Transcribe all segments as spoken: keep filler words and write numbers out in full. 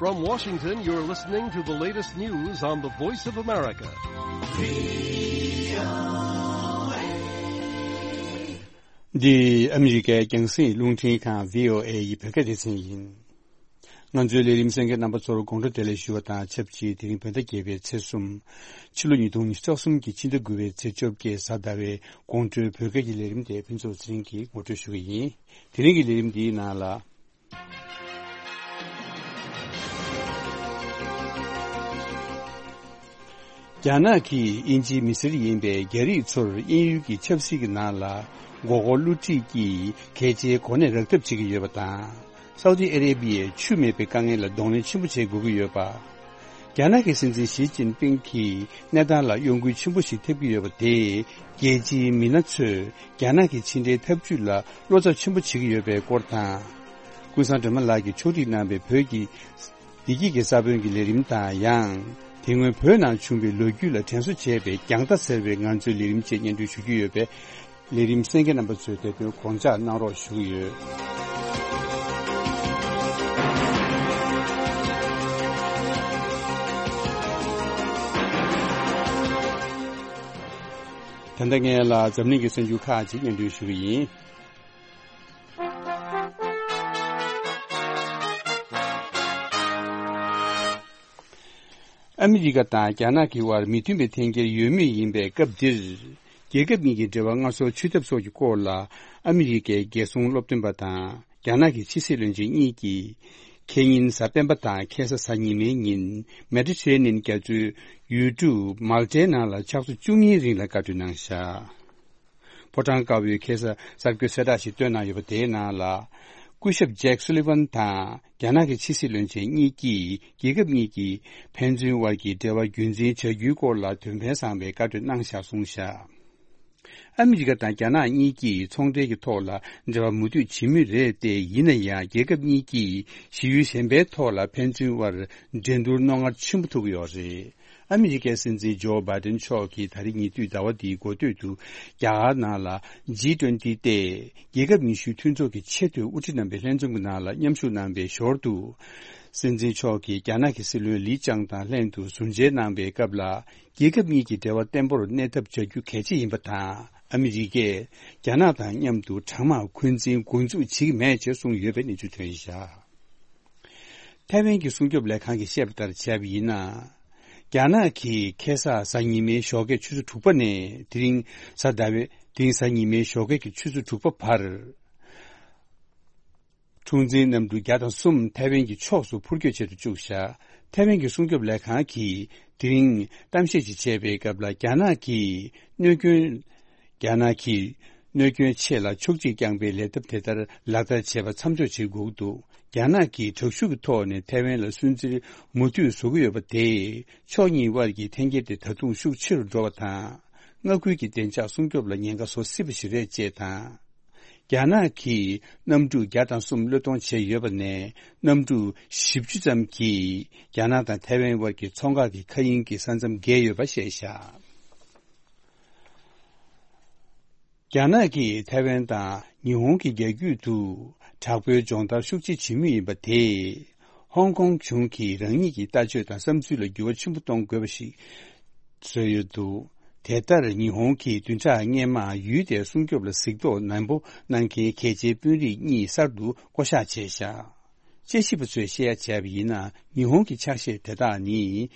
From Washington, you're listening to the latest news on the Voice of America. འདི་ཨ་མི་རི་ཀའི་རྒྱང་སྲིང་རླུང་འཕྲིན་ཁང་བྷི་ཨོ་ཨེ་ཡི་བོད་སྐད་སྡེ་ཚན་ཡིན། ང་ཚོའི་ལས་རིམ་གསན་མཁན་རྣམ་པ་ཚོར་དགོང་དྲོ་བདེ་ལེགས་ཞུ་བ་དང་ཆབས་ཅིག་དེ་རིང་བོད་ཟླ་བརྒྱད་པའི་ཚེས་གསུམ། ཕྱི་ལོ་ཉིས་སྟོང་ཉི་ཤུ་རྩ་གསུམ་གྱི་ཕྱི་ཟླ་དགུ་པའི་ཚེས་བཅོ་བརྒྱད་གཟའ་ཟླ་བའི་དགོང་དྲོའི་བོད་སྐད་ཀྱི་ལས་རིམ་དེ་ཕུན་ཚོགས་ཚེ་རིང་གིས་ངོ་སྤྲོད་ཞུ་གི་ཡིན། དེ་རིང་གི་ལས་རིམ་འདིའི་ནང་ལ། རྒྱ་ནག་གིས་དབྱིན་ཇིའི་མི་སེར་ཡིན་པའི་རྒྱ་རིགས་ཚོར་དབྱིན་ཡུལ་གྱི་ཆབ་སྲིད་ཀྱི་ནང་ལ་མགོ་སྐོར་བསླུ་བྲིད་ཀྱིས་གལ་ཆེའི་གོ་གནས་རག་ཐབས་བྱེད་ཀྱི་ཡོད་པ་དང་། སའུ་ཏི་ཨ་རེ་བྷི་ཡས་ཆུ་མེད་པའི་དཀའ་ངལ་ལ་གདོང་ལེན་ཆེན་པོ་བྱེད་དགོས་ཀྱི་ཡོད་པ། རྒྱ་ནག་གི་སྲིད་འཛིན་ཞི་ཅིན་ཕིང་གིས་གནས་སྟངས་ལ་གཡོ་འགུལ་ཆེན་པོ་ཞིག་ཐེབས་ཀྱི་ཡོད་པ་དེས་རྒྱལ་སྤྱིའི་མི་སྣ་ཚོས་རྒྱ་ནག་གི་ཕྱི་འབྲེལ་ཐབས་ཇུས་ལ་བློ་འཚབ་ཆེན་པོ་བྱེད་ཀྱི་ཡོད་པའི་སྐོར་དང་། ཀུན་བཟང་སྒྲོལ་མ་ལགས་ཀྱིས་ཕྱོགས་སྒྲིག་གནང་བའི་བོད་ཀྱི་བདེ་སྐྱིད་ཀྱི་ས་བོན་གྱི་ལས་རིམ་དང་ཡང་། དེ་སྔོན་བོད་ནང་བྱུང་བའི་ལོ་རྒྱུས་ལ་དྲན་གསོ་བྱས་པའི་རྒྱང་ལྟ་ཟེར་བའི་ང་ཚོའི་ལས་རིམ་བཅས་སྙན་སྒྲོན་ཞུ་རྒྱུ་ཡོད་པས། ལས་རིམ་གསན་མཁན་རྣམ་པ་ཚོས་དེ་དོན་དགོངས་འཇགས་གནང་རོགས་ཞུ་གི་ཡོད། ད་ལྟ་ངས་ལ་འཛམ་གླིང་གི་གསར་འགྱུར་ཁག་ཅིག་སྙན་སྒྲོན་ཞུ་གི་ཡིན། ཨ་མི་རི་ཀ་དང་རྒྱ་ནག་གི་དབར་མི་མཐུན་པའི་འཐེན་འཁྱེར་ཡོད་མུས་ཡིན་པའི་སྐབས་འདིར། རྒྱལ་ཁབ་གཉིས་ཀྱི་འབྲེལ་བ་སྔར་སྲོལ་ཆུད་ཐབས་སོགས་ཀྱི་སྐོར་ལ་ཨ་མི་རི་ཀའི་རྒྱལ་སྲུང་སློབ་སྟོན་པ་དང་རྒྱ་ནག་གི་ཕྱི་སྲིད་བློན་ཆེན་གཉིས་ཀྱིས། ཁེ་ཉིན་གཟའ་སྤེན་པ་དང་ཁ་སང་གཟའ་ཉི་མའི་ཉིན་མེ་ཏྲི་ཊི་རེ་ནིན་རྒྱ་མཚོའི་ཡུལ་གྲུ་མཱལ་ཏའི་ནང་ལ་ཕྱག་ཚོད་བཅུ་གཉིས་རིང་ལ་བཀའ་གྲོས་གནང་བཞག་ཕོ་བྲང་དཀར་པོའི་ཁ་སང་གསར་འགོད་གསལ་བསྒྲགས་ཤིག་བཏོན་གནང་ཡོད་པ་དེའི་ནང་ལ། སྐུ་ཞབས་ཇེག་སུ་ལི་ཝན་དང་རྒྱ་ནག་གི་ཕྱི་སྲིད་བློན་ཆེན་གཉིས་ཀྱིས་རྒྱལ་ཁབ་གཉིས་ཀྱི་ཕན་ཚུན་དབར་གྱི་འབྲེལ་བ་རྒྱུན་འཛིན་བྱ་རྒྱུའི་སྐོར་ལ་དོན་ཕན་བཟང་བའི་བཀའ་གྲོས་གནང་བཞག་གསུངས་བཞག་ཨ་མི་རི་ཀ་དང་རྒྱ་ནག་གཉིས་ཀྱིས་ཚོང་འབྲེལ་གྱི་ཐོག་ལ་འབྲེལ་བ་མུ་མཐུད་བྱེད་མུས་རེད་དེ། ཡིན་ན་ཡང་རྒྱལ་ཁབ་གཉིས་ཀྱིས་ཞི་ཡུལ་གཞན་པའི་ཐོག་ལ་ཕན་ཚུན་དབར་འགྲན་བསྡུར་རྣོ་ངར་ཆེན་པོ་ཐུག་གི་ཡོད་རེད། ཨ་མི་རི་ཀའི་སྲིད་འཛིན་ཇོ་བྷའི་ཏིན་མཆོག་གིས་ད་རེས་ཉེ་དུས་ཟླ་བ་འདིའི་འགོ་སྟོད་དུ་རྒྱ་གར་ནང་ལ་ཇི་ཊུ་ཝེན་ཊི་སྟེ། རྒྱལ་ཁབ་ཉི་ཤུའི་མཐུན་ཚོགས་ཀྱི་ཆེས་མཐོའི་དབུ་ཁྲིད་རྣམ་པའི་ལྷན་འཛོམས་ཀྱི་ནང་ལ་མཉམ་ཞུགས་གནང་བའི་ཞོར་དུ། སྲིད་འཛིན་མཆོག་གིས་རྒྱ་ནག་གི་སྲིད་བློན་ལི་ཅང་དང་ལྷན་དུ་ཟུར་མཇལ་གནང་བའི་སྐབས་ལ། རྒྱལ་ཁབ་གཉིས་ཀྱི་འབྲེལ་བ་བརྟན་པོར་གནས་ཐབས་བྱ་རྒྱུ་གལ་ཆེ་ཡིན་པ་དང་། ཨ་མི་རི་ཀས་རྒྱ་ནག་དང་མཉམ་དུ་གྲང་དམག་འཁོན་འཛིན་འགོ་འཛུགས་བྱེད་ཀྱི་མེད་ཅེས་གསུངས་ཡོད་པའི་གནས་ཚུལ་ཐོན་བཞག་ཐའེ་ཝན་གྱི་སྲུང་སྐྱོབ་ལས་ཁང་གིས་བཤད་པ་ལྟར་བྱས་པ་ཡིན་ན། རྒྱ་ནག་གིས་ཁ་སང་གཟའ་ཉི་མའི་ཞོགས་ཀའི་ཆུ་ཚོད་དྲུག་པ་ནས་དེ་རིང་གཟའ་ཟླ་བའི་དེ་རིང་གཟའ་ཉི་མའི་ཞོགས་ཀའི་ཆུ་ཚོད་དྲུག་པ་བར། འཁྲུག་འཛིང་གནམ་གྲུ་བརྒྱ་དང་གསུམ་ཐའེ་ཝན་གྱི་ཕྱོགས་སུ་འཕུར་སྐྱོད་བྱེད་དུ་བཅུག་བཞག་ཐའེ་ཝན་གྱི་སྲུང་སྐྱོབ་ལས་ཁང་གིས་དེ་རིང་གཏམ་བཤད་ཅིག་བྱས་པའི་སྐབས་ལ། རྒྱ་ནག་གིས་གནོད་སྐྱོན། རྒྱ་ནག་གིས་གནོད་སྐྱོན་ཆེ་ལ་ཕྱོགས་གཅིག་རྐྱང་པའི་ལས་སྟབས་དེ་ལྟར་ལག་བསྟར་བྱེད་པ་མཚམས་འཇོག་བྱེད་དགོས་ཀྱི་འདུག་རྒྱ་ནག་གིས་དྲག་ཤུགས་ཀྱི་ཐོག་ནས་ཐའེ་ཝན་ལ་སུན་གཙེར་མུ་མཐུད་བཟོ་གི་ཡོད་པ་དེས། ཕྱོགས་གཉིས་དབར་གྱི་འཐེན་འཁྱེར་དེ་ད་དུང་ཤུགས་ཆེ་རུ་འགྲོ་བ་དང་། མངའ་ཁུལ་གྱི་བདེ་འཇགས་སྲུང་སྐྱོབ་ལ་ཉེན་ཁ་བཟོ་སྲིད་པ་ཞིག་རེད་ཅེས་དང་། རྒྱ་ནག་གིས་གནམ་གྲུ་བརྒྱ་དང་གསུམ་བློས་གཏོང་བྱས་ཡོད་པ་ནས། གནམ་གྲུ་བཞི་བཅུ་ཙམ་གྱིས་རྒྱ་ནག་དང་ཐའེ་ཝན་དབར་གྱི་མཚོ་འགག་གི་མཁའ་དབྱིངས་ཀྱི་ས་མཚམས་བརྒལ་ཡོད་པ་བཤད་བཞག་རྒྱ་ནག་གིས་ཐའེ་ཝན་དང་ཉི་ཧོང་གི་རྒྱ་རྒྱུད་དུ་དྲག་པོའི་སྦྱོང་བརྡར་ཤུགས་ཆེ་བྱེད་མུས་ཡིན་པ་དེས། ཧོང་ཀོང་གཞུང་གིས་རང་ཉིད་ཀྱི་ལྟ་སྤྱོད་དང་བསམ་ཚུལ་ལ་འགྱུར་བ་ཆེན་པོ་གཏོང་དགོས་པ་ཞིག་བཟོས་ཡོད་འདུག་དེ་ལྟར་ཉི་ཧོང་གིས་བདུན་ཕྲག་སྔོན་མ་ཡུལ་དེར་སྲུང་སྐྱོབ་ལ་གཟིགས་རྟོག་ནན་པོ་གནང་མཁན་གལ་ཆེའི་དཔོན་རིགས་གཉིས་གསར་དུ་བསྐོ་གཞག་བྱས་བཞག་དཔྱད་ཞིབ་པ་ཚོས་བཤད་ཡ་བྱས་པ་ཡིན་ན། ཉི་ཧོང་གི་ཕྱག་བཞེས་དེ་དག་ནི།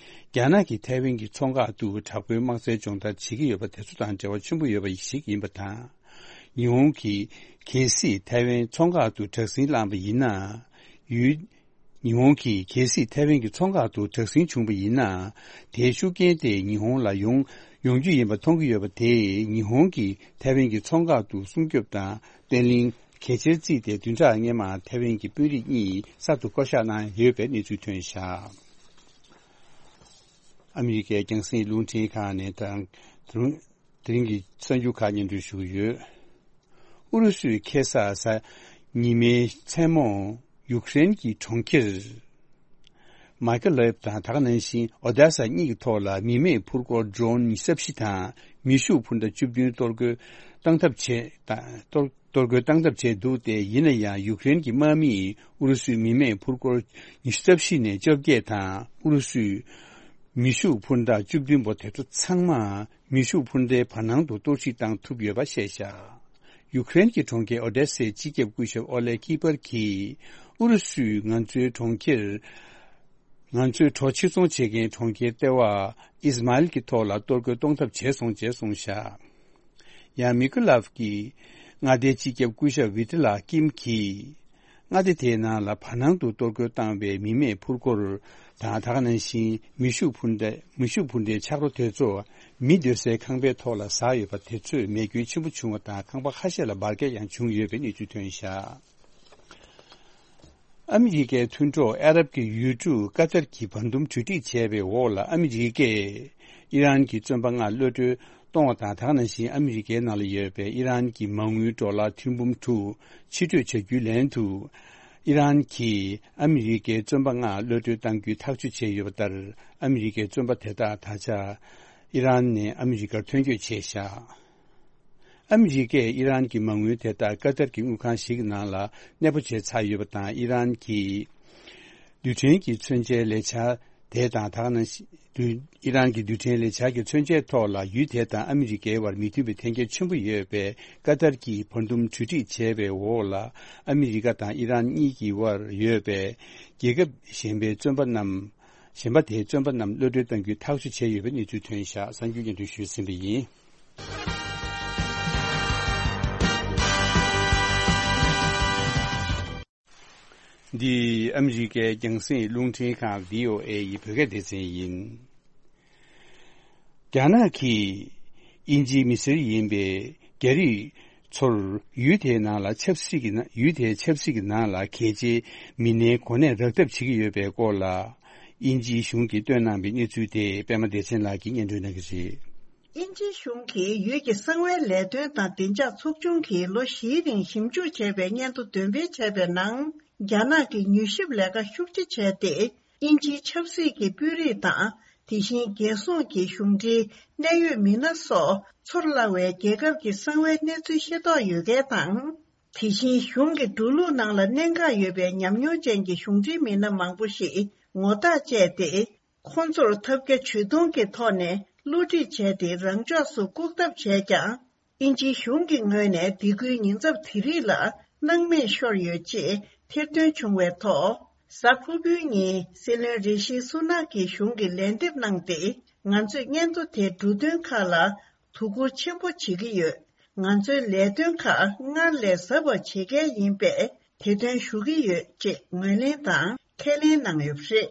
རྒྱ་ནག་གིས་ཐའེ་ཝན་གྱི་མཚོ་འགག་ཏུ་དྲག་པོའི་དམག་རྩལ་སྦྱོང་བརྡར་བྱེད་ཀྱི་ཡོད་པ་དེ་ཚོ་དང་འབྲེལ་བ་ཆེན་པོ་ཡོད་པ་ཞིག་ཡིན་པ་དང་། ཉི་ཧོང་གིས་གལ་སྲིད་ཐའེ་ཝན་མཚོ་འགག་ཏུ་དྲག་ཟིང་བསླངས་པ་ཡིན་ན། ཡུལ། ཉི་ཧོང་གིས་གལ་སྲིད་ཐའེ་ཝན་གྱི་མཚོ་འགག་ཏུ་དྲག་ཟིང་བྱུང་བ་ཡིན་ན། དེའི་ཤུགས་རྐྱེན་དེ་ཉི་ཧོང་ལ་ཡོང་ཡོང་རྒྱུ་ཡིན་པ་མཐོང་གི་ཡོད་པ་དེས། ཉི་ཧོང་གིས་ཐའེ་ཝན་གྱི་མཚོ་འགག་ཏུ་སྲུང་སྐྱོབ་དང་བརྟན་ལྷིང་གལ་ཆེར་བརྩིས་ཏེ། བདུན་ཕྲག་སྔོན་མ་ཐའེ་ཝན་གྱི་དཔོན་རིགས་གཉིས་གསར་དུ་བསྐོ་གཞག་གནང་ཡོད་པའི་གནས་ཚུལ་ཐོན་བཞག་ཨ་མི་རི་ཀའི་རྒྱང་སྲིང་རླུང་འཕྲིན་ཁང་ནས་དང་དེ་རིང་གི་གསར་འགྱུར་ཁག་སྙན་སྒྲོན་ཞུ་གི་ཡོད། ཨུ་རུ་སུས་ཁ་སང་གཟའ་ཉི་མའི་མཚན་མོ་ཡུཀ་རེན་གྱི་གྲོང་ཁྱེར་མ་ཀེ་ལོབ་དང་། ད་ག་ནང་བཞིན་ཨོ་དེ་ས་གཉིས་ཀྱི་ཐོག་ལ་མི་མེད་འཕུར་འཁོར་ཌོ་རོན་ཉི་ཤུ་རྩ་བཞི་དང་མེ་ཤུགས་འཕུར་མདའ་བཅུ་བདུན་གཏོར་རྒོལ་བཏང་ཐབས་བྱས་དང་གཏོར། གཏོར་རྒོལ་བཏང་ཐབས་བྱས་འདུག་སྟེ། ཡིན་ན་ཡང་ཡུཀ་རེན་གྱི་དམག་མིས་ཨུ་རུ་སུའི་མི་མེད་ཕུར་སྐོར་ཉི་ཤུ་རྩ་བཞི་ནས་བཅོ་བརྒྱད་དང་ཨུ་རུ་སུའི་མེ་ཤུགས་འཕུར་མདའ་བཅུ་བདུན་པོ་དེ་ཚོ་ཚང་མ་མེ་ཤུགས་འཕུར་མདའི་བར་སྣང་དུ་གཏོར་བཤིག་བཏང་ཐུབ་ཡོད་པ་བཤད་བཞག་ཡུཀ་རེན་གྱི་གྲོང་ཁྱེར་ཨོ་ཌེ་སའི་སྤྱི་ཁྱབ་སྐུ་ཞབས་ཨོ་ལེ་ཀི་པར་གྱིས། ཨུ་རུ་སུས་ང་ཚོའི་གྲོང་ཁྱེར། ང་ཚོའི་གྲོ་ཕྱིར་ཚོང་བྱེད་མཁན་གྲོང་ཁྱེར་ལྟེ་བ་ཨིས་མཱ་ཨིལ་གྱི་ཐོག་ལ་གཏོར་རྒོལ་གཏོང་ཐབས་བྱས་སོང་ཅེས་གསུངས་བཞག་ཡང་མི་ཀུ་ལབ་ཀྱིས་མངའ་སྡེའི་སྤྱི་ཁྱབ་སྐུ་ཞབས་ཝི་ཏི་ལ་ཀིམ་གྱིས། མངའ་སྡེ་དེའི་ནང་ལ་བར་སྣང་དུ་གཏོར་རྒོལ་བཏང་བའི་མི་མེད་ཕུར་སྐོར་དང་། ད་ག་ནང་བཞིན་མེ་ཤུགས་འཕུར་མདའ། མེ་ཤུགས་འཕུར་མདའི་ཆག་རོ་དེ་ཚོ་མི་སྡོད་སའི་ཁང་པའི་ཐོག་ལ་ཟགས་ཡོད་པ་དེ་ཚོས་མེ་སྐྱོན་ཆེན་པོ་བྱུང་བ་དང་། ཁང་པ་ཁ་ཤས་ལ་འབར་གས་ཡང་བྱུང་ཡོད་པའི་གནས་ཚུལ་ཐོན་བཞག་ཨ་མི་རི་ཀའི་མཐུན་གྲོགས་ཨ་རབ་ཀྱི་ཡུལ་གྲུ་ཀ་ཏར་གྱིས་བར་འདུམ་གྲོས་འགྲིག་བྱས་པའི་འོག་ལ། ཨ་མི་རི་ཀས་ཨི་རན་གྱི་བཙོན་པ་ལྔ་གློད་གྲོལ་གཏོང་བ་དང་། ད་ག་ནང་བཞིན་ཨ་མི་རི་ཀའི་ནང་ལ་ཡོད་པའི་ཨི་རན་གྱི་མ་དངུལ་ཌོ་ལར་ཐེར་འབུམ་དྲུག་ཕྱིར་སྤྲོད་བྱ་རྒྱུའི་ལན་དུ། ཨི་རན་གྱིས་ཨ་མི་རི་ཀའི་བཙོན་པ་ལྔ་གློད་གྲོལ་གཏང་རྒྱུའི་ཐག་གཅོད་བྱས་ཡོད་པ་ལྟར། ཨ་མི་རི་ཀའི་བཙོན་པ་དེ་དག་ད་ཆ་ཨི་རན་ནས་ཨ་མི་རི་ཀར་ཐོན་སྐྱོད་བྱས་བཞག་ཨ་མི་རི་ཀས་ཨི་རན་གྱི་མ་དངུལ་དེ་དག་ཀ་ཏར་གྱི་དངུལ་ཁང་ཞིག་གི་ནང་ལ་གནས་སྤོ་བྱས་ཚར་ཡོད་པ་དང་། ཨི་རན་གྱི་རྡུལ་ཕྲན་གྱི་མཚོན་ཆའི་ལས་འཆར་དེ་དང་། ད་ག་ནང་བཞིན་ཨི་རན་གྱི་རྡུལ་ཕྲན་ལས་འཆར་གྱི་མཚོན་ཆའི་ཐོག་ལ་ཡུལ་དེ་དང་ཨ་མི་རི་ཀའི་བར་མི་མཐུན་པའི་འཐེན་འཁྱེར་ཆེན་པོ་ཡོད་པས། ཀ་ཏར་གྱིས་བར་འདུམ་གྲོས་འགྲིག་བྱས་པའི་འོག་ལ། ཨ་མི་རི་ཀ་དང་ཨི་རན་གཉིས་ཀྱི་བར་ཡོད་པའི་རྒྱལ་ཁབ་གཞན་པའི་བཙོན་པ་རྣམས། གཞན་པ་དེའི་བཙོན་པ་རྣམས་གློད་གྲོལ་གཏང་རྒྱུའི་ཐག་གཅོད་བྱས་ཡོད་པའི་གནས་ཚུལ་ཐོན་བཞག་གསར་འགྱུར་སྙན་སྒྲོན་ཞུས་ཟིན་པ་ཡིན། འདི་ཨ་མི་རི་ཀའི་རྒྱང་སྲིང་རླུང་འཕྲིན་ཁང་བྷི་ཨོ་ཨེ་ཡི་བོད་སྐད་སྡེ་ཚན་ཡིན། རྒྱ་ནག་གིས་དབྱིན་ཇིའི་མི་སེར་ཡིན་པའི་རྒྱ་རིགས་ཚོར་ཡུལ་དེའི་ནང་ལ་ཆབ་སྲིད་ཀྱི་ནང་། ཡུལ་དེའི་ཆབ་སྲིད་ཀྱི་ནང་ལ་གལ་ཆེའི་མི་སྣའི་གོ་གནས་རག་ཐབས་བྱེད་ཀྱི་ཡོད་པའི་སྐོར་ལ། དབྱིན་ཇིའི་གཞུང་གིས་བཏོན་གནང་བའི་གནས་ཚུལ་དེ་པད་མ་བདེ་ཆེན་ལགས་ཀྱིས་སྙན་སྒྲོན་གནང་གི་རེད། དབྱིན་ཇིའི་གཞུང་གིས་ཡུལ་གྱི་གསང་བའི་ལས་དོན་དང་བདེ་འཇགས་ཚོགས་ཆུང་གིས་ལོ་བཞིའི་རིང་ཞིབ་འཇུག་བྱས་པའི་སྙན་ཐོ་འདོན་སྤེལ་བྱས་པའི་ནང་། རྒྱ་ནག་གིས་མྱུལ་ཞིབ་ལས་ཀ་ཤུགས་ཆེ་བྱས་ཏེ། དབྱིན་ཇིའི་ཆབ་སྲིད་ཀྱི་དཔོན་རིགས་དང་། དེ་བཞིན་རྒྱལ་སྲུང་གི་གཞུང་འབྲེལ་གནད་ཡོད་མི་སྣ་སོགས་ཚོར་སླ་བའི་རྒྱལ་ཁབ་ཀྱི་གསང་བའི་གནས་ཚུལ་ཤེས་རྟོགས་ཡོད་མཁན་དང་། དེ་བཞིན་གཞུང་གི་འགྲོ་ལུགས་ནང་ལ་གནད་འགག་ཡོད་པའི་ཉམས་མྱོང་ཅན་གྱི་གཞུང་འབྲེལ་མི་སྣ་མང་པོ་ཞིག་ངོ་རྟགས་བཅད་དེ། ཁོང་ཚོར་ཐབས་བརྒྱ་ཇུས་སྟོང་གི་ཐོག་ནས་བསླུ་བྲིད་བྱས་ཏེ་རང་ཕྱོགས་སུ་བཀུག་ཐབས་བྱས་ཀྱང་། དབྱིན་ཇིའི་གཞུང་གི་ངོས་ནས་སྡིགས་སྐུལ་ཉེན་ཚབས་དེ་རིགས་ལ་སྣང་མེད་ཤོར་ཡོད་ཅེས་ཐེར་འདོན་བྱུང་བའི་ཐོག་གཟའ་ཕུར་བུའི་ཉིན་སྲིད་བློན་རི་ཤི་སུ་ནག་གིས་གཞུང་གི་ལན་འདེབས་གནང་སྟེ། ང་ཚོས་སྙན་ཐོ་དེ་འབྲུ་དོན་ཁག་ལ་དོ་ཁུར་ཆེན་པོ་བྱེད་ཀྱི་ཡོད། ང་ཚོའི་ལས་དོན་ཁག་སྔར་ལས་ཟབ་པ་བྱེད་གལ་ཡིན་པས་དེ་དོན་ཞུ་གི་ཡོད་ཅེས་ངོས་ལེན་དང་ཁས་ལེན་གནང་ཡོད་པ་རེད།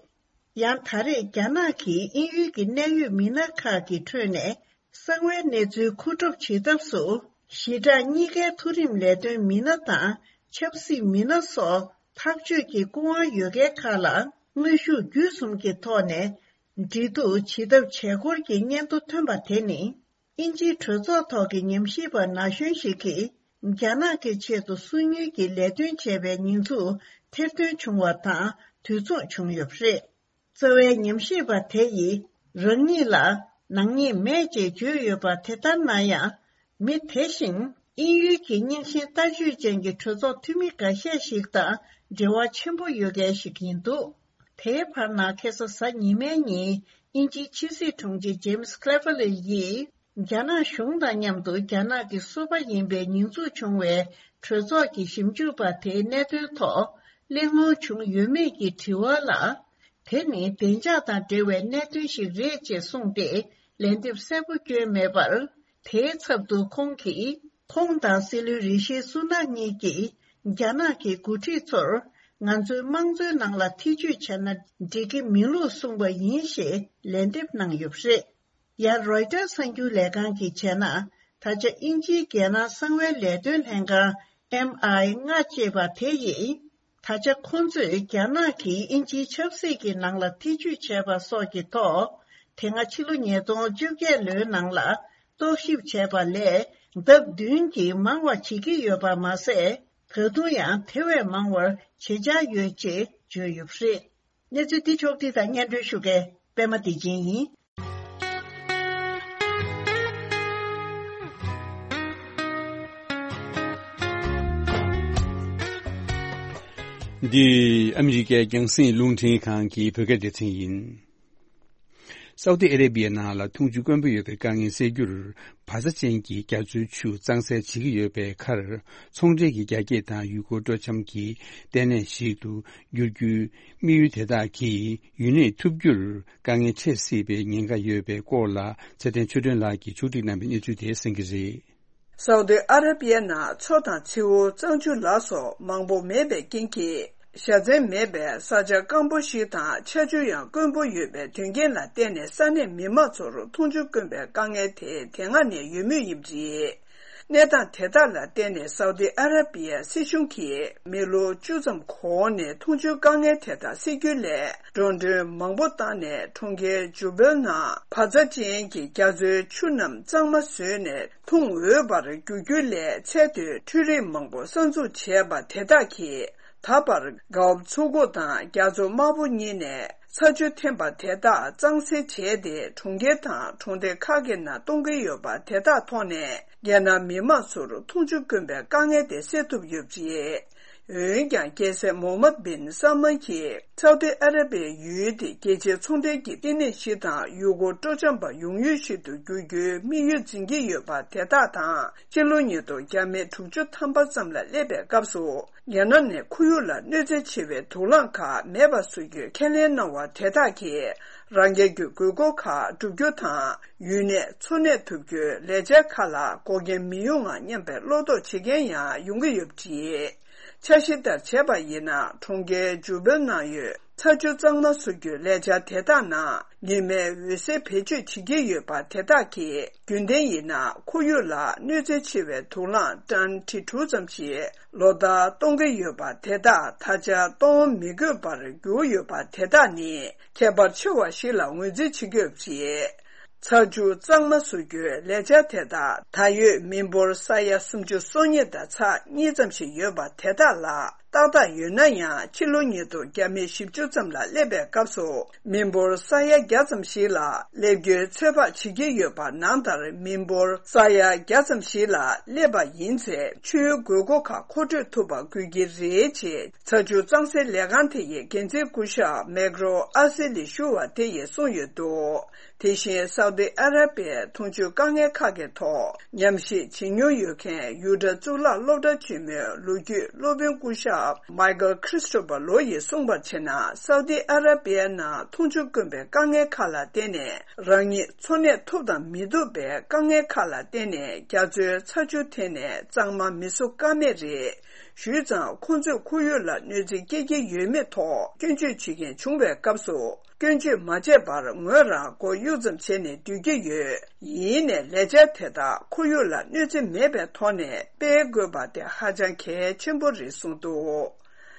ཡང་ད་རེས་རྒྱ་ནག་གིས་དབྱིན་ཡུལ་གྱི་གནད་ཡོད་མི་སྣ་ཁག་གི་ཁྲོད་ནས་གསང་བའི་གནས་ཚུལ་མཁོ་སྒྲུབ་བྱེད་ཐབས་སུ། ཞི་དྲག་གཉིས་ཀའི་མཐོ་རིམ་ལས་དོན་མི་སྣ་དང་ཆབ་སྲིད་མི་སྣ་སོགས་ཐག་གཅོད་ཀྱི་སྐུ་དབང་ཡོད་མཁན་ཁག་ལ་དངོས་ཤུགས་བརྒྱུད་གསུམ་གྱི་ཐོག་ནས་འབྲེལ་གཏུག་བྱེད་ཐབས་བྱས་སྐོར་གྱི་སྙན་ཐོ་ཐོན་པ་དེ་ནི། དབྱིན་ཇིའི་གྲོས་ཚོགས་ཐོག་གི་ཉམས་ཞིབ་པ་ན་གཞོན་ཞིག་གིས། རྒྱ་ནག་གི་ཆེད་དུ་སོ་ཉུལ་གྱི་ལས་དོན་བྱས་པའི་ཉེས་འཛུགས་ཐེར་འདོན་བྱུང་བ་དང་དུས་མཚུངས་བྱུང་ཡོད་པ་རེད། རྩ་བའི་ཉམས་ཞིབ་པ་དེ་ཡིས་རང་ཉིད་ལ་ནག་ཉེས་མེད་ཅེས་བརྗོད་ཡོད་པ་དེ་ལྟར་ན་ཡང་། མི་དེ་བཞིན་དབྱིན་ཡུལ་གྱི་རྙིང་ཞེན་ལྟ་སྤྱོད་ཅན་གྱི་གྲོས་ཚོགས་འཐུས་མི་འགའ་ཤས་ཤིག་དང་འབྲེལ་བ་ཆེན་པོ་ཡོད་མཁན་ཞིག་ཡིན་འདུག་དེའི་བར་ན་ཁ་སང་གཟའ་ཉི་མའི་ཉིན་དབྱིན་ཇིའི་ཕྱི་སྲིད་དྲུང་ཆེ་ཇེམ་སི་ཁེ་ལེ་ཕ་ལེ་ཡིས། རྒྱ་ནག་གཞུང་དང་མཉམ་དུ་རྒྱ་ནག་གི་སོ་པ་ཡིན་པའི་ཉེས་འཛུགས་བྱུང་བའི་གྲོས་ཚོགས་ཀྱི་ཞིབ་འཇུག་པ་དེའི་གནད་དོན་ཐོག་གླེང་སློང་བྱུང་ཡོད་མེད་ཀྱི་དྲི་བ་ལ། དེ་ནི་བདེ་འཇགས་དང་འབྲེལ་བའི་གནད་དོན་ཞིག་རེད་ཅེས་གསུངས་ཏེ་ལན་འདེབས་གསལ་པོ་བསྐྱོན་མེད་པར། དེའི་ཚབ་ཏུ་ཁོང་གིས། ཁོང་དང་སྲིད་བློན་རི་ཤི་སུ་ནག་གཉིས་ཀྱིས་རྒྱ་ནག་གི་འགོ་ཁྲིད་ཚོར་ང་ཚོའི་དམངས་གཙོའི་ནང་ལ་ཐེ་ཇུས་བྱས་ན་འགྲིག་གི་མིན་ལུགས་གསུངས་པ་ཡིན་ཞེས་ལན་འདེབས་གནང་ཡོད་པ་རེད། ཡང་རོའི་ཊར་གསར་འགྱུར་ལས་ཁང་གིས་བྱས་ན། ད་ཆ་དབྱིན་ཇིའི་རྒྱལ་ནང་གསང་བའི་ལས་དོན་ལྷན་ཁང་ཨེམ་ཨའི་ལྔ་ཅེས་པ་དེ་ཡིས། ད་ཆ་ཁོང་ཚོས་རྒྱ་ནག་གིས་དབྱིན་ཇིའི་ཆབ་སྲིད་ཀྱི་ནང་ལ་ཐེ་ཇུས་བྱས་པ་སོགས་ཀྱི་ཐོག་དེ་སྔ་ཕྱི་ལོ་ཉིས་སྟོང་བཅོ་བརྒྱད་ལོའི་ནང་ལ་རྟོག་ཞིབ་བྱས་པ་ལས་ལྡབ་བདུན་གྱིས་མང་བ་བྱེད་ཀྱི་ཡོད་པ་མ་ཟད། ད་དུང་ཡང་དེ་བས་མང་བར་བྱེད་འཆར་ཡོད་ཅེས་བརྗོད་ཡོད་པ་རེད། གནས་ཚུལ་འདི་ཕྱོགས་བསྒྲིགས་དང་སྙན་སྒྲོན་ཞུ་མཁན་པད་མ་བདེ་ཆེན་ཡིན། འདི་ཨ་མི་རི་ཀའི་རྒྱང་སྲིང་རླུང་འཕྲིན་ཁང་གི་བོད་སྐད་སྡེ་ཚན་ཡིན། སའུ་ཏི་ཨ་རེ་བྷི་ཡའི་ནང་ལ་འཐུང་ཆུ་དཀོན་པོ་ཡོད་པའི་དཀའ་ངལ་སེལ་རྒྱུར། བག་ཚ་ཅན་གྱི་རྒྱ་མཚོའི་ཆུ་གཙང་སེལ་བྱེད་ཀྱི་ཡོད་པའི་ཁར། ཚོང་འབྲེལ་གྱི་རྒྱ་སྐྱེད་དང་ཡུལ་སྐོར་སྤྲོ་འཆམ་གྱི་ལྟེ་གནས་ཤིག་ཏུ་འགྱུར་རྒྱུའི་དམིགས་ཡུལ་དེ་དག་གིས་ཡུན་གནས་ཐུབ་རྒྱུར་དཀའ་ངལ་འཕྲད་སྲིད་པའི་ཉེན་ཁ་ཡོད་པའི་སྐོར་ལ། ཚེ་བརྟན་ཆོས་སྒྲོན་ལགས་ཀྱིས་ཕྱོགས་སྒྲིག་གནང་བའི་གནས་ཚུལ་དེ་གསན་གྱི་རེད། སའུ་ཏི་ཨ་ར་པི་ཡའི་ནང་མཚོ་དང་མཚེའུ། གཙང་ཆུ་ལ་སོགས་མང་པོ་མེད་པའི་རྐྱེན་གྱིས། བཞའ་ཚན་མེད་པའི་ས་ཆ་སྐམ་པོ་ཞིག་དང་། ཆར་ཆུ་ཡང་དཀོན་པོ་ཡོད་པའི་དོན་རྐྱེན་ལ་བརྟེན་ནས། ས་གནས་མི་མང་ཚོར་འཐུང་ཆུ་དཀོན་པའི་དཀའ་ངལ་དེ་དེ་སྔ་ནས་ཡོད་མུས་ཡིན་པ་རེད། གནས་སྟངས་དེ་དག་ལ་བརྟེན་ནས། སའུ་ཏི་ཨ་ར་པི་ཡའི་སྲིད་གཞུང་གིས་མི་ལོ་བཅུ་ཙམ་གོང་ནས་འཐུང་ཆུའི་དཀའ་ངལ་དེ་དག་སེལ་རྒྱུའི་སླད། འགྲོ་གྲོན་མང་པོ་བཏང་ནས། གྲོང་ཁྱེར་ཇུ་བེལ་ནང་བག་ཚ་ཅན་གྱི་རྒྱ་མཚོའི་ཆུ་རྣམས་གཙང་མ་བཟོས་ནས། འཐུང་འོས་པར་འགྱུར་རྒྱུའི་སླད། ཚད་མཐོའི་འཕྲུལ་རིག་མང་པོ་གསར་འཛུགས་བྱས་པ་དེ་དག་གིས། ད་བར་གྷའོ་མཚོ་ཁུག་དང་རྒྱ་མཚོ་དམར་པོ་གཉིས་ནས་ཚ་ཆུ་འཐེན་པ་དེ་དག་གཙང་སེལ་བྱས་ཏེ། གྲོང་ཁྱེར་དང་གྲོང་སྡེ་ཁག་གི་ནང་གཏོང་གི་ཡོད་པ་དེ་དག་ཐོག་ནས། རྒྱལ་ནང་མི་མང་ཚོར་འཐུང་ཆུ་དཀོན་པའི་དཀའ་ངལ་དེ་སེལ་ཐུབ་ཡོད་པ་རེད། འོན་ཀྱང་། རྒྱལ་སྲས་མོ་མད་བིན་སལ་མན་གྱིས་སའུ་ཏི་ཨ་ར་པིའི་ཡུལ་དེ་རྒྱལ་སྤྱིའི་ཚོང་འབྲེལ་གྱི་ལྟེ་གནས་ཤིག་དང་། ཡུལ་སྐོར་སྤྲོ་འཆམ་པ་ཡོང་ཡུལ་ཞིག་ཏུ་འགྱུར་རྒྱུའི་དམིགས་ཡུལ་འཛིན་གྱི་ཡོད་པ་དེ་དག་དང་། སྤྱི་ལོ་ཉིས་སྟོང་བརྒྱ་མེད་དྲུག་ཅུ་ཐམ་པ་ཙམ་ལ་སླེབས་པའི་སྐབས་སུ། རྒྱལ་ནང་ནས་ཁོར་ཡུག་ལ་གནོད་འཚེ་ཆེ་བའི་དུག་རླངས་ཁག་མེད་པ་བཟོ་རྒྱུའི་ཁས་ལེན་གནང་བ་དེ་དག་གིས། རང་རྒྱལ་གྱི་དགོས་མཁོ་ཁག་བསྒྲུབ་རྒྱུ་དང་། ཡུན་གནས་འཚོ་གནས་ཐུབ་རྒྱུའི་ལས་འཆར་ཁག་ལ་འགོག་རྐྱེན་མི་ཡོང་ང་སྙམ་པའི་བློ་དོགས་བྱེད་མཁན་ཡང་ཡོང་གི་ཡོད་པ་རེད། འཆར་གཞི་ལྟར་བྱས་པ་ཡིན་ན། གྲོང་ཁྱེར་ཇུ་བེལ་ནང་ཡོད་ཚ་ཆུ་གཙང་མ་བཟོ་རྒྱུའི་ལས་འཆར་དེ་དག་ནང་། ཉི་མའི་འོད་ཟེར་བེད་སྤྱོད་བྱེད་ཀྱི་ཡོད་པ་དེ་དག་གིས། རྒྱུན་ལྡན་ཡིན་ན། ཁོར་ཡུག་ལ་གནོད་འཚེ་ཆེ་བའི་དུག་རླངས་ཊོན་ཁྲི་དྲུག་ཙམ་ཞིག་ལོ་ལྟར་གཏོང་གི་ཡོད་པ་དེ་དག་ད་ཆ་གཏོང་མི་དགོས་པར་གྱུར་ཡོད་པ་དེ་དག་ནི། ཁྱད་པར་ཆེ་བ་ཞིག་ལ་ངོས་འཛིན་བྱེད་ཀྱི་ཡོད་པ་རེད། ཚ་ཆུ་གཙང་མ་བཟོ་རྒྱུའི་ལས་འཆར་དེ་དག་ད་ཡོད་མི་འབོར་ས་ཡ་སུམ་ཅུ་སོ་གཉིས་དང་ཚེག་གཉིས་ཙམ་ཞིག་ཡོད་པ་དེ་དག་ལ་ཏག་ཏག་ཡོད་ན་ཡང་། ཕྱི་ལོ་ཉིས་སྟོང་བརྒྱ་མེད་བཞི་བཅུ་ཙམ་ལ་སླེབས་པའི་སྐབས་སུ། མི་འབོར་ས་ཡ་བརྒྱ་ཙམ་ཞིག་ལ་སླེབས་རྒྱུའི་ཚོད་དཔག་བྱེད་ཀྱི་ཡོད་པ་ནང་ལྟར། མི་འབོར་ས་ཡ་བརྒྱ་ཙམ་ཞིག་ལ་སླེབས་པ་ཡིན་ཚེ། ཆུའི་དགོས་མཁོ་ཁག་མཁོ་སྤྲོད་ཐུབ་པ་དགོས་ཀྱི་རེད་ཅེས། ཚ་ཆུ་གཙང་སེལ་ལས་ཁང་དེ་ཡི་འགན་འཛིན་སྐུ་ཞབས་མེག་རོ་ཨ་སེ་ལིས་ཞུ་བ་དེ་ཡིས་གསུངས་ཡོད་འདུག་དེ་བཞིན། སའུ་ཏི་ཨ་ར་པིའི་འཐུང་ཆུའི་དཀའ་ངལ་ཁག་གི་ཐོག་ཉམས་ཞིབ་བྱེད་མྱོང་ཡོད་མཁན། ཡུ་ཊ་གཙུག་ལག་སློབ་གྲྭ་ཆེན་མོའི་ལོ་རྒྱུས་སློབ་དཔོན་སྐུ་ཞབས་མའི་ཀལ་ཁྲི་སི་ཊོ་ཕར་ལོ་ཡིས་གསུངས་པར་བྱས་ན། སའུ་ཏི་ཨ་ར་པིའི་ནང་འཐུང་ཆུ་དཀོན་པའི་དཀའ་ངལ་ཁག་ལ་བརྟེན་ནས། རང་ཉིད་འཚོ་གནས་ཐུབ་དང་མི་ཐུབ་པའི་དཀའ་ངལ་ཁག་ལ་བརྟེན་ནས། རྒྱ་མཚོའི་ཚ་ཆུ་འཐེན་ནས་གཙང་མ་མི་བཟོ་ཀ་མེད་རེད། ཞུས་ཙང་། ཁོང་ཚོས་ཁོར་ཡུག་ལ་གནོད་འཚེ་སྐྱེལ་གྱི་ཡོད་མེད་ཐོག་སྐྱོན་བརྗོད་བྱེད་མཁན་བྱུང་བའི་སྐབས་སུ། སྐྱོན་བརྗོད་མ་བྱས་པར་ངོས་རང་མགོ་གཡུག་ཙམ་བྱས་ནས་སྡོད་ཀྱི་ཡོད། ཡིན་ནའི་ལས་འཆར་དེ་དག་ཁོར་ཡུག་ལ་གནོད་འཚེ་མེད་པའི་ཐོག་ནས་སྤེལ་དགོས་པ་དེ་ཧ་ཅང་གལ་ཆེན་པོ་རེད་གསུངས་འདུག་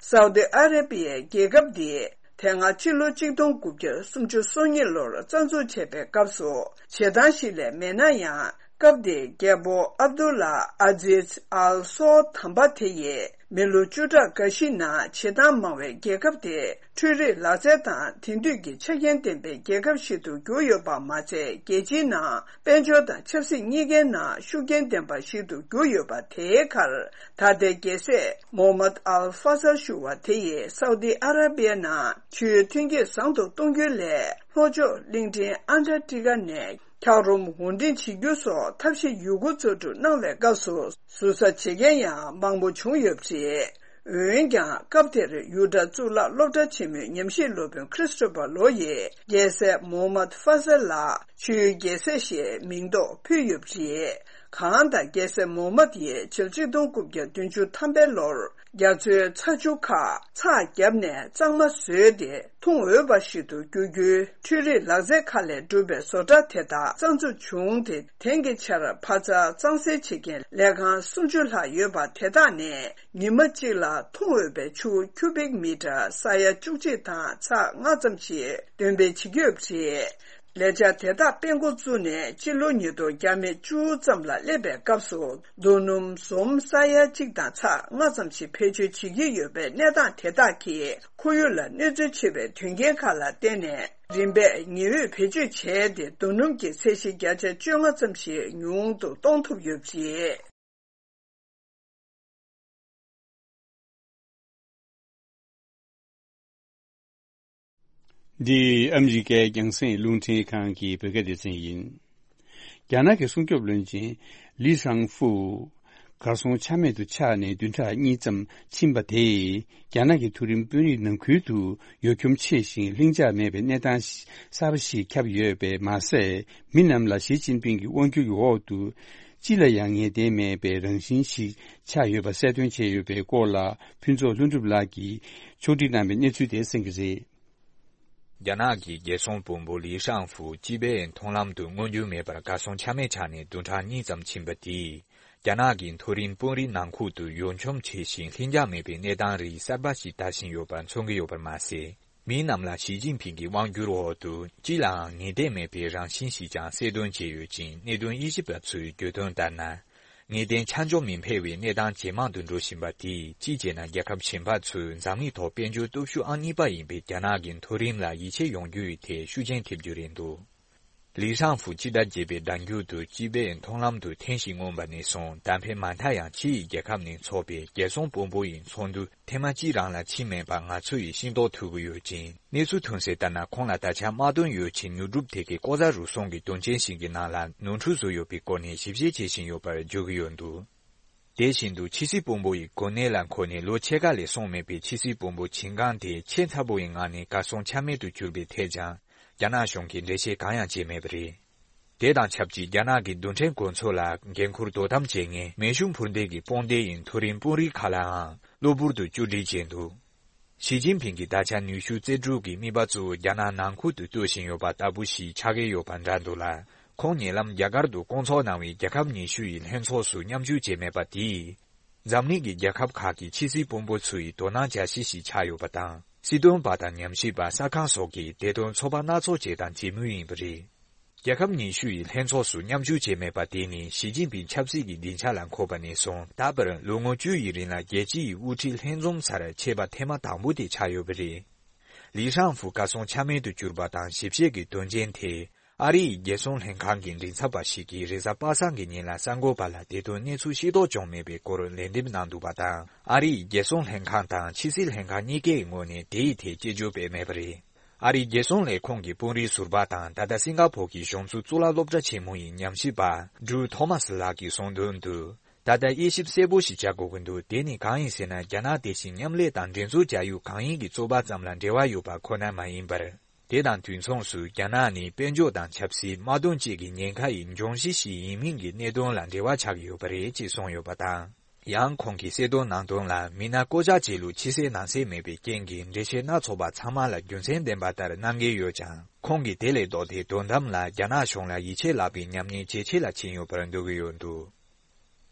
སའུ་དི་ཨ་ར་པི་ཡའི་རྒྱལ་ཁབ་འདིས་དེ་སྔ་ཕྱི་ལོ་གཅིག་སྟོང་དགུ་བརྒྱ་སུམ་ཅུ་སོ་གཉིས་ལོར་རྩ་འཛུགས་བྱས་པའི་སྐབས་སུ། བྱེད་སྟངས་ཤིག་ལས་མེད་ན་ཡང་། སྐབས་དེའི་རྒྱལ་པོ་ཨབ་དུ་ལ་ཨ་ཛིཛ་ཨལ་སོ་དམ་པ་དེ་ཡིས། མི་ལོ་བཅུ་ཕྲག་འགའ་ཞིག་ནང་བྱེད་སྟངས་མང་བའི་རྒྱལ་ཁབ་དེ། འཕྲུལ་རིག་ལག་རྩལ་དང་དེང་དུས་ཀྱི་ཆ་རྐྱེན་ལྡན་པའི་རྒྱལ་ཁབ་ཞིག་ཏུ་གྱུར་ཡོད་པ་མ་ཚད། རྒྱལ་སྤྱིའི་ནང་དཔལ་འབྱོར་དང་ཆབ་སྲིད་གཉིས་ཀའི་ནང་ཤུགས་རྐྱེན་ལྡན་པ་ཞིག་ཏུ་གྱུར་ཡོད་པ་དེའི་ཁར། ད་ལྟའི་རྒྱལ་སྲས་མོ་མད་ཨལ་ཧྥ་ཟལ་ཞུ་བ་དེ་ཡིས་སའུ་དི་ཨ་ར་པི་ཡ་ནང་ཆུའི་ཐོན་སྐྱེད་བཟང་དུ་གཏོང་རྒྱུའི་སླད། ལྷོ་ཕྱོགས་གླིང་ཕྲན་ཨན་ཊར་ཀི་ཊི་ཀ་ནས། འཁྱགས་རོམ་དབོར་འདྲེན་བྱེད་རྒྱུ་སོགས་ཐབས་ཤེས་ཡོད་རྒུ་རྩལ་སྤྲུགས་གནང་བའི་སྐབས་སུ། ཟུར་ཟ་བྱེད་མཁན་ཡང་མང་པོ་བྱུང་ཡོད་པ་རེད། འོན་ཀྱང་། སྐབས་དེར་ཡུ་ཊ་གཙུག་ལག་སློབ་གྲྭ་ཆེན་མོའི་ཉམས་ཞིབ་སློབ་དཔོན་ཁྲི་སི་ཊོ་ཕར་ལོ་ཡིས། རྒྱལ་སྲས་མོ་མད་ཧྥ་ཟལ་ལ་ཆུའི་རྒྱལ་སྲས་ཞེས་མིང་འདོགས་ཕུལ་ཡོད་པ་རེད། གང་ལྟར། རྒྱལ་སྲས་མོ་མད་ཡིས་ཕྱི་ལོ་གཅིག་སྟོང་དགུ་བརྒྱ་བདུན་ཅུ་ཐམ་པའི་ལོར། རྒྱ་མཚོའི་ཚ་ཆུ་ཁག་ཚགས་བརྒྱབ་ནས་གཙང་མ་བཟོས་ཏེ། འཐུང་འོས་པ་ཞིག་ཏུ་འགྱུར་རྒྱུའི་འཕྲུལ་རིག་ལག་རྩལ་ཁག་ལས་གྲུབ་པའི་བཟོ་གྲྭ་དེ་དག་རྩ་འཛུགས་བྱུང་སྟེ། དེང་གི་ཆར་ཕ་ཚ་གཙང་སེལ་བྱེད་མཁན་ལས་ཁང་སུམ་ཅུ་ལྷག་ཡོད་པ་དེ་དག་ནས། ཉི་མ་གཅིག་ལ་འཐུང་འོས་པའི་ཆུ་ཁྱུ་བིག་མི་ཊར་ས་ཡ་བཅུ་གཅིག་དང་ཚེག་ལྔ་ཙམ་ཞིག་འདོན་སྤེལ་བྱེད་ཀྱི་ཡོད་པ་རེད། ལས་འཆར་དེ་དག་སྤེལ་འགོ་བཙུགས་ནས་ཕྱི་ལོ་ཉིས་སྟོང་བརྒྱ་མེད་བཅུ་ཙམ་ལ་སླེབས་པའི་སྐབས་སུ། རྡོ་སྣུམ་ཟོམ་ས་ཡ་གཅིག་དང་ཚེག་ལྔ་ཙམ་ཞིག་བེད་སྤྱོད་བྱེད་ཀྱི་ཡོད་པའི་གནས་སྟངས་དེ་དག་གིས། ཁོར་ཡུག་ལ་གནོད་འཚེ་ཆེ་བའི་དོན་རྐྱེན་ཁག་ལ་བརྟེན་ནས། རིམ་པས་ཉི་འོད་བེད་སྤྱོད་བྱས་ཏེ། རྡོ་སྣུམ་གྱི་ཚད་གཞི་བརྒྱ་ཆ་བཅོ་ལྔ་ཙམ་ཞིག་ཉུང་དུ་གཏོང་ཐུབ་ཡོད་པ་རེད། འདི་ཨ་མི་རི་ཀའི་རྒྱང་སྲིང་རླུང་འཕྲིན་ཁང་གི་བོད་སྐད་སྡེ་ཚན་ཡིན། རྒྱ་ནག་གི་སྲུང་སྐྱོབ་བློན་ཆེན་ལི་ཧྲང་ཧྥུ་གར་སོང་ཆ་མེད་དུ་ཆགས་ནས་བདུན་ཕྲག་གཉིས་ཙམ་ཕྱིན་པ་དེས་རྒྱ་ནག་གི་མཐོ་རིམ་དཔོན་རིགས་ནང་ཁུལ་དུ་ཡོ་འཁྱོམ་ཆེ་ཞིང་ལྷིང་འཇགས་མེད་པའི་གནས་སྟངས་གསར་པ་ཞིག་ཁྱབ་ཡོད་པས་མ་ཟད། མི་རྣམས་ལ་ཞི་ཅིན་ཕིང་གི་དབང་སྒྱུར་གྱི་འོག་ཏུ་ཅི་ལ་ཡང་ངེས་གཏན་མེད་པའི་རང་བཞིན་ཞིག་ཆགས་ཡོད་པ་གསལ་སྟོན་བྱས་ཡོད་པའི་སྐོར་ལ། ཕུན་ཚོགས་ལྷུན་གྲུབ་ལགས་ཀྱིས་ཕྱོགས་སྒྲིག་གནང་བའི་གནས་ཚུལ་དེ་གསན་གྱི་རེད། རྒྱ་ནག་གི་རྒྱལ་སྲུང་དཔོན་པོ་ལི་ཧྲང་ཧྥུ་སྤྱི་པའི་མཐོང་ལམ་དུ་མངོན་འགྱུར་མེད་པར་གར་སོང་ཆ་མེད་ཆགས་ནས་བདུན་ཕྲག་གཉིས་ཙམ་ཕྱིན་པ་དེས། རྒྱ་ནག་གི་མཐོ་རིམ་དཔོན་རིགས་ནང་ཁུལ་དུ་ཡོ་འཁྱོམ་ཆེ་ཞིང་ལྷིང་འཇགས་མེད་པའི་གནས་སྟངས་རིགས་གསར་པ་ཞིག་དར་བཞིན་ཡོད་པ་མཚོན་གྱི་ཡོད་པར་མ་ཟད། མི་རྣམས་ལ་ཞི་ཅིན་ཕིང་གི་དབང་སྒྱུར་འོག་ཏུ་ཅི་ལའང་ངེས་གཏན་མེད་པའི་རང་བཞིན་ཞིག་ཀྱང་གསལ་སྟོན་བྱས་ཡོད་ཅིང་། གནད་དོན་དབྱེ་ཞིབ་པ་ཚོས་བརྗོད་དོན་ལྟར་ན། ངེས་གཏན་ཆ་འཇོག་མི་འཕེར་བའི་གནས་སྟངས་ཇེ་མང་དུ་འགྲོ་བཞིན་པ་དེས། གཅིག་བྱས་ན་རྒྱལ་ཁབ་གཞན་པ་ཚོས་འཛམ་གླིང་ཐོག་དཔལ་འབྱོར་སྟོབས་ཤུགས་ཨང་གཉིས་པ་ཡིན་པའི་རྒྱ་ནག་གི་མཐོ་རིམ་ལ་ཡིད་ཆེས་ཡོང་རྒྱུ་ཡི་ཐད་ཤུགས་རྐྱེན་ཐེབས་རྒྱུ་རེད་འདུག་ལི་ཧྲང་ཧྥུ་སྤྱི་ཟླ་བརྒྱད་པའི་ཟླ་མཇུག་ཏུ་སྤྱི་པའི་མཐོང་ལམ་དུ་ཐེངས་ཤིག་མངོན་པ་ནས་བཟུང་། ད་ཕན་མ་མཐའ་ཡང་ཕྱི་ཡི་རྒྱལ་ཁབ་ནས་ཚོགས་པའི་རྒྱལ་སྲུང་དཔོན་པོ་ཡི་ཚོགས་འདུ་ཐེངས་མ་གཅིག་རང་ལ་ཕྱིན་མེད་པ་ང་ཚོ་ཡིས་ཤེས་རྟོགས་ཐུབ་ཀྱི་ཡོད་ཅིང་། གནས་ཚུལ་ཐོན་གསལ་ལྟར་ན། ཁོང་ལ་ད་ཆ་དམག་དོན་ཡོ་བྱད་ཉོ་སྒྲུབ་ཐད་ཀྱི་ལྐོག་ཟ་རུལ་སུངས་ཀྱི་དོན་རྐྱེན་ཞིག་གི་ནང་ལ་ནོར་འཁྲུལ་བཟོས་ཡོད་པའི་སྐོར་ནས་ཞིབ་བཤེར་བྱེད་བཞིན་ཡོད་པར་བརྗོད་ཀྱི་ཡོད་འདུག་དེ་བཞིན་དུ་ཕྱི་སྲིད་དཔོན་པོ་ཡི་གོ་གནས་ལ་འཁོད་ནས་ལོ་ཕྱེད་ཀ་ལས་སོང་མེད་པའི་ཕྱི་སྲིད་དཔོན་པོ་ཆིན་ཀང་དེ་ཆེས་ཚ་པོ་ཡི་ངང་ནས་གར་སོང་ཆ་མེད་དུ་གྱུར་པའི་ཐད་ཀྱང་རྒྱ་ནག་གཞུང་གིས་འགྲེལ་བཤད་གང་ཡང་བྱས་མེད་པ་རེད། དེ་དང་ཆབས་ཅིག་རྒྱ་ནག་གི་རྡུལ་ཕྲན་གོ་མཚོན་ལ་འགན་འཁུར་དོ་དམ་བྱེད་མཁན་མེ་ཤུགས་འཕུར་མདེལ་གྱི་དཔུང་སྡེ་ཡི་མཐོ་རིམ་དཔོན་རིགས་ཁག་ལའང་གློ་བུར་དུ་བཅོས་སྒྲིག་བྱས་འདུག་ཞི་ཅིན་ཕིང་གིས་ད་ཆ་ནུས་ཤུགས་རྩལ་སྤྲུགས་ཀྱི་དམིགས་པ་གཙོ་བོ་རྒྱ་ནག་ནང་ཁུལ་དུ་གཏོད་བཞིན་ཡོད་པ་ལྟ་བུ་ཞིག་ཆགས་ཀྱི་ཡོད་པ་འདྲ་འདུག་ལ། ཁོང་ཉེ་ལམ་རྒྱ་གར་དུ་བསྐོང་ཚོགས་གནང་བའི་རྒྱལ་ཁབ་ཉི་ཤུ་ཡི་ལྷན་ཚོགས་སུ་མཉམ་ཞུགས་བྱས་མེད་པ་དེས། འཛམ་གླིང་གི་རྒྱལ་ཁབ་ཁག་གི་ཕྱི་སྲིད་དཔོན་པོ་ཚོ་ཡི་དོ་སྣང་བྱ་གཞི་ཞིག་ཆགས་ཡོད་པ་དང་། སྲིད་དོན་པ་དང་ཉམས་ཞིབ་པ་གསར་ཁང་སོགས་ཀྱིས་དེ་དོན་ཚོགས་པ་སྣ་ཚོགས་བྱས་དང་བྱེད་མུས་ཡིན་པ་རེད། རྒྱལ་ཁབ་ཉི་ཤུ་ཡི་ལྷན་ཚོགས་སུ་མཉམ་ཞུགས་བྱས་མེད་པ་དེ་ནི་ཞི་ཅིན་ཕིང་ཆབ་སྲིད་ཀྱི་སྡིངས་ཆ་ལ་འཁོད་པ་ནས་བཟུང་ད་བར་ལོ་ངོ་བཅུ་ཡི་རིང་ལ་རྒྱལ་སྤྱི་ཡི་དབུ་ཁྲིད་ལྷན་འཛོམས་སར་ཆད་པ་ཐེངས་མ་དང་པོ་དེ་ཆགས་ཡོད་པ་རེད། ལི་ཧྲང་ཧྥུ་གར་སོང་ཆ་མེད་དུ་གྱུར་པ་དང་ཞིབ་བཤེར་གྱི་དོན་རྐྱེན་དེ། ཨ་རི་ཡི་རྒྱལ་སྲུང་ལྷན་ཁང་གི་མགྲིན་ཚབ་པ་ཞིག་གིས་རེས་གཟའ་པ་སངས་ཀྱི་ཉིན་ལ་གསར་འགོད་པ་ལ་དེ་དོན་གནས་ཚུལ་ཤེས་རྟོགས་བྱུང་མེད་པའི་སྐོར་ལན་འདེབས་གནང་འདུག་པ་དང་། ཨ་རི་ཡི་རྒྱལ་སྲུང་ལྷན་ཁང་དང་ཕྱི་སྲིད་ལྷན་ཁང་གཉིས་ཀའི་ངོས་ནས་དེའི་ཐད་སྐྱོན་བརྗོད་སྤེལ་མེད་པ་རེད། ཨ་རིའི་རྒྱལ་སྲུང་ལས་ཁུངས་ཀྱི་དཔོན་རིགས་ཟུར་པ་དང་། ད་ལྟ་སིང་ག་ཕོར་གྱི་གཞུང་ཚབ་གཙུག་ལག་སློབ་གྲྭ་ཆེན་མོ་ཡི་ཉམས་ཞིབ་པ་ཌྲུ་ཐོ་མཱ་སི་ལགས་ཀྱིས་གསུངས་དོན་དུ། ད་ལྟ་དབྱེ་ཞིབ་གསལ་པོ་ཞིག་བྱ་དགོས་ཀྱི་འདུག་དེ་ནི་གང་ཡིན་ཟེར་ན། རྒྱ་ནག་དེ་བཞིན་མཉམ་ལས་དང་འགྲན་རྩོད་བྱ་ཡུལ་གང་ཡིན་གྱི་རྩོད་པ་ཙམ་ལ་འབྲེལ་བ་ཡོད་པ་ཁོ་ན་མ་ཡིན་པར། དེ་དང་དུས་མཚུངས་སུ་རྒྱ་ནག་ནི་དཔལ་འབྱོར་དང་ཆབ་སྲིད། དམག་དོན་བཅས་ཀྱི་ཉེན་ཁ་ཡི་འབྱུང་གཞི་ཞིག་ཡིན་མིན་གྱི་གནད་དོན་ལ་འབྲེལ་བ་ཆགས་ཡོད་པ་རེད་ཅེས་གསུངས་ཡོད་པ་དང་། ཡང་ཁོང་གིས་གསལ་སྟོན་གནང་དོན་ལ། མི་སྣ་བསྐོ་བཞག་བྱེད་ལུགས་ཕྱི་གསལ་ནང་གསལ་མེད་པའི་རྐྱེན་གྱིས། འགྲེལ་བཤད་སྣ་ཚོགས་པ་ཚང་མ་ལ་རྒྱུ་མཚན་ལྡན་པ་ལྟར་གནང་གི་ཡོད་ཀྱང་། ཁོང་གིས་དེ་ལས་ལྡོག་སྟེ་དོན་དམ་ལ་རྒྱ་ནག་གཞུང་ལ་ཡིད་ཆེས་བརླག་པའི་ཉམས་ཉེས་ཇེ་ཆེ་ལ་ཕྱིན་ཡོད་པར་འདོད་ཀྱི་ཡོད་འདུག་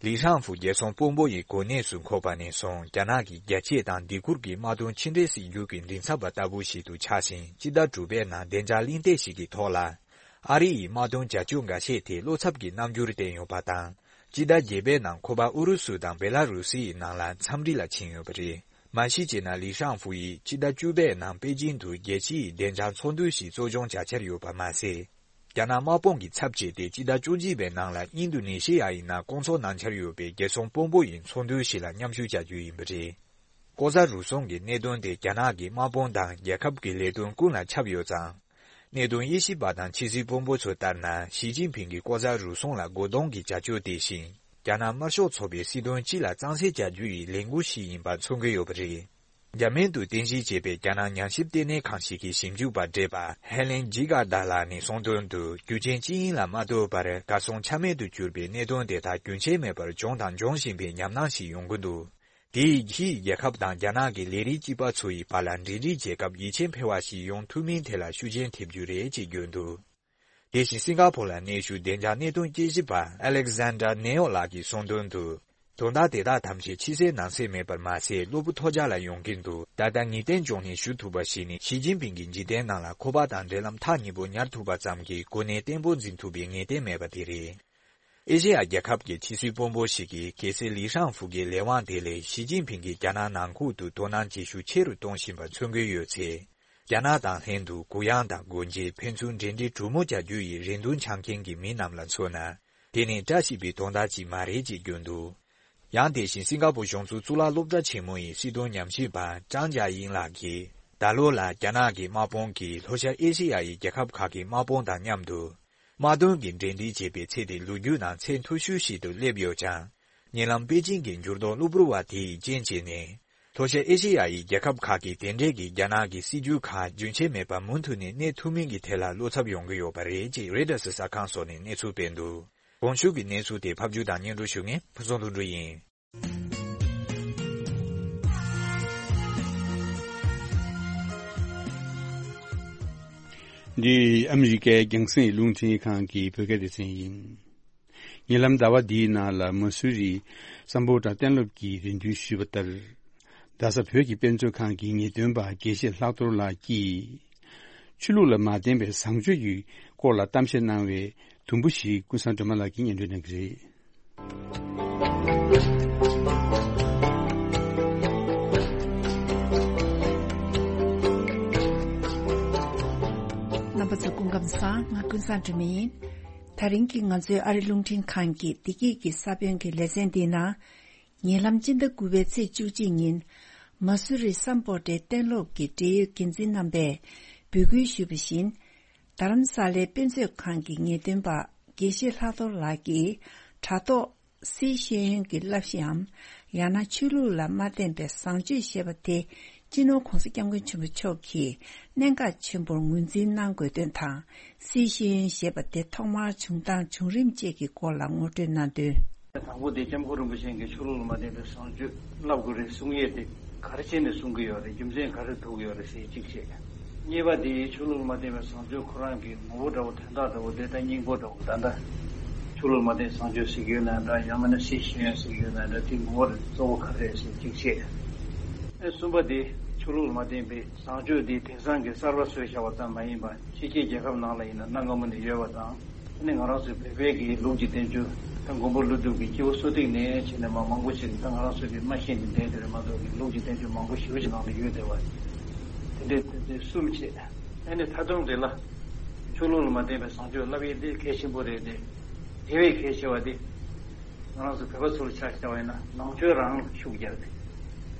ལི་ཧྲང་ཧྥུ་རྒྱལ་སྲུང་དཔོན་པོ་ཡི་གོ་གནས་སུ་འཁོད་པ་ནས་བཟུང་། རྒྱ་ནག་གི་རྒྱལ་གཅེས་དང་སྡེ་ཁུལ་གྱི་དམག་དོན་ཕྱི་འབྲེལ་སྲིད་འགྱུར་གྱི་མགྲིན་ཚབ་པ་ལྟ་བུ་ཞིག་ཏུ་ཆགས་ཤིང་། སྤྱི་ཟླ་དྲུག་པའི་ནང་བདེ་འཇགས་གླེང་སྟེགས་ཤིག་གི་ཐོག་ལ། ཨ་རི་ཡི་དམག་དོན་བྱ་སྤྱོད་འགའ་ཤས་དེ་བློ་འཚབ་ཀྱི་རྣམ་འགྱུར་བསྟན་ཡོད་པ་དང་། སྤྱི་ཟླ་བརྒྱད་པའི་ནང་ཁོ་པ་ཨུ་རུ་སུ་དང་བེ་ལ་རུ་སི་ཡི་ནང་ལ་འཚམས་འདྲི་ལ་ཕྱིན་ཡོད་པ་རེད། མ་གཞི་བྱས་ན་ལི་ཧྲང་ཧྥུ་ཡིས་སྤྱི་ཟླ་བཅུ་པའི་ནང་པེ་ཅིང་དུ་རྒྱལ་སྤྱི་ཡི་བདེ་འཇགས་ཚོགས་འདུ་ཞིག་གཙོ་སྐྱོང་བྱ་འཆར་ཡོད་པ་མ་ཟད། རྒྱ་ནག་དམག་དཔུང་གི་ཚབ་བྱས་ཏེ་སྤྱི་ཟླ་བཅུ་གཅིག་པའི་ནང་ལ་ཨིན་རྡུ་ནེ་ཤི་ཡ་ཡི་ནང་བསྐོང་ཚོགས་གནང་འཆར་ཡོད་པའི་རྒྱལ་སྲུང་དཔོན་པོ་ཡི་ཚོགས་འདུ་ཞིག་ལ་མཉམ་ཞུགས་བྱ་རྒྱུ་ཡིན་པ་རེད། ལྐོག་ཟ་རུལ་སུངས་ཀྱི་གནད་དོན་དེ་རྒྱ་ནག་གི་དམག་དཔུང་དང་རྒྱལ་ཁབ་ཀྱི་ལས་དོན་ཀུན་ལ་ཁྱབ་ཡོད་ཙང་། གནད་དོན་དབྱེ་ཞིབ་པ་དང་ཕྱི་སྲིད་དཔོན་པོ་ཚོ་ལྟར་ན། ཞི་ཅིན་ཕིང་གིས་ལྐོག་ཟ་རུལ་སུངས་ལ་རྒོལ་རྡུང་གི་བྱ་སྤྱོད་དེ་བཞིན། རྒྱ་ནག་དམར་ཤོག་ཚོགས་པའི་སྲིད་དོན་སྤྱི་ལ་གཙང་སེལ་བྱ་རྒྱུ་ཡི་ལས་འགུལ་ཞིག་ཡིན་པ་མཚོན་གྱི་ཡོད་པ་རེད། འཇར་མན་དུ་རྟེན་གཞི་བྱས་པའི་རྒྱ་ནག་ཉམས་ཞིབ་ལྟེ་གནས་ཁང་ཞིག་གི་ཞིབ་འཇུག་པ་བགྲེས་པ་ཧེ་ལེན་ཇི་ག་ད་ལགས་ནས་གསུངས་དོན་དུ། རྒྱུ་རྐྱེན་ཅི་ཡིན་ལ་མ་ལྟོས་པར་གར་སོང་ཆ་མེད་དུ་གྱུར་པའི་གནད་དོན་དེ་དག་རྒྱུན་ཆད་མེད་པར་བྱུང་དང་འབྱུང་བཞིན་པའི་ཉམས་སྣང་ཞིག་ཡོང་གི་འདུག་དེ་ཡིས་ཕྱིའི་རྒྱལ་ཁབ་དང་རྒྱ་ནག་གི་ལས་རིགས་གཅིག་པ་ཚོ་ཡི་བར་ལ་འབྲེལ་འདྲིས་བྱེད་སྐབས་ཡིད་ཆེས་འཕེར་བ་ཞིག་ཡོང་ཐུབ་མིན་ཐད་ལ་ཤུགས་རྐྱེན་ཐེབས་རྒྱུ་རེད་ཅེས་བརྗོད་འདུག་དེ་བཞིན་སིང་ག་ཕོར་ལ་གནས་བཞུགས་བདེ་འཇགས་གནད་དོན་དཔྱད་ཞིབ་པ་ཨ་ལེག་ཟན་ཌར་ནེ་ཡོ་ལགས་ཀྱིས་གསུངས་དོན་དུ། དོན་དག་དེ་དག་ཐམས་ཅད་ཕྱི་གསལ་ནང་གསལ་མེད་པར་མ་ཟད། གློ་བུར་ཐོལ་རྒྱག་ལ་ཡོང་གིན་འདུག་ད་ལྟ་ངེས་གཏན་འབྱུང་གནས་ཞུ་ཐུབ་པ་ཞིག་ནི། ཞི་ཅིན་ཕིང་གི་འཇིག་རྟེན་ནང་ལ་ཁོ་པ་དང་འབྲེལ་ལམ་ཐག་ཉེ་པོ་ཉར་ཐུབ་པ་ཙམ་གྱིས་གོ་གནས་བརྟན་པོ་འཛིན་ཐུབ་པའི་ངེས་གཏན་མེད་པ་དེ་རེད། ཨེ་ཤེ་ཡ་རྒྱལ་ཁབ་ཀྱི་ཕྱི་སྲིད་དཔོན་པོ་ཞིག་གིས། གལ་སྲིད་ལི་ཧྲང་ཧྥུ་གི་ལས་དབང་དེ་ལས་ཞི་ཅིན་ཕིང་གིས་རྒྱ་ནག་ནང་ཁུལ་དུ་དོ་སྣང་བྱེད་ཤུགས་ཆེ་རུ་གཏོང་བཞིན་པ་མཚོན་གྱི་ཡོད་ཚེ། རྒྱ་ནག་དང་ལྷན་དུ་གུ་ཡངས་དང་སྒོ་འབྱེད། ཕན་ཚུན་འབྲེལ་འདྲིས་གྲུ་མོ་རྒྱག་རྒྱུ་ཡི་རེ་འདུན་འཆང་མཁན་གྱི་མི་རྣམས་ལ་མཚོན་ན། དེ་ནི་བཀྲ་ཤིས་པའི་དོན་དག་ཅིག་མ་རེད་ཅེས་བརྗོད་འདུག་ཡང་དེ་བཞིན་སིང་ག་པུར་གཞུང་ཚབ་གཙུག་ལག་སློབ་གྲྭ་ཆེན་མོ་ཡི་སྲིད་དོན་ཉམས་ཞིབ་པ་ཀྲང་ཅཱ་དབྱིང་ལགས་ཀྱིས། ད་ ད་ལོ་ལ་རྒྱ་ནག་གི་དམག་དཔུང་གིས་ལྷོ་ཤར་ཨེ་ཤེ་ཡ་ཡི་རྒྱལ་ཁབ་ཁག་གི་དམག་དཔུང་དང་མཉམ་དུ། དམག་དོན་གྱི་འབྲེལ་འདྲིས་བྱེད་པའི་ཚད་དེ་ལོ་རྒྱུས་ནང་ཚད་མཐོ་ཤོས་ཤིག་ཏུ་སླེབས་ཡོད་ཀྱང་། ཉེ་ལམ་པེ་ཅིང་གི་འགྱུར་ལྡོག་གློ་བུར་བ་དེ་ཡིས་རྐྱེན་བྱས་ནས། ལྷོ་ཤར་ཨེ་ཤེ་ཡ་ཡི་རྒྱལ་ཁབ་ཁག་གིས་དེ་འབྲེལ་གྱི་རྒྱ་ནག་གི་སྲིད་ཇུས་ཁག་རྒྱུན་ཆད་མེད་པར་མུ་མཐུད་ནས་གནས་ཐུབ་མིན་གྱི་ཐད་ལ་བློ་འཚབ་ཡོང་གི་ཡོད་པ་རེད་ཅེས་རོའི་ཊར་གསར་ཁང་སོགས་ནས་གནས་ཚུལ་སྤེལ་འདུག། གོང་ཞུས་ཀྱི་གནས་ཚུལ་དེ་ཕབ་སྒྱུར་དང་སྙན་སྒྲོན་ཞུ་མཁན་ཕུན་ཚོགས་ལྷུན་གྲུབ་ཡིན། འདི་ཨ་མི་རི་ཀའི་རྒྱང་སྲིང་རླུང་འཕྲིན་ཁང་གི་བོད་སྐད་སྡེ་ཚན་ཡིན། ཉེ་ལམ་ཟླ་བ་འདིའི་ནང་ལ་མ་སུ་རི་སམ་བྷོ་ཊ་གཏན་སློབ་ཀྱིས་རེ་འདུན་ཞུས་པ་ལྟར། རྡ་ས་བོད་ཀྱི་དཔེ་མཛོད་ཁང་གི་ངེས་སྟོན་པ་དགེ་བཤེས་ལྷག་རྡོར་ལགས་ཀྱིས། ཆོས་ལུགས་ལ་མ་བརྟེན་པའི་བཟང་སྤྱོད་ཀྱི་སྐོར་ལ་གཏམ་བཤད་གནང་བའི་དུམ་བུ་ཞིག་ཀུན་བཟང་སྒྲོལ་མ་ལགས་ཀྱིས་སྙན་སྒྲོན་གནང་གི་རེད། རྣམ་པ་ཚོ་སྐུ་ཁམས་བཟང་། ང་ཀུན་བཟང་སྒྲོལ་མ་ཡིན། དེ་རིང་གི་ང་ཚོའི་ཨ་རི་རླུང་འཕྲིན་ཁང་གི་བདེ་སྐྱིད་ཀྱི་ས་བོན་གྱི་ལེ་ཚན་འདིའི་ནང་། ཉེ་ལམ་སྤྱི་ཟླ་དགུ་པའི་ཚེས་བཅུ་གཅིག་ཉིན། མ་སུ་རི་སམ་བྷོ་ཊའི་གཏན་སློབ་ཀྱི་འབྲེལ་ཡོད་འགན་འཛིན་རྣམ་པས་འབོད་སྐུལ་ཞུས་པ་བཞིན། རྡ་རམ་ས་ལའི་དཔེ་མཛོད་ཁང་གི་ངེས་སྟོན་པ་དགེ་བཤེས་ལྷག་རྡོར་ལགས་ཀྱིས་དྲ་ཐོག་སཱི་ཤེས་ཡོན་གྱི་བསླབ་གཞིའམ། ཡང་ན་ཆོས་ལུགས་ལ་མ་བརྟེན་པའི་བཟང་སྤྱོད་ཞེས་པ་དེ། སྤྱི་ནོར་༧གོང་ས་༧སྐྱབས་མགོན་ཆེན་པོ་མཆོག་གིས་གནད་འགག་ཆེན་པོར་ངོས་འཛིན་གནང་དགོས་དོན་དང་། སཱི་ཤེས་ཡོན་ཞེས་པ་དེ་ཐོག་མར་བྱུང་སྟངས་བྱུང་རིམ་བཅས་ཀྱི་སྐོར་ལ་ངོ་སྤྲོད་གནང་དོན། དང་པོ་དེ་སྐྱབས་མགོན་རིན་པོ་ཆེ་གིས་ཆོས་ལུགས་ལ་མ་བརྟེན་པའི་བཟང་སྤྱོད་བསླབ་དགོས་རེད་གསུང་ཡས་དེ་ག་རེ་བྱས་ནས་གསུང་གི་ཡོད་རེད། རྒྱུ་མཚན་ག་རེ་ཐུག་གི་ཡོད་རེད་ཟེར་གཅིག་བྱས། གཉིས་པ་དེ་ཆོས་ལུགས་ལ་མ་བརྟེན་པའི་བཟང་སྤྱོད་ཁོ་རང་གི་ངོ་བོ་འདྲ་བོ་དོན་དག་འདྲ་བོ་དེ་ལྟར་སྙིང་པོ་འདྲ་བོ་ད་ལྟ་ཆོས་ལུགས་ལ་མ་བརྟེན་བཟང་སྤྱོད་ཟེར་གྱི་ཡོད་ན་འདྲ། ཡང་མིན་ན་སཱི་ཤེས་ཡོན་ཟེར་གྱི་ཡོད་ན་འདྲ། དེ་ངོ་བོ་གཙོ་བོ་ག་རེ་རེད་ཟེར་གཅིག་བཤད། ཨེ་གསུམ་པ་དེ་ཆོས་ལུགས་ལ་མ་བརྟེན་པའི་བཟང་སྤྱོད་དེ་དེང་སང་གི་གསར་པ་བཟོས་བཞག་པ་ཙམ་མ་ཡིན་པ་ཕྱི་རྒྱལ་རྒྱལ་ཁབ་ནང་ལ་ཡིན་ན་གནའ་སྔ་མོ་ནས་ཡོད་པ་དང་། ཨ་ནི་ང་རང་ཚོའི་བོད་པའི་གི་ལུགས་ཀྱི་བསྟན་བཅོས་ད་མགོན་པོ་ཀླུ་སྒྲུབ་ཀྱི་སྐྱེ་བོ་གསོ་རིག་ནས་བྱས་ནས་མ་མང་པོ་ཞིག་ད་ང་རང་ཚོའི་གི་མ་ཤེས་ནས་བསྡད་དེ་རེད་མ་གཏོགས་ཀྱི་ལུགས་ཀྱི་བསྟན་བཅོས་མང་པོ་ཞེ་པོ་ཅིག་ནང་དུ་ཡོད་བསྡད་པ། དེ་འདྲའི་དེ་འདྲའི་གསུམ་བྱས། ཨ་ནི་མཐའ་དོན་རེད་ལ། ཆོས་ལུགས་ལ་མ་བརྟེན་པའི་བཟང་སྤྱོད་བསླབ་ཡས་དེ་གལ་ཆེན་པོ་རེད་དེ། དེ་བས་གལ་ཆེ་བ་དེ། ང་རང་ཚོ་བོད་པ་ཚོ་ལ་ཆ་བཞག་པ་ཡིན་ན་ནང་ཆོས་རང་ལ་ཤུགས་རྒྱབ་སྟེ།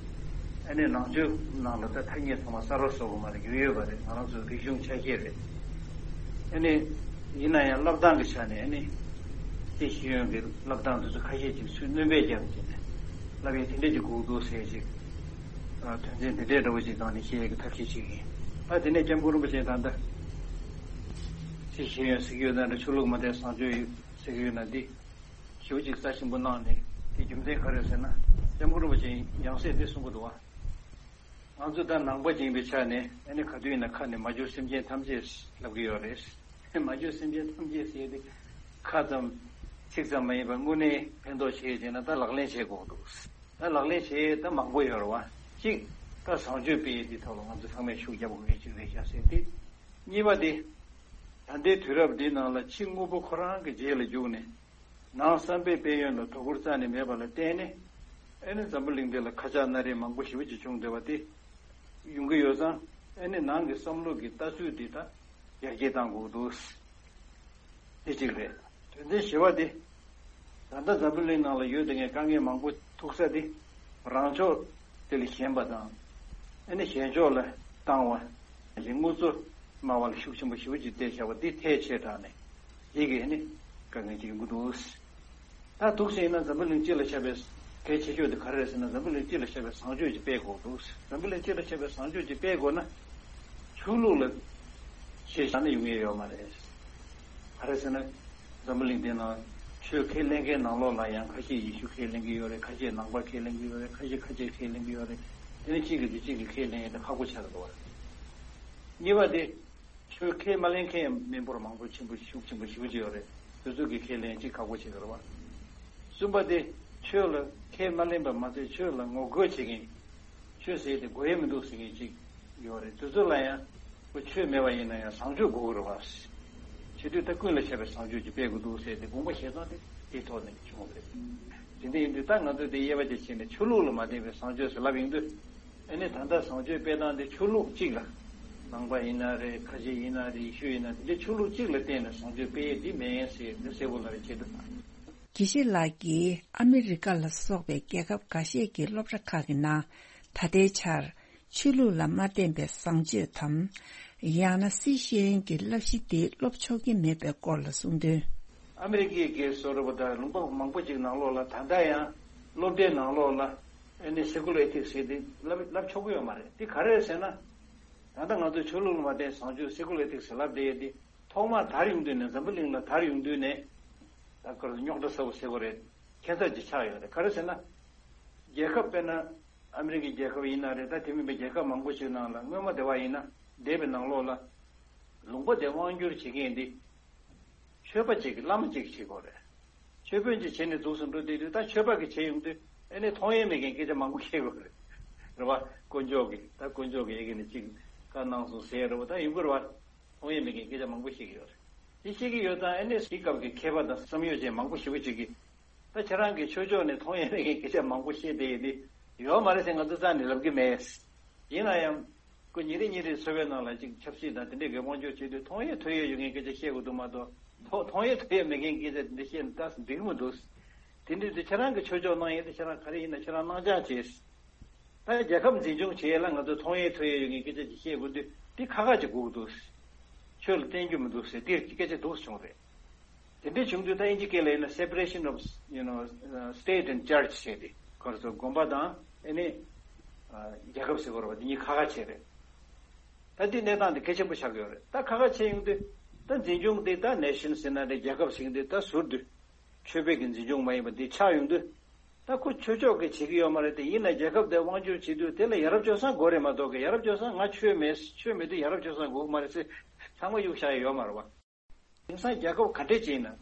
ཨ་ནི་ནང་ཆོས་ནང་ལ་ད་ཐ་སྙད་ཚང་མ་གསར་པ་བཟོ་དགོས་མ་རེད། ཡོད་ཡོད་པ་རེད། ང་རང་ཚོའི་རིག་གཞུང་ཆ་ཤས་རེད། ཨ་ནི་ཡིན་ན་ཡང་བསླབ་སྟངས་ཀྱི་ཆ་ནས་ཨ་ནི་སཱི་ཤེས་ཡོན་གྱི་བསླབ་སྟངས་དེ་ཚོ་ཁ་ཤས་ཅིག་ཚུར་སྣོན་པ་རྒྱབ་བྱས་ནས་བསླབ་ཡས་དེ་འདྲས་ཅིག་དགོས་འདུག་ཟེར་ཅིག་དོན་ཚན་དེ་འདྲས་འདྲ་བོ་ཅིག་སྒང་ནས་བཤད་ཡས་ཀྱི་ཐབས་ཤེས་ཅིག་ཡིན། ཨ་དེ་ནས་སྐྱབས་མགོན་རིན་པོ་ཆེ་ད་ལྟ་སཱི་ཤེས་ཡོན་ཟེར་གྱི་ཡོད་ན་འདྲ། ཆོས་ལུགས་མ་བརྟེན་བཟང་སྤྱོད་ཟེར་གྱི་ཡོད་ན་འདི། ཞེ་པོ་ཅིག་རྩ་ཆེན་པོ་གནང་ནས་དེ་རྒྱུ་མཚན་ག་རེ་ཟེར་ན། སྐྱབས་མགོན་རིན་པོ་ཆེས་ཡང་སེ་འདི་གསུང་གི་འདུག་བ། ང་ཚོ་ད་ནང་པ་ཅིག་ཡིན་པའི་ཆ་ནས་ཨ་ནི་ག་དུས་ཡིན་ན་ཁ་ནས་མ་གྱུར་སེམས་ཅན་ཐམས་ཅད་ལབ་ཀྱི་ཡོད་རེད། མ་གྱུར་སེམས་ཅན་ཐམས་ཅད་ཟེར་ཏེ་ཁ་ཙམ་ཚིག་ཙམ་མ་ཡིན་པར་དངོས་གནས་ཕན་ཐོགས་བྱེད་ཡས་ཅིག་ན་ད་ལག་ལེན་བྱེད་དགོས་འདུག། ད་ལག་ལེན་བྱེད་ཡས་ད་མང་པོ་ཡོད་རེད་བ། གཅིག་ད་བཟང་སྤྱོད་སྤེལ་ཡས་འདི་ཐོག་ལ་ང་ཚོ་ཚང་མས་ཤུགས་རྒྱབ་དགོས་ཡས་ཅིག་རེད་ཤག་ཟེར་ཏེ། གཉིས་པ་དེ་ད་ལྟའི་དུས་རབས་འདིའི་ནང་ལ་ཕྱི་དངོས་པོ་ཁོ་རང་གི་རྗེས་ལ་རྒྱུགས་ནས། ནང་བསམ་པའི་དཔལ་ཡོན་ལ་དོ་ཁུར་རྩ་ནས་མེད་པ་ལ་བརྟེན་ནས། ཨ་ནི་འཛམ་བུ་གླིང་འདི་ལ་ཁ་ཆག་སྣ་རལ་མང་པོ་ཞེ་པོ་ཅིག་བྱུང་བསྡད་པ་དེ་ཡོང་གི་ཡོད་ཙང་། ཨ་ནི་ནང་གི་བསམ་བློ་གི་ལྟ་ཚུལ་འདི་ད་ཡར་རྒྱས་གཏང་དགོས་འདུག། དེ་གཅིག་རེད། དོན་ཚན་བཞི་པ་དེ། ད་ལྟ་འཛམ་བུ་གླིང་ནང་ལ་ཡོད་བསྡད་མཁན་དཀའ་ངལ་མང་པོ་ཐུག་ས་དེ། རང་ཕྱོགས་དེ་ལས་ཞན་པ་དང་། ཨ་ནི་གཞན་ཕྱོགས་ལ་བཏང་བ། དངུལ་རྩ་དམའ་བ་ལ་ཤུགས་ཆེན་པོ་ཞེ་པོ་ཅིག་བལྟས་བཞག་པ་འདི་ཐལ་ཆེ་དྲགས་ནས། དེ་གིས་ནི་དཀའ་ངལ་ཅིག་ཡོང་གི་འདུག། ད་འདུག་སེ་ཡིན་ན་འཛམ་བུ་གླིང་སྤྱི་ལ་ཁྱབ་པའི་གལ་ཆེ་ཤོས་དེ་ག་རེ་རེད་ཟེར་ན། འཛམ་བུ་གླིང་སྤྱི་ལ་ཁྱབ་པའི་བཟང་སྤྱོད་ཅིག་སྤེལ་དགོས་འདུག། འཛམ་བུ་གླིང་སྤྱི་ལ་ཁྱབ་པའི་བཟང་སྤྱོད་ཅིག་སྤེལ་དགོས་ན། ཆོས་ལུགས་ལ་གཞི་བཞག་ན་ཡོང་ཡས་ཡོད་མ་རེད། ག་རེ་ཟེར་ན། འཛམ་བུ་གླིང་འདི་ནང་ཆོས་ཁས་ལེན་མཁན་ནང་ལོགས་ལ་ཡང་ཁ་ཤས་ཡེ་ཤུ་ཁས་ལེན་གྱི་ཡོད་རེད། ཁ་ཤས་ནང་པ་ཁས་ལེན་གྱི་ཡོད་རེད། ཁ་ཤས་ཁ་ཆེ་ཁས་ལེན་གྱི་ཡོད་རེད། དེ་ནི་གཅིག་གིས་དེ་གཅིག་གིས་ཁས་ལེན་ཡས་དེ་ཁག་པོ་ཆགས་འདུག་བ། གཉིས་པ་དེ། ཆོས་ཁས་མ་ལེན་མཁན་མི་འབོར་མང་པོ་ཆེན་པོ་ཤུགས་ཆེན་པོ་ཞེ་པོ་ཅིག་ཡོད་རེད། དེ་ཚོ་གིས་ཁས་ལེན་ཅིག་ཁག་པོ་ཆགས་འདུག་བ། གསུམ་པ་དེ། ཆོས་ལ་ཁས་མ་ལེན་པ་མ་ཟད་ཆོས་ལ་ངོ་རྒོལ་བྱེད་མཁན། ཆོས་ཟེར་དེ་དགོས་ཡས་མི་འདུག་ཟེར་མཁན་ཅིག་ཡོད་རེད། དེ་ཚོ་ལ་ཡང་ཁོ་ཆོས་མེད་པ་ཡིན་ན་ཡང་བཟང་སྤྱོད་དགོས་ཀྱི་རེད་བ། བྱེད་དུས་ད་ཀུན་ལ་ཁྱབ་པའི་བཟང་སྤྱོད་ཅིག་སྤེལ་དགོས་འདུག་ཟེར་ཏེ་དགོངས་པ་བཞེས་སྟངས་དེ་དེའི་ཐོག་ནས་བྱུང་བ་རེད། དེ་འདྲ་ཡིན་དུས་ད་ང་ཚོས་དེ་དབྱེ་བ་དེ་ཕྱེ་ནས་ཆོས་ལུགས་ལ་མ་བརྟེན་པའི་བཟང་སྤྱོད་ཟེར་ལབ་ཡོང་དུས། ཨ་ནི་ད་ལྟ་བཟང་སྤྱོད་སྤེལ་སྟངས་དེ་ཆོས་ལུགས་གཅིག་ལ། ནང་པ་ཡིན་ན་རེད། ཁ་ཆེ་ཡིན་ན་རེད། ཡེ་ཤུ་ཡིན་ན་དེ་འདྲའི་ཆོས་ལུགས་གཅིག་ལ་བརྟེན་ནས་བཟང་སྤྱོད་སྤེལ་ཡས་དེ་མེད་ཟེར་འདི་གསལ་པོ་ལབ་པའི་ཆེད་དུ། དགེ་བཤེས་ལགས་ཀྱིས་ཨ་མི་རི་ཀ་ལ་སོགས་པའི་རྒྱལ་ཁབ་འགའ་ཤས་ཀྱི་སློབ་གྲྭ་ཁག་གི་ནང་ད་ལྟའི་ཆར་ ཆོས་ལུགས་ལ་མ་བརྟེན་པའི་བཟང་སྤྱོད་དམ། ཡང་ན་སྲིད་ཤེས་ཡོན་གྱི་བསླབ་གཞི་དེ་སློབ་ཆོག་གི་མེད་པའི་སྐོར་ལ་གསུངས་དོན། ཨ་མི་རི་ཀའི་གེ་སོ་ར་བ་དང་ལུང་པ་མང་པོ་ཅིག་ནང་ལོགས་ལ་ད་ལྟ་ཡང་སློབ་གྲྭའི་ནང་ལོགས་ལ་ཨ་ནི་སེ་ཀུ་ལར་ཨེ་ཐིག་སི་ཟེར་དེ་བསླབ་བསླབ་ཆོག་གི་ཡོད་མ་རེད། དེ་ག་རེ་རེད་ཟེར་ན། ད་ལྟ་ང་ཚོས་ཆོས་ལུགས་ལ་མ་བརྟེན་བཟང་སྤྱོད་སེ་ཀུ་ལར་ཨེ་ཐིག་སི་ལབ་བསྡད་ཡོད་དེ། ཐོག་མར་དར་ཡོང་དུས་ནས་འཛམ་བུ་གླིང་ལ་དར་ཡོང་དུས་ནས་ད་ག་རེ་རྙོག་དྲ་ཚ་པོ་ཟེར་དགོས་རེད། ཁྱད་མཚར་ཅིག་ཆགས་ཡོད་རེད། ག་རེ་ཟེར་ན། རྒྱལ་ཁབ་དཔེར་ན་ཨ་མི་རི་ཀའི་རྒྱལ་ཁབ་ཡིན་ན་རེད། ད་དེ་མིན་པའི་རྒྱལ་ཁབ་མང་པོ་ཞིག་ནང་ལ་སྔོན་མ་དེ་བ་ཡིན་ན་འདས་པའི་ནང་ལོགས་ལ་ལུང་པ་དེ་དབང་སྒྱུར་བྱེད་མཁན་འདི་ཆོས་པ་ཅིག་གིས་བླ་མ་ཅིག་གིས་བྱེད་དགོས་རེད། ཆོས་དཔོན་ཅིག་བྱས་ནས་འདུག་སེ་འགྲོ་བསྡད་དུས་ད་ཆོས་པ་གིས་བྱེད་ཡོང་དུས་ཨ་ནི་མཐོང་ཡས་མེད་མཁན་སྐད་ཆ་མང་པོ་བཤད་དགོས་རེད། རེད་བ། དཀོན་མཆོག་གིས་ད་དཀོན་མཆོག་གིས་ཨེ་གི་ནས་ཅིག་བཀའ་གནང་སོང་ཟེར་རེད་བ། ད་ཡོང་གི་རེད་བ། མཐོང་ཡས་མེད་མཁན་སྐད་ཆ་མང་པོ་བཤད་ཀྱི་ཡོད་རེད། དེ་བཤད་ཀྱི་ཡོད་ཙང་ཨ་ནི་དེའི་སྐབས་ཀྱི་མཁས་པ་དང་བསམ་ཡོད་ཅན་མང་པོ་ཞེ་པོ་ཅིག་གིས། ད་ཁྱེད་རང་གི་ཆོས་ཕྱོགས་ནས་མཐོང་ཡས་མེད་མཁན་སྐད་ཆ་མང་པོ་བཤད་བསྡད་ཡོད་དེ། ཡོད་མ་རེད་ཟེར་ང་ཚོ་རྩ་ནས་ལབ་ཀྱི་མེད། ཡིན་ན་ཡང་། ཁོ་ཉིན་རེ་ཉིན་རེའི་འཚོ་བའི་ནང་ལ་ཅིག་ཆབ་སྲིད་དང་དེ་འདྲའི་གི་དབང་སྒྱུར་བྱེད་དུས་མཐོང་ཡས་ཐོས་ཡས་ཡོད་མཁན་སྐད་ཆ་བཤད་དགོས་འདུག་མ་གཏོགས། མཐོང་མཐོང་ཡས་ཐོས་ཡས་མེད་མཁན་སྐད་ཆ་དེ་འདྲ་བཤད་ན་ད་འགྲིག་གི་མི་འདུག། དེ་འདྲའི་དུས་ཁྱེད་རང་གི་ཆོས་ཕྱོགས་གནང་ཡས་དེ་ཁྱེད་རང་ག་རེ་ཡིན་ན་ཁྱེད་རང་གནང་སྦྱང་བྱས། ད་རྒྱལ་ཁབ་འཛིན་སྐྱོང་བྱེད་ཡས་ལ་ང་ཚོ་མཐོང་ཡས་ཐོས་ཡས་ཡོད་མཁན་སྐད་ཆ་ཅིག་བཤད་དགོས་དུས་དེ་ཁག་ཁག་ཅིག་དགོས་ཀྱི་འདུག། ཆོས་ལ་བརྟེན་རྒྱུ་མི་འདུག་ཟེར་དེ་སྐད་ཆ་འདུག་སེ་བྱུང་རེད། དེ་འདྲའི་བྱུང་དུས་ད་དབྱིན་ཇི་སྐད་ལ་ཡིན་ན་separation of, you know, uh, state and church ཟེར་ཏེ། ག་རེ་ཟེར། དགོན་པ་དང་ཨ་ནི་ཨ་རྒྱལ་ཁབ་ཟེར་དགོས་རེད་བ། དེ་གཉིས་ཁ་ཁ་བྱས་རེད། ད་འདི་གནས་སྟངས་འདི་གལ་ཆེན་པོ་ཆགས་ཀྱི་ཡོད་རེད། ད་ཁ་ཁ་བྱས་ཡོང་དུས་ད་འཛིན་སྐྱོང་འདི་ད་nation ཟེར་ན་འདྲ། རྒྱལ་ཁབ་ཟེར་གྱི་འདི་ད་ཟུར་དུ་ཆོས་པའི་གི་འཛིན་སྐྱོང་མ་ཡིན་པ་འདི་ཆགས་ཡོང་དུས། ད་ཁོ་ཆོས་ཕྱོགས་ཀྱིས་བྱེད་ཀྱི་ཡོད་མ་རེད་དེ། ཡིན་ན་རྒྱལ་ཁབ་དེ་དབང་སྒྱུར་བྱེད་དུས་དེ་ལ་ཡ་རབས་སྤྱོད་བཟང་དགོས་རེད་མ་གཏོགས་ཀྱི། ཡ་རབས་སྤྱོད་བཟང་ང་ཆོས་མེད། ཆོས་མེད་དུས་ཡ་རབས་སྤྱོད་བཟང་དགོས་ཀྱི་མ་རེད་ཟེར་ཚང་མ་གཡུག་བཞག་ཡ་ཡོད་མ་རེད་བ། དེང་སང་རྒྱལ་ཁབ་ག་འདྲས་ཅིག་ཡིན་ན།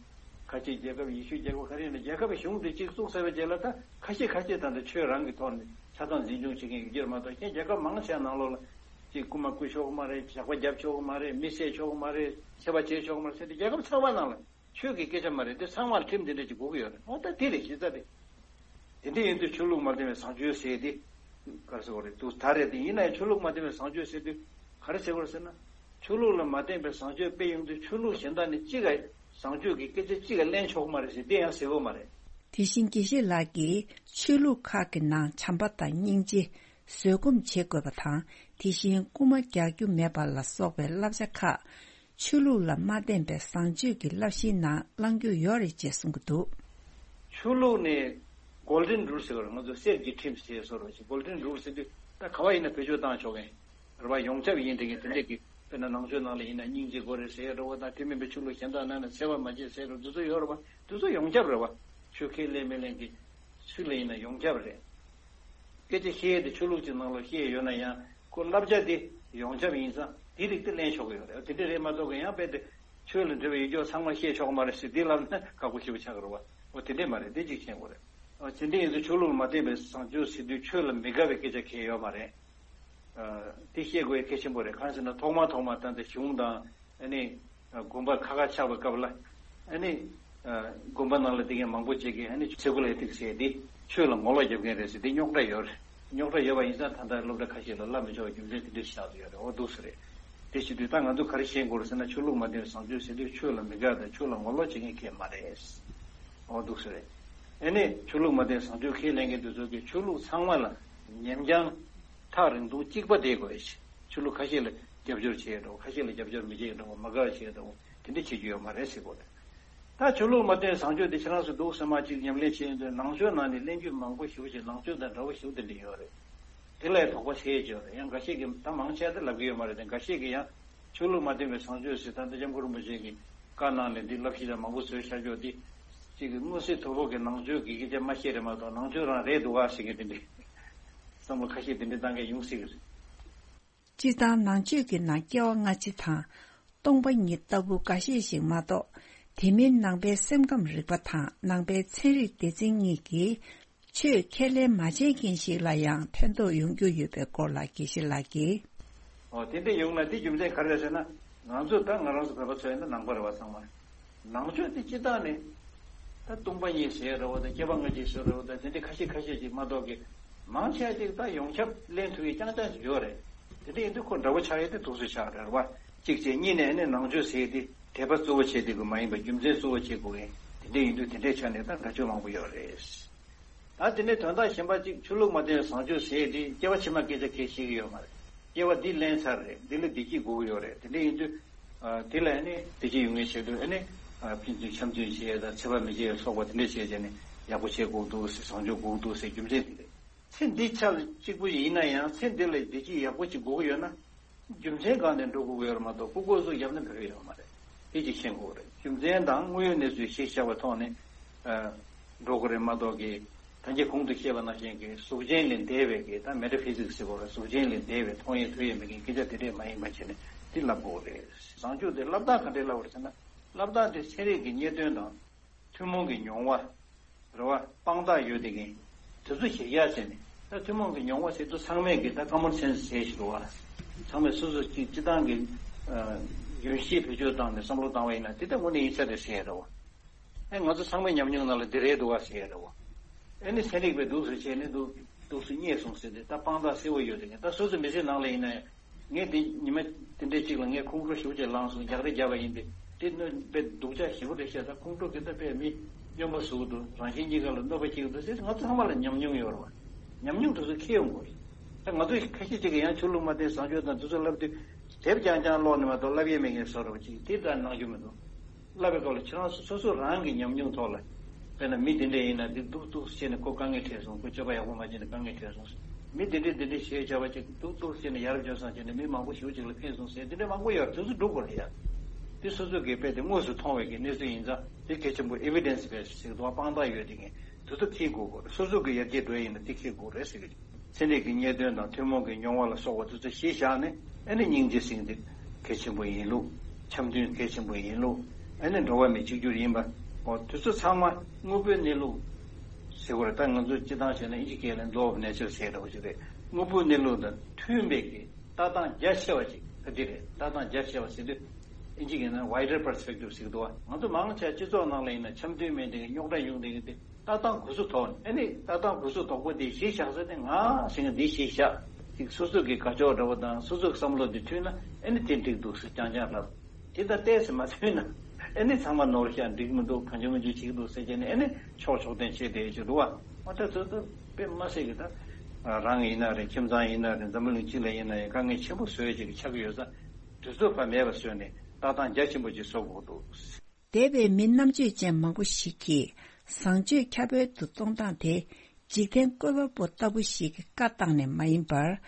ཁ་ཆེའི་རྒྱལ་ཁབ། ཡེ་ཤུའི་རྒྱལ་ཁབ། ག་རེ་ཡིན་ན་རྒྱལ་ཁབ་གཞུང་དེ་གཅིག་བཙུགས་ཚར་བའི་རྗེས་ལ་ད་ཁ་ཤས་ཁ་ཤས་ད་ལྟ་ཆོས་རང་གི་ཐོག་ནས་ཆ་ཚང་འཛིན་སྐྱོང་བྱེད་མཁན་ཡོད་ཀྱི་རེད་མ་གཏོགས། གཞན་རྒྱལ་ཁབ་མང་ཆེ་བ་ནང་ལོགས་ལ་གཅིག་རྐུ་མ་རྐུ་ཆོག་གི་མ་རེད། ཇག་པ་རྒྱབ་ཆོག་གི་མ་རེད། མི་བསད་ཆོག་གི་མ་རེད། འཚེ་བ་བྱེད་ཆོག་གི་མ་རེད་ཟེར་ཏེ། རྒྱལ་ཁབ་ཚང་མ་ནང་ལ་ཆོས་ཀྱི་སྐད་ཆ་མ་རེད་དེ། ཚང་མར་ཁྲིམས་དེ་འདྲ་ཅིག་དགོས་ཀྱི་ཡོད་རེད། འོ་ད་དེ་རེད་གཞི་རྩ་དེ། དེ་འདྲ་ཡིན་དུས་ཆོས་ལུགས་མ་བརྟེན་པའི་བཟང་སྤྱོད་ཟེར་དེ་ག་རེ་ཟེར་དགོས་རེད་འདུག། ད་རེད་དེ། ཡིན་ན་ཡང་ཆོས་ལུགས་མ་བརྟེན་པའི་བཟང་སྤྱོད་ཟེར་དུས་ག་རེ་ཟེར་དགོས་རེད་ཟེར་ན། ཆོས་ལུགས་ལ་མ་བརྟེན་པའི་བཟང་སྤྱོད་སྤེལ་ཡོང་དུས་ཆོས་ལུགས་གཞན་དག་ནས་གཅིག་ག་བཟང་སྤྱོད་ཀྱི་སྐད་ཆ་གཅིག་ག་ལེན་ཆོག་གི་མ་རེད་ཟེར་དེ་ཡང་ཟེར་དགོས་མ་རེད། དེ་བཞིན་དགེ་བཤེས་ལགས་ཀྱིས་ཆོས་ལུགས་ཁག་གི་ནང་བྱམས་པ་དང་སྙིང་རྗེ། བཟོད་སྒོམ་བྱེད་དགོས་པ་དང་། དེ་བཞིན་རྐུ་མ་རྒྱག་རྒྱུ་མེད་པ་ལ་སོགས་པའི་བསླབ་བྱ་ཁག་ཆོས་ལུགས་ལ་མ་བརྟེན་པའི་བཟང་སྤྱོད་ཀྱི་བསླབ་གཞིའི་ནང་བླང་རྒྱུ་ཡོད་རེད་ཅེས་གསུང་གི་འདུག། ཆོས་ལུགས་ནས་golden rule ཟེར་བ་རེད། ང་ཚོ་གསེར་གྱི་ཁྲིམས་ཟེར་བཟོ་འདྲ་ཅིག། golden rule ཟེར་དུས་ད་ག་བ་ཡིན་ན་བེད་སྤྱོད་བཏང་ཆོག་གི་རེད་བ། ཡོངས་ཁྱབ་ཡིན་དེ་གི་དེ་འདྲས་ཀྱི། དཔེར་ན་ནང་ཆོས་ནང་ལ་ཡིན་ན་སྙིང་རྗེ་དགོས་རེད་ཟེར་འདྲ་བོ་དང་། དེ་མིན་པའི་ཆོས་ལུགས་གཞན་དག་ནང་ན་འཚེ་བ་མ་བྱེད་ཟེར་འདྲ་བོ་འདི་ཚོ་ཡོད་རེད་བ། འདི་ཚོ་ཡོངས་ཁྱབ་རེད་བ། ཆོས་ཁས་ལེན་མི་ལེན་གྱི་སུ་ལ་ཡིན་ན་ཡོངས་ཁྱབ་རེད། སྐད་ཆ་བཤད་དེ་ཆོས་ལུགས་ཀྱི་ནང་ལ་བཤད་ཡོད་ན་ཡང་ཁོ་བསླབ་བྱ་དེ་ཡོངས་ཁྱབ་ཡིན་ཙང་དེ་རིགས་དེ་ལེན་ཆོག་གི་ཡོད་རེད། དེ་འདྲ་རེད་མ་གཏོགས་གི་ཡང་དཔེ་དེ་ཆོས་ལ་འབྲེལ་བའི་ཡིག་ཆོག་ཚང་མ་བཤད་ཆོག་གི་མ་རེད་ཟེར་དེ་ལབ་ན་ཁག་པོ་ཞེ་པོ་ཆགས་ཀྱི་རེད་བ། འོ་དེ་འདྲས་མ་རེད། དེ་གཅིག་ཤེས་དགོས་རེད། འོ་དེ་འདྲས་ཡིན་ཙང་ཆོས་ལུགས་ལ་མ་བརྟེན་པའི་བཟང་སྤྱོད་ཟེར་དུས་ཆོས་ལ་མི་དགའ་བའི་སྐད་ཆ་གང་ཡང་ཡོད་མ་རེད། ཨ། དེ་ཤེས་དགོས་ཡ་གལ་ཆེན་པོ་རེད། གང་ཟེར་ན་ཐོག་མ་ཐོག་མ་ད་ལྟ་གཞུང་དང་ཨ་ནི་དགོན་པ་ཁ་ཁ་ཆགས་པའི་སྐབས་ལ་ཨ་ནི་དགོན་པ་ནང་ལ་བསྡད་མཁན་མང་པོ་ཅིག་གིས་ཨ་ནི་སེ་ཀུ་ལར་ཨེ་ཐིག་སི་ཟེར་དེ་ཆོས་ལ་ངོ་ལོག་རྒྱབ་མཁན་རེད་ཟེར་དེ་རྙོག་དྲ་ཡོད་རེད། རྙོག་དྲ་ཡོད་པ་ཡིན་ཙང་ད་ལྟ་སློབ་གྲྭ་ཁ་ཤས་ལ་བསླབ་མི་ཆོག་པའི་རྒྱུ་མཚན་དེ་འདྲ་ཞིག་ཆགས་བསྡད་ཡོད་རེད། འོ་འདུག་སེ་རེད། དེ་བྱེད་དུས་ད་ང་ཚོ་ག་རེ་ཤེས་དགོས་རེད་ཟེར་ན། ཆོས་ལུགས་མ་བརྟེན་བཟང་སྤྱོད་ཟེར་དུས་ཆོས་ལ་མི་དགའ་དང་ཆོས་ལ་ངོ་ལོག་བྱེད་མཁན་གང་ཡང་མ་རེད། འོ་འདུག་སེ་རེད། ཨ་ནི་ཆོས་ལུགས་མ་བརྟེན་བཟང་སྤྱོད་ཁས་ལེན་མཁན་དེ་ཚོ་གིས་ཆོས་ལུགས་ཚང་མ་ལ་ཉམས་རྐྱང་ཐག་རིང་ཐུང་གཅིག་པ་བསྡད་དགོས་ཤིང་། ཆོས་ལུགས་ཁ་ཤས་ལ་རྒྱབ་སྐྱོར་བྱེད་འགྲོ། ཁ་ཤས་ལ་རྒྱབ་སྐྱོར་མི་བྱེད་འགྲོ། མ་དགའ་བ་བྱེད་འགྲོ། དེ་འདྲ་བྱེད་རྒྱུ་ཡོད་མ་རེད་ཟེར་དགོས་རེད། ད་ཆོས་ལུགས་མ་བརྟེན་བཟང་སྤྱོད་དེ་ཁྱེད་རང་ཚོ་འདུག་སེ་མར་ཅིག་ཉམས་ལེན་བྱེད་ཡོང་དུས་ནང་ཆོས་ནང་ནས་གླེང་རྒྱུ་མང་པོ་ཞེ་པོ་ཅིག་ནང་ཆོས་དང་འདྲ་བོ་ཞེ་པོ་དེ་འདྲ་ཡོད་རེད། དེ་ལ་དོགས་པ་ཟེར་ཡས་ཅིག་ཡོད་རེད། ཡང་འགའ་ཤས་ཀྱིས་ད་མང་ཆེ་བ་དེ་ལབ་ཀྱི་ཡོད་མ་རེད་དེ། འགའ་ཤས་ཀྱིས་ཡང་ཆོས་ལུགས་མ་བརྟེན་པའི་བཟང་སྤྱོད་ཟེར། ད་ལྟ་སྐྱབས་མགོན་རིན་པོ་ཆེ་གི་བཀའ་གནང་ནས་འདི་བསླབ་གཞི་ལ་མང་པོ་བཟོས་བཞག་ཆོག་དེ། གཅིག་གི་མངོན་གསལ་དོད་པོ་གི་ནང་ཆོས་ཀྱི་སྐད་ཆ་མ་བཤད་རེད་མ་གཏོགས་ནང་ཆོས་རང་རེད་འདུག་ག་ཟེར་མཁན་དེ་འདྲའི་བསམ་བློ་ཁ་ཤས་དེ་འདྲ་བཏང་མཁན་ཡོང་སྲིད་ཀྱི་རེད། སྤྱིར་བཏང་ནང་ཆོས་ཀྱི་ནང་སྐྱེ་བ་སྔ་ཕྱི་དང་། སྟོང་པ་ཉིད་ལྟ་བུ་འགའ་ཤས་ཤིག་མ་གཏོགས། དེ་མིན་ནང་པའི་སེམས་ཁམས་རིག་པ་དང་ནང་པའི་ཚན་རིག་སྡེ་ཚན་གཉིས་ཀྱིས་ཆོས་ཁས་ལེན་མ་བྱེད་མཁན་ཞིག་ལ་ཡང་ཕན་ཐོགས་ཡོང་རྒྱུ་ཡོད་པའི་སྐོར་ལ་དགེ་བཤེས་ལགས་ཀྱིས། ཨོ། དེ་འདྲ་ཡོང་ན་དེ་རྒྱུ་མཚན་ག་རེ་རེད་ཟེར་ན། ང་ཚོ་ད་ང་རང་ཚོ་བོད་པ་ཚོ་ཡིན་ན་ནང་པ་རེད་བ་ཚང་མ། ནང་ཆོས་དེ་སྤྱིར་བཏང་ནས་ད་སྟོང་པ་ཉིད་ཟེར་འདྲ་བོ་དང་སྐྱེ་བ་སྔ་ཕྱི་ཟེར་འདྲ་བོ་དང་དེ་འདྲ་ཁ་ཤས་ཁ་ཤས་ཅིག་མ་གཏོགས་ཀྱི། མང་ཆེ་བ་ཅིག་ད་ཡོངས་ཁྱབ་ལེན་ཐུབ་ཡས་རྐྱང་རྐྱང་ཅིག་ཡོད་རེད། དེ་འདྲ་ཡིན་དུས་ཁོ་འདྲ་བོ་ཆགས་ཡས་དེ་འདུག་སེ་ཆགས་རེད་བ། གཅིག་བྱས། གཉིས་ནས་ནི་ནང་ཆོས་ཟེར་དེ་དད་པ་གཙོ་བོ་བྱས་དེ་དགོས་མ་ཡིན་པར་རྒྱུ་མཚན་གཙོ་བོ་བྱེད་དགོས་ཡས་དེ་འདྲ་ཡིན་དུས་དེ་འདྲའི་ཆ་ནས་ད་འདྲ་ཆོས་མང་པོ་ཡོད་རེད། ད་དེ་ནས་དོན་དག་གཞན་པ་གཅིག་ཆོས་ལུགས་མ་བསྟེན་བཟང་སྤྱོད་ཟེར་དེ་སྐྱེ་བ་ཕྱི་མ་སྐད་ཆ་གང་ཡང་བཤད་ཀྱི་ཡོད་མ་རེད། སྐྱེ་བ་འདི་ལེན་ཚར་རེད། འདི་ལ་བདེ་སྐྱིད་དགོས་ཀྱི་ཡོད་རེད། དེ་འདྲ་ཡིན་དུས། ཨ། དེ་ལ་ཨ་ནི་བདེ་སྐྱིད་ཡོང་མཁན་བྱེད་དུས་ཨ་ནི། ཨ། ཕན་ཚུན་འཆམ་མཐུན་བྱེད་ཡ་དང་ཚེ་དཔག་མེད་བྱེད་ཡ་སོགས་པ་དེ་འདྲ་བྱས་བྱས་ནས་ཡག་པོ་བྱེད་དགོས་འདུག་ཟེར། བཟང་སྤྱོད་དགོས་འདུག་ཟེར། རྒྱུ་མཚན་དེ་རེད། ཚེ་འདི་ཆ་ལ་གཅིག་པུ་ཡིན་ན་ཡང་ཚེ་འདི་ལ་བདེ་སྐྱིད་ཡག་པོ་ཅིག་དགོས་ཀྱི་ཡོད་ན། རྒྱུ་མཚན་སྒང་ནས་འགྲོ་དགོས་ཀྱི་ཡོད་རེད་མ་གཏོགས་ལྐུགས་ལྐུགས་སུ་བརྒྱབ་ན་འགྲིག་གི་ཡོད་མ་རེད། དེ་གཅིག་ཤེས་དགོས་རེད། རྒྱུ་མཚན་དང་དངོས་ཡོད་གནས་ཚུལ་གཞི་བཞག་པའི་ཐོག་ནས། ཨ། འགྲོ་དགོས་རེད་མ་གཏོགས་ཀྱི། ད་ངས་གོང་དུ་བཤད་པ་ནང་བཞིན་གྱི་གཟུགས་ཅན་ལས་འདས་པའི་གི་ད་མེ་ཊ་ཕི་སིག་སི་ཟེར་དགོས་རེད། གཟུགས་ཅན་ལས་འདས་པའི་མཐོང་ཡས་ཐོས་ཡས་མེད་མཁན་སྐད་ཆ་དེ་འདྲས་མ་ཡིན་པ་བྱས་ནས་དེ་ལབ་དགོས་རེད། བཟང་སྤྱོད་དེ་སློབ་སྟངས་ག་འདྲས་སློབ་དགོས་རེད་ཟེར་ན། སློབ་སྟངས་དེ་ཚན་རིག་གི་རྙེད་དོན་དང་། ཐུན་མོང་གི་མྱོང་བ། རེད་བ། དཔང་རྟགས་ཡོད་དེ་གིན། དེ་ཚོ་གཞིར་བཞག་བྱས་ནས། ད་ཐུན་མོང་གི་མྱོང་བ་ཟེར་དུས་ཚང་མས་ཀྱི་ད་ཀ་མོན་སེན་སི་ཟེར་ཞིག་འདུག་བ། ཚང་མས་སོ་སོ་གཅིག་སྤྱི་བཏང་གི། ཨ། རྒྱུན་ཤེས་བེད་སྤྱོད་བཏང་ནས་བསམ་བློ་བཏང་བ་ཡིན་ན་དེ་ལྟ་དངོས་གནས་ཡིན་ས་རེད་ཟེར་ཡ་རེད་བ། ཨེ། ང་ཚོ་ཚང་མའི་ཉམས་མྱོང་ནང་ལ་འདི་རེད་འདུག་བ་ཟེར་ཡ་རེད་བ། ཨེ་ནི་ཚན་རིག་པས་འདུག་སེ་བྱས་ནས་འདུག་འདུག་སེ་རྙེད་སོང་ཟེར་ཏེ་ད་དཔང་རྟགས་གསལ་བོ་ཡོད་དེ་ངས་ད་སོ་སོ་མི་ཚེ་ནང་ལ་ཡིན་ན་ཡང་། ངས་འདི་ཉི་མ་དེ་འདྲའི་གཅིག་ལ་ངས་ཁོང་ཁྲོ་ཞེ་པོ་ཅིག་ལངས་སོང་། རྒྱག་རེས་བརྒྱབ་པ་ཡིན་ཏེ། དེ་གནོད་དཔེ་སྡུག་ཅག་ཞེ་པོ་རེད་ཤག་ད་ཁོང་ཁྲོ་གི་ད་དཔེ་མི་སྨྱོན་པ་བཟོ་གི་འདུག་རང་གཞན་གཉིས་ཀ་ལ་གནོད་པ་སྐྱེལ་གི་འདུག་ཟེར་ང་ཚོ་ཚང་མ་ལ་ཉམས་མྱོང་ཡོད་རེད་བ། ཉམས་མྱོང་དེ་ཚོ་འཁྱེར་ཡོང་དགོས་རེད། ད་ང་ཚོ་ཁ་ཤས་ཅིག་གིས་ཡང་ཆོས་ལུགས་མ་བསྟེན་བཟང་སྤྱོད་དང་དེ་ཚོ་ལབ་དུས། དེབ་རྐྱང་རྐྱང་ཀློག་ནས་མ་གཏོགས་ལབ་ཡས་མེད་མཁན་བཟོ་འདྲ་བ་ཅིག་དེ་ལྟར་གནང་རྒྱུ་མི་འདུག་ལབ་པའི་སྐབས་ལ་ཁྱེད་རང་ཚོ་སོ་སོ་རང་གི་ཉམས་མྱོང་ཐོག་ལ། དཔེར་ན་མི་དེ་འདྲ་ཡིན་ན་འདི་སྡུག་སྡུག་བྱས་ནས་ཁོ་དཀའ་ངལ་འཕྲད་སོང་། ཁོ་སྤྱོད་པ་ཡག་པོ་མ་བྱས་ནས་དཀའ་ངལ་འཕྲད་སོང་། མི་དེ་འདྲས་དེ་འདྲས་བྱས་བྱ་བ་ཅིག་སྡུག་སྡུག་བྱས་ནས་ཡར་འབྱོར་སོང་བྱས་ནས་མི་མང་པོ་ཞེ་པོ་ཅིག་ལ་ཕན་སོང་ཟེར་དེ་འདྲས་མང་པོ་ཡོད་རེད། དེ་ཚོ་སྒྲུབ་དགོས་རེད་ཡ། དེ་སོ་སོ་གིས་དཔེ་དེ་དངོས་སུ་མཐོང་བའི་གི་གནས་ཚུལ་ཡིན་ཙང་དེ་གལ་ཆེན་པོ། ཨེ་བི་ཌེན་སི་བེ་སི་ཟེར་གི་འདུག་བ། དཔང་རྟགས་ཡོད་དེ་ངས་དེ་ཚོ་འཁྱེར་དགོས་དགོས་རེད། སོ་སོ་གི་ཡར་རྒྱས་འགྲོ་ཡ་ཡིན་ན་དེ་འཁྱེར་དགོས་རེད་ཟེར་གི། ཚན་རིག་གི་རྙེད་དོན་དང་ཐུན་མོང་གི་མྱོང་བ་ལ་སོགས་པ་དེ་ཚོ་གཞི་བཞག་ནས་ཨ་ནི་སྙིང་རྗེ་ཟེར་མཁན་དེ་གལ་ཆེན་པོ་ཡིན་ལུགས། འཆམ་མཐུན་གལ་ཆེན་པོ་ཡིན་ལུགས། ཨ་ནི་འགྲོ་བ་མི་གཅིག་གྱུར་ཡིན་པ། འོ་དེ་ཚོ་ཚང་མ་དངོས་པོའི་གནས་ལུགས་ཟེར་དགོས་རེད། ད་ང་ཚོ་སྤྱི་བཏང་བྱས་ན་ཨིན་ཇི་སྐད་ལ་law of nature ཟེར་འདྲ་བོ་ཞིག་རེད། དངོས་པོའི་གནས་ལུགས་དང་མཐུན་པའི་གི་ལྟ་སྟངས་རྒྱ་ཆེ་བ་ཅིག་ད་འདི་རེད། ལྟ་སྟངས་རྒྱ་ཆེ་བ་ཟེར་དུས་ཨིན་ཇི་སྐད་ན་wider perspective ཟེར་གི་འདུག་བ། ང་ཚོ་མང་ཆེ་སྤྱི་ཚོགས་ནང་ལ་ཡིན་ན་འཆམ་མཐུན་མེད་དེ་རྙོག་དྲ་ཡོང་དེ་གི་དེ། ལྟ་སྟངས་གུ་སུ་དོག་ནས་ཨ་ནི་ལྟ་སྟངས་གུ་སུ་དོག་པོ་འདི་གཞི་བཞག་ས་ནས་ང་ཟེར་མཁན་འདི་གཞི་བཞག་ཅིག་སོ་སོ་གི་དགའ་ཕྱོགས་འདྲ་བོ་དང་སོ་སོ་གི་བསམ་བློ་འདི་མཐུན་ན་ཨ་ནི་དེ་འགྲིག་འདུག་ཟེར་རྐྱང་རྐྱང་ལབ། དེ་ལྟར་ཏོག་ཙམ་མ་མཐུན་ན་ཨ་ནི་ཚང་མ་ནོར་ཤག་འགྲིག་མི་འདུག་གང་བྱུང་མི་བྱུང་བྱེད་ཀྱི་འདུག་ཟེར་བྱས་ནས་ཨ་ནི་ཕྱོགས་ཕྱོགས་འཐེན་བྱེད་བསྡད་ཀྱི་འདུག་བ། འོ་ད་དེ་ཚོ་དཔེ་མ་སྲིད་ཀྱི་ད། རང་ཡིན་ན་རེད། ཁྱིམ་ཚང་ཡིན་ན་རེད། འཛམ་བུ་གླིང་སྤྱི་ལ་ཡིན་ན་ཡང་དཀའ་ངལ་ཆེན་པོ་བཟོ་ཡས་ཅིག་ཆགས་ཀྱི་ཡོད་ཙང་དུས་ཚོད་ཕར་མེད་པ་བཟོས་ནས་ལྟ་སྟངས་རྒྱ་ཆེན་པོ་ཅིག་བཟོ་དགོས་འདུག་འདས་པའི་མི་རྣམ་དཔྱོད་ཅན་མང་པོ་ཞིག་གིས་བཟང་སྤྱོད་ཁྱབ་སྤེལ་དུ་གཏོང་སྟངས་དེ་འཇིག་རྟེན་བཀོད་པ་པོ་ལྟ་བུ་ཞིག་གི་བཀའ་བཏང་ནས་མ་ཡིན་པར།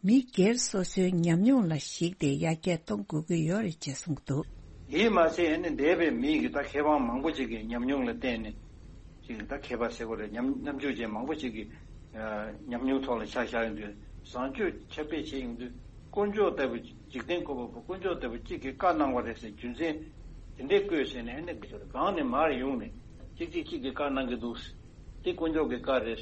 མི་སྒེར་སོ་སོའི་ཉམས་མྱོང་ལ་གཞིགས་ཏེ་ཡར་རྒྱས་གཏོང་དགོས་ཀྱི་ཡོད་རེད་ཅེས་གསུངས་འདུག་དེས་མ་ཟད་ཨ་ནི་འདས་པའི་མི་གི་ད་མཁས་དབང་མང་པོ་ཅིག་གི་ཉམས་མྱོང་ལ་བརྟེན་ནས་ཅིག་ད་མཁས་པ་ཟེར་དགོས་རེད། ཉམས་རྣམ་དཔྱོད་ཅན་མང་པོ་ཅིག་གི་ཉམས་མྱོང་ཐོག་ལ་ཆ་བཞག་ཡོང་དུས་བཟང་སྤྱོད་ཁྱབ་སྤེལ་བྱེད་ཡོང་དུས་དཀོན་མཆོག་ལྟ་བུ་འཇིག་རྟེན་བཀོད་པ་པོ་དཀོན་མཆོག་ལྟ་བུ་གཅིག་གིས་བཀའ་གནང་བ་རེད་ཟེར་རྒྱུ་མཚན་དེ་འདྲས་བཀོད་ཟེར་ནས་ཨ་ནི་གང་ནས་མར་ཡོང་ནས་གཅིག་གཅིག་གཅིག་གིས་བཀའ་གནང་གི་འདུག་དེ་དཀོན་མཆོག་གི་བཀའ་རེད།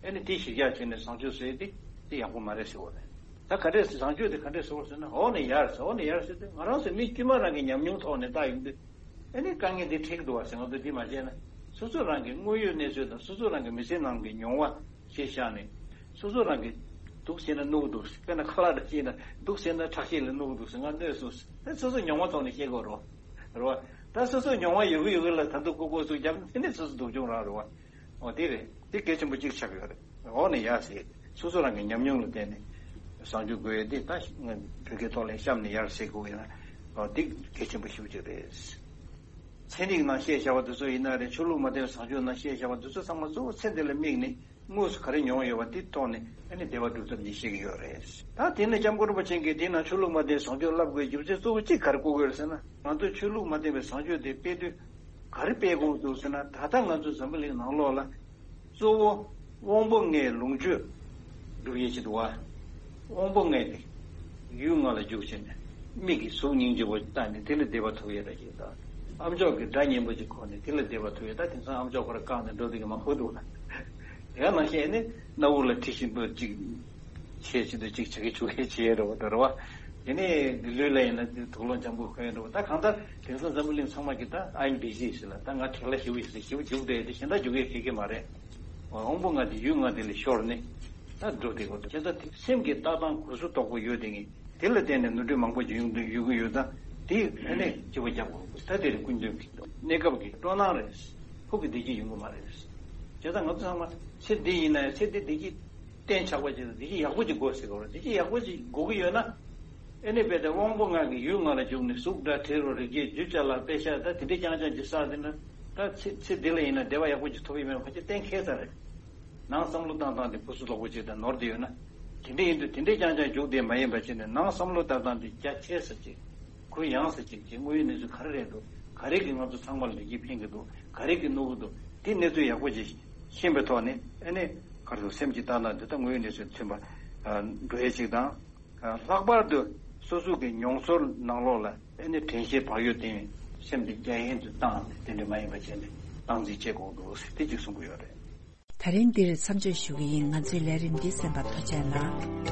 ཨ་ནི་དེ་གཞིར་བཞག་བྱས་ནས་བཟང་སྤྱོད་ཟེར་དེ་དེ་ཡག་པོ་མ་རེད་ཟེར་བ་རེད། ད་ག་འདྲས་བཟང་སྤྱོད་དེ་ག་འདྲས་ཟེར་བ་ཟེར་ན་འོག་ནས་ཡར་ཟེར། འོག་ནས་ཡར་ཟེར་དུས་ང་རང་ཚོ་མི་དཀྱུས་མ་རང་གི་ཉམས་མྱོང་ཐོག་ནས་བལྟ་ཡོང་དུས་ཨ་ནི་དཀའ་ངལ་འདི་འཕྲད་ཀྱི་འདུག་བ་ཟེར། ང་ཚོ་འདི་མ་བྱས་ན་སོ་སོ་རང་གི་དངོས་ཡོད་གནས་ཚུལ་དང་སོ་སོ་རང་གི་མི་ཚེ་ནང་གི་མྱོང་བ་གཞིར་བཞག་ནས་སོ་སོ་རང་གི་སྡུག་བྱས་ན་གནོད་ཀྱི་འདུག་དཔེར་ན་ཁ་ལག་འདྲ་བྱས་ན་སྡུག་བྱས་ན་ཁྲག་ཤེད་ལ་གནོད་ཀྱི་འདུག་ཟེར་ང་གནོད་སོང་ཟེར། ད་སོ་སོ་མྱོང་བ་ཐོག་ནས་བཤད་དགོས་རེད་བ། རེད་བ། ད་སོ་སོ་མྱོང་བ་ཡོད་གི་ཡོད་གི་ལ་ད་དུང་ལྐུགས་ལྐུགས་སུ་བརྒྱབ་ན་དེ་ནས་སོ་སོ་སྡུག་སྦྱོང་རང་རེད་བ། འོ་དེ་རེད། དེ་གལ་ཆེན་པོ་གཅིག་ཆགས་ཡོད་རེད། འོག་ནས་ཡར་ཟེར། སོ་སོ་རང་གི་ཉམས་མྱོང་ལ་བརྟེན་ནས་བཟང་སྤྱོད་དགོས་ཡ་དེ་ད་ང་བོད་སྐད་ཐོག་ལ་གཤམ་ནས་ཡར་ཟེར་དགོས་ཡ་ན། འོ་དེ་གལ་ཆེན་པོ་ཞེ་པོ་ཅིག་རེད། ཚན་རིག་ནང་བཤད་བཞག་པ་དེ་ཚོ་ཡིན་ན་རེད། ཆོས་ལུགས་མ་བསྟེན་པའི་བཟང་སྤྱོད་ནང་བཤད་བཞག་པ་དེ་ཚོ་ཚང་མ་གཙོ་བོ་ཚེ་འདི་ལ་དམིགས་ནས་དངོས་སུ་ག་རེ་མྱོང་ཡོད་པ་དེ་ཐོག་ནས་ཨ་ནི་བདེ་བ་སྒྲུབ་ཐབས་ནི་བཤད་ཀྱི་ཡོད་རེད། ད་དེ་ནས་སྐྱབས་མགོན་རིན་པོ་ཆེ་གིས་དེ་ནང་ཆོས་ལུགས་མ་བསྟེན་བཟང་སྤྱོད་བསླབ་དགོས་རྒྱུ་མཚན་གཙོ་བོ་གཅིག་ག་རེ་བཀོད་དགོས་རེད་ཟེར་ན། ང་ཚོས་ཆོས་ལུགས་མ་བསྟེན་པའི་བཟང་སྤྱོད་དེ་སྤེལ་དུས་ག་རེ་སྤེལ་དགོས་འདུག་ཟེར་ན། ད་ལྟ་ང་ཚོ་འཛམ་བུ་གླིང་ནང་ལོགས་ལ་གཙོ་བོ་དབང་པོ་ལྔའི་ལོངས་སྤྱོད་སྒྲུབ་ཡས་ཅིག་འདུག་བ། དབང་པོ་ལྔ་དེ་ཡུལ་ལྔ་ལ་འཇུག་བྱས་ནས་མིག་གིས་གཟུགས་སྙིང་རྗེ་པོ་བལྟས་ནས་དེ་ལ་བདེ་བ་ཐོབ་ཡས་ར་ཅིག་དང་། ཨམ་ཅོག་གིས་སྒྲ་སྙན་པོ་ཅིག་གོ་ནས་དེ་ལ་བདེ་བ་ཐོབ་ཡས། ད་དེང་སང་ཨམ་ཅོག་ཁོ་ར་བཀག་ནས་འགྲོ་བསྡད་མཁན་མང་པོ་འདུག་ལ། དེ་ག་ནང་བཞིན་ནི་སྣ་བུག་ལ་དྲི་ཞིམ་པོ་ཅིག་བྱས་བྱེད་དུ་ཅིག་བྱ་གི་བྱུག་གི་བྱས་རེད་བ། ད་རེད་བ། དེ་ནས་ལུས་ལ་ཡིན་ན་དུག་སློང་འཇམ་པོ་གོན་རེད་བ། ད་གང་ལྟར་དེང་སང་འཛམ་བུ་གླིང་ཚང་མ་གི་ད་I'm busy ཟེར་ལ། ད་ང་བྲེལ་བ་ཞེ་པོ་ཡོད་ཟེར་ཞེ་པོ་རྒྱུག་བསྡད་དེ་གཞན་དག་རྒྱུག་ཡས་ག་གེ་མ་རེད། དབང་པོ་ལྔ་དེ་ཡུལ་ལྔ་དེ་ལས་ཤོར་ནས་ད་འགྲོ་བསྡད་དགོས་འདུག་དེ་ད་དེ་སེམས་ཀྱི་ལྟ་སྟངས་གོ་སུ་དོག་པོ་ཡོད་དེ་ངས་དེ་ལ་བརྟེན་ནས་ནོར་འཁྲུལ་མང་པོ་ཅིག་ཡོང་དུ་ཡོད་ཀྱི་ཡོད་ཙང་དེ་ཨ་ནས་ལྕི་པོ་རྒྱག་དགོས་འདུག་ད་དེ་རིང་སྐུ་མདུན་གྱི་གནས་སྐབས་ཀྱི་སྤྲོ་སྣང་རེད། ཕུགས་ཀྱི་བདེ་སྐྱིད་ཡོང་གི་མ་རེད། བྱས་ཙང་ང་ཚོ་ཚང་མ་ཚེ་འདི་ཡིན་ན་ཡང་ཚེ་འདི་བདེ་སྐྱིད་གཏན་ཆགས་པ་ཅིག་དང་བདེ་སྐྱིད་ཡག་པོ་ཅིག་དགོས་ཟེར་གི་རེད། བདེ་སྐྱིད་ཡག་པོ་ཅིག་དགོས་ཀྱི་ཡོད་ན། ཨེ་ནི་རྦད་དེ་དབང་པོ་ལྔ་གི་ཡུལ་ལྔ་ལ་འཇུག་ནས་གཟུགས་སྒྲ་དྲི་རོ་རེག་བྱ་རྒྱུ་ཅ་ལག་པེ་ཤ་ད་དེ་འདྲའི་རྐྱང་རྐྱང་ཅིག་བསགས་བསྡད་ན། ད་ཚེ་ཚེ་འདི་ལ་ཡིན་ན་བདེ་བ་ཡག་པོ་ཅིག་ཐོབ་ཡོད་མེད་ཕལ་ཆེར་གཏན་འཁེལ་ཚར་རེད། ནང་བསམ་བློ་བཏང་སྟངས་དེ་ཕུ་སུ་ལོག་པོ་ཅིག་དང་ནོར་བསྡད་ཡོད་ན། དེ་འདྲ་ཡིན་དུས་དེ་འདྲའི་རྐྱང་རྐྱང་རྒྱུགས་བསྡད་མ་ཡིན་པ་བྱས་ནས་ནང་བསམ་བློ་བཏང་སྟངས་དེ་རྒྱ་ཆེ་ས་ཅིག་གུ་ཡངས་ས་ཅིག་ཅིག་དངོས་ཡོད་གནས་ཚུལ་ག་རེ་རེད་འདུག་ག་རེ་གིས་ང་ཚོ་ཚང་མར་ལེགས་སྐྱེས་ཕན་གྱི་འདུག་ག་རེ་གིས་གནོད་ཀྱི་འདུག་དེ་གནས་ཚུལ་ཡག་པོ་ཅིག་ཤེས་པའི་ཐོག་ནས་ཨ་ནི་ག་རེ་ཟེར་སེམས་ཀྱི་ལྟ་སྟངས་འདི་ལྟ་དངོས་ཡོད་གནས་ཚུལ་མཐུན་པ་འགྲོ་ཡས་ཅིག་དང་། ལྷག་པར་དུ་སོ་སོ་གི་མྱོང་ཚོར་ནང་ལོགས་ལ་ཨ་ནི་དྲན་ཤེས་བག་ཡོད་བསྟེན་ཡས་སེམས་དེ་རྒྱ་ཡན་དུ་བཏང་ནས་དེ་འདྲ་མ་ཡིན་པ་བྱས་ནས་སྟངས་འཛིན་བྱེད་དགོས་འདུག་ཟེར་དེ་གཅིག་གསུང་གི་ཡོད་རེད། ད་རིང་འདིར་མཚམས་འཇོག་ཞུ་གི་ཡིན། ང་ཚོའི་ལས་རིམ་འདི་གསན་པར་ཐུགས་རྗེ་གནང་།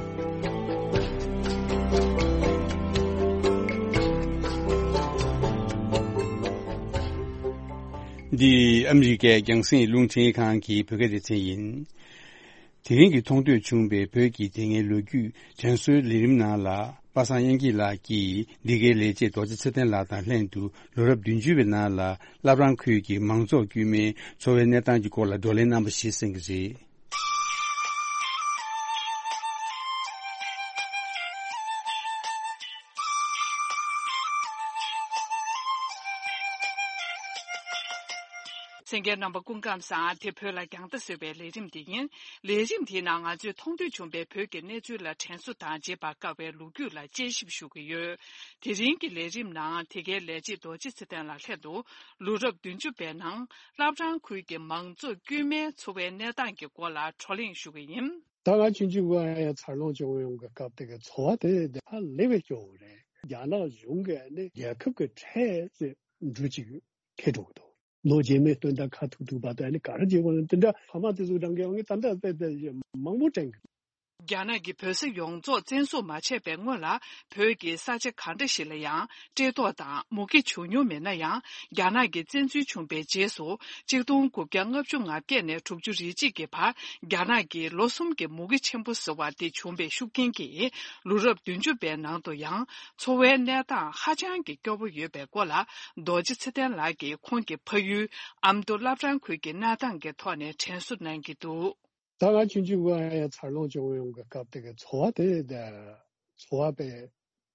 འདི་ཨ་མི་རི་ཀའི་རྒྱང་སྲིང་རླུང་འཕྲིན་ཁང་གི་བོད་སྐད་སྡེ་ཚན་ཡིན། དེ་རིང་གི་མཐོང་ཐོས་བྱུང་བའི་བོད་ཀྱི་དེ་སྔའི་ལོ་རྒྱུས་དྲན་གསོའི་ལས་རིམ་ནང་ལ། པ་སངས་དབྱངས་སྐྱིད་ལགས་ཀྱིས་འདི་གའི་ལས་བྱེད་རྡོ་རྗེ་ཚེ་བརྟན་ལགས་དང་ལྷན་དུ་ལོ་རབས་བདུན་ཅུ་བའི་ནང་ལ་བླ་བྲང་ཁུལ་གྱི་མང་ཚོགས་དཀྱུས་མའི་འཚོ་བའི་གནས་སྟངས་ཀྱི་སྐོར་ལ་བགྲོ་གླེང་གནང་བ་ཞིག་གསན་གྱི་རེད། གསན་མཁན་རྣམ་པ་སྐུ་ཁམས་བཟང་། དེ་བོད་ལ་རྒྱང་ལྟ་ཟེར་བའི་ལས་རིམ་འདི་ཡིན། ལས་རིམ་དེའི་ནང་ང་ཚོས་མཐོང་ཐོས་བྱུང་བའི་བོད་ཀྱི་གནས་ཚུལ་ལ་དྲན་གསོ་དང་རྗེས་དཔག་དཀའ་བའི་ལོ་རྒྱུས་ལ་དཔྱད་ཞིབ་ཞུ་གི་ཡོད། དེ་རིང་གི་ལས་རིམ་ནང་དེ་གའི་ལས་བྱེད་རྡོ་རྗེ་ཚེ་བརྟན་ལགས་ལྷན་དུ་ལོ་རབས་བདུན་ཅུ་པའི་ནང་བླ་བྲང་ཁུལ་གྱི་མང་ཚོགས་དཀྱུས་མའི་འཚོ་བའི་གནས་སྟངས་ཀྱི་སྐོར་ལ་བགྲོ་གླེང་ཞུ་གི་ཡིན། ད་ང་ཆུང་ཆུང་སྒང་ཡང་འཚར་ལོངས་བྱུང་ཡོང་གི་སྐབས་དེ་གའི་འཚོ་བ་དེ་ཧ་ལས་པའི་སྐྱོ་བོ་རེད། རྒྱ་ནག་གཞུང་གིས་ནི་རྒྱལ་ཁབ་ཀྱི་ཁྲལ་ཟེར་འབྲུ་གཅིག་ཁེ་འགྲོ་གི་འདུག་ལོ་རྗེས་མའི་སྟོན་ཟླ་ཁ་ཐུག་ཐུག་བར་དུ་ཨ་ནི་ག་རེ་བྱེད་དགོས་ན་དེ་འདྲ་ཕ་མ་དེ་ཚོ་རང་གི་འོང་གི་ད་ལྟ་དཔེ་དེ་མང་པོ་དྲན་གི། རྒྱ་ནག་གིས་བོད་ས་ཡོངས་རྫོགས་བཙན་བཟུང་མ་བྱས་པའི་སྔོན་ལ་བོད་ཀྱི་ས་ཆ་ག་འདྲ་ཞིག་ལ་ཡང་བཀྲེས་ལྟོགས་དང་མུ་གེ་བྱུང་མྱོང་མེད་ན་ཡང་། རྒྱ་ནག་གིས་བཙན་འཛུལ་བྱུང་པའི་རྗེས་སུ་གཅིག་སྟོང་དགུ་བརྒྱ་ལྔ་བཅུ་ང་བརྒྱད་ནས་དྲུག་ཅུ་རེ་གཅིག་གི་བར་རྒྱ་ནག་གིས་ལོ་གསུམ་གྱི་མུ་གེ་ཆེན་པོ་ཟེར་བ་དེ་བྱུང་བའི་ཤུགས་རྐྱེན་གྱིས་ལོ་རབས་བདུན་ཅུ་པའི་ནང་དུ་ཡང་། འཚོ་བའི་གནས་སྟངས་ཧ་ཅང་གི་སྐྱོ་པོ་ཡོད་པའི་སྐོར་ལ་རྡོ་རྗེ་ཚེ་བརྟན་ལགས་ཀྱིས་ཁོང་གི་ཕ་ཡུལ་ཨ་མདོ་བླ་བྲང་ཁུལ་གྱི་གནས་སྟངས་ཀྱི་ཐོག་ནས་དྲན་གསོ་གནང་གི་འདུག་ད་ང་ཆུང་ཆུང་སྒང་ཡང་འཚར་ལོངས་བྱུང་ཡོང་གི་སྐབས་དེ་གའི་འཚོ་བ་དེ་འཚོ་བ་དཔེ་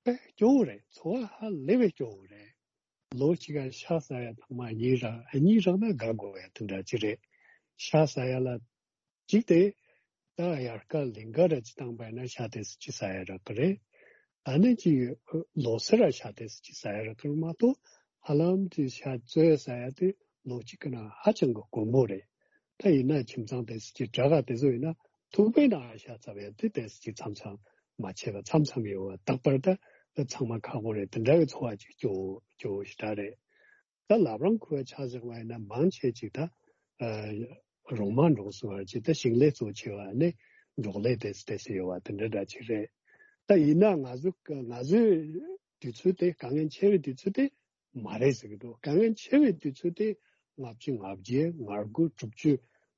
དཔེ་སྐྱོ་བོ་རེད། འཚོ་བ་ཧ་ལས་པའི་སྐྱོ་བོ་རེད། ལོ་གཅིག་ག་ཤ་ཟ་ཡ་ཐེངས་མ་གཉིས་རག་གཉིས་རག་ན་དགའ་དགོས་ཡ་དེ་འདྲ་ཅིག་རེད། ཤ་ཟ་ཡ་ལ་གཅིག་དེ་ད་དབྱར་ཁ་ལིང་ག་ར་ཅིག་བཏང་པ་ཡིན་ན་ཤ་དེ་ཙམ་ཅིག་ཟ་ཡ་རག་གི་རེད། ཨ་ནི་ཅིག་ལོ་སར་ར་ཤ་དེ་ཙམ་ཅིག་ཟ་ཡ་རག་གི་རེད་མ་གཏོགས་ཧ་ལམ་ཅིག་ཤ་བཙོས་ཟ་ཡ་དེ་ལོ་གཅིག་གི་ནང་ཧ་ཅང་གི་དཀོན་པོ་རེད། ད་ཡིན་ན་ཁྱིམ་ཚང་དེ་ཙམ་ཅིག་དྲག་ག་དེ་ཚོ་ཡིན་ན་ཐུག་པའི་ནང་ཤ་ཚ་བའི་དེ་དེ་ཙམ་ཅིག་མཚམས་མཚམས་མ་བྱས་པ་མཚམས་མཚམས་ཡོད་པ་རྟག་པར་ད་ཚང་མ་ཁག་པོ་རེད། དེ་འདྲ་བའི་འཚོ་བ་ཅིག་སྐྱོ་སྐྱོ་ཞེ་དྲག་རེད། ད་བླ་བྲང་ཁུལ་ཆ་བཞག་པ་ཡིན་ན་མང་ཆེ་ཅིག་ད་རོང་མ་འབྲོག་ཟེར་བ་ཅིག་ད་ཞིང་ལས་གཙོ་ཆེ་བ་ནི་འབྲོག་ལས་དེ་ཙམ་དེ་ཙམ་ཡོད་པ་དེ་འདྲ་འདྲ་ཅིག་རེད། ད་ཡིན་ན་ང་ཚོ་ང་ཚོའི་དུས་ཚོད་དེ་དཀའ་ངལ་ཆེ་བའི་དུས་ཚོད་དེ་མ་རེད་ཟེར་གི་འདུག་དཀའ་ངལ་ཆེ་བའི་དུས་ཚོད་དེ་ལྔ་བཅུ་ང་བརྒྱད་ང་དགུ་དྲུག་ཅུ་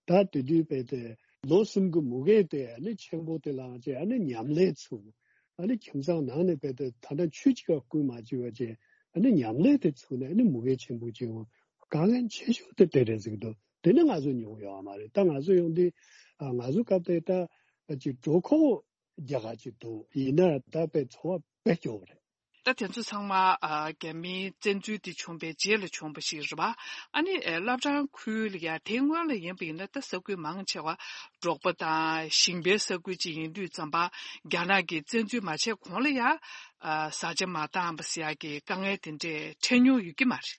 ད་དེ་དུས་དཔེ་དེ་ལོ་གསུམ་གི་མུ་གེ་དེ་ཨ་ནི་ཆེན་པོ་དེ་ལངས་བྱས་ཨ་ནི་ཉམས་ལེན་ཚུགས། ཨ་ནི་ཁྱིམ་ཚང་ནང་ནས་དཔེ་དེ་ད་ལྟ་ཆུ་གཅིག་ག་བསྐུལ་མ་བཅུག་པ་བྱས་ཨ་ནི་ཉམས་ལེན་དེ་ཚུགས་ནས་ཨ་ནི་མུ་གེ་ཆེན་པོ་ཅིག་འོང་དཀའ་ངལ་ཆེ་ཤོས་དེ་དེ་རེད་ཟེར་གི་འདུག་དེ་ནི་ང་ཚོ་མྱོང་ཡོད་མ་རེད། ད་ང་ཚོ་ཡོང་དུས་ང་ཚོ་སྐབས་དེ་ད་ཅིག་གྲོད་ཁོག་རྒྱགས་ཅིག་འདུག་ཡིན་ན་ད་དཔེ་འཚོ་བ་དཔེ་སྐྱོ་བོ་རེད། ད་དེ་ཚོ་ཚང་མ་ཨ་རྒྱ་མིའི་བཙན་འཛུལ་དེ་བྱུང་བའི་རྗེས་ལ་བྱུང་བ་ཞིག་རེད་པ། ཨ་ནི་ཨེ་བླ་བྲང་ཁུལ་ལ་ཡ་དེའི་སྔོན་ལ་ཡིན་པ་ཡིན་ན་ད་ས་ཁུལ་མང་ཆེ་བ་འབྲོག་པ་དང་ཞིང་པའི་ས་ཁུལ་ཅིག་ཡིན་དུས་ཙམ་པ་རྒྱ་ནག་གིས་བཙན་འཛུལ་མ་བྱས་གོང་ལ་ཡ་ཨ་བཟའ་བཅའ་མ་བཏང་བ་ཟེར་ཡ་གི་དཀའ་ངལ་དེ་འདྲས་འཕྲད་མྱོང་ཡོད་ཀྱི་མ་རེད།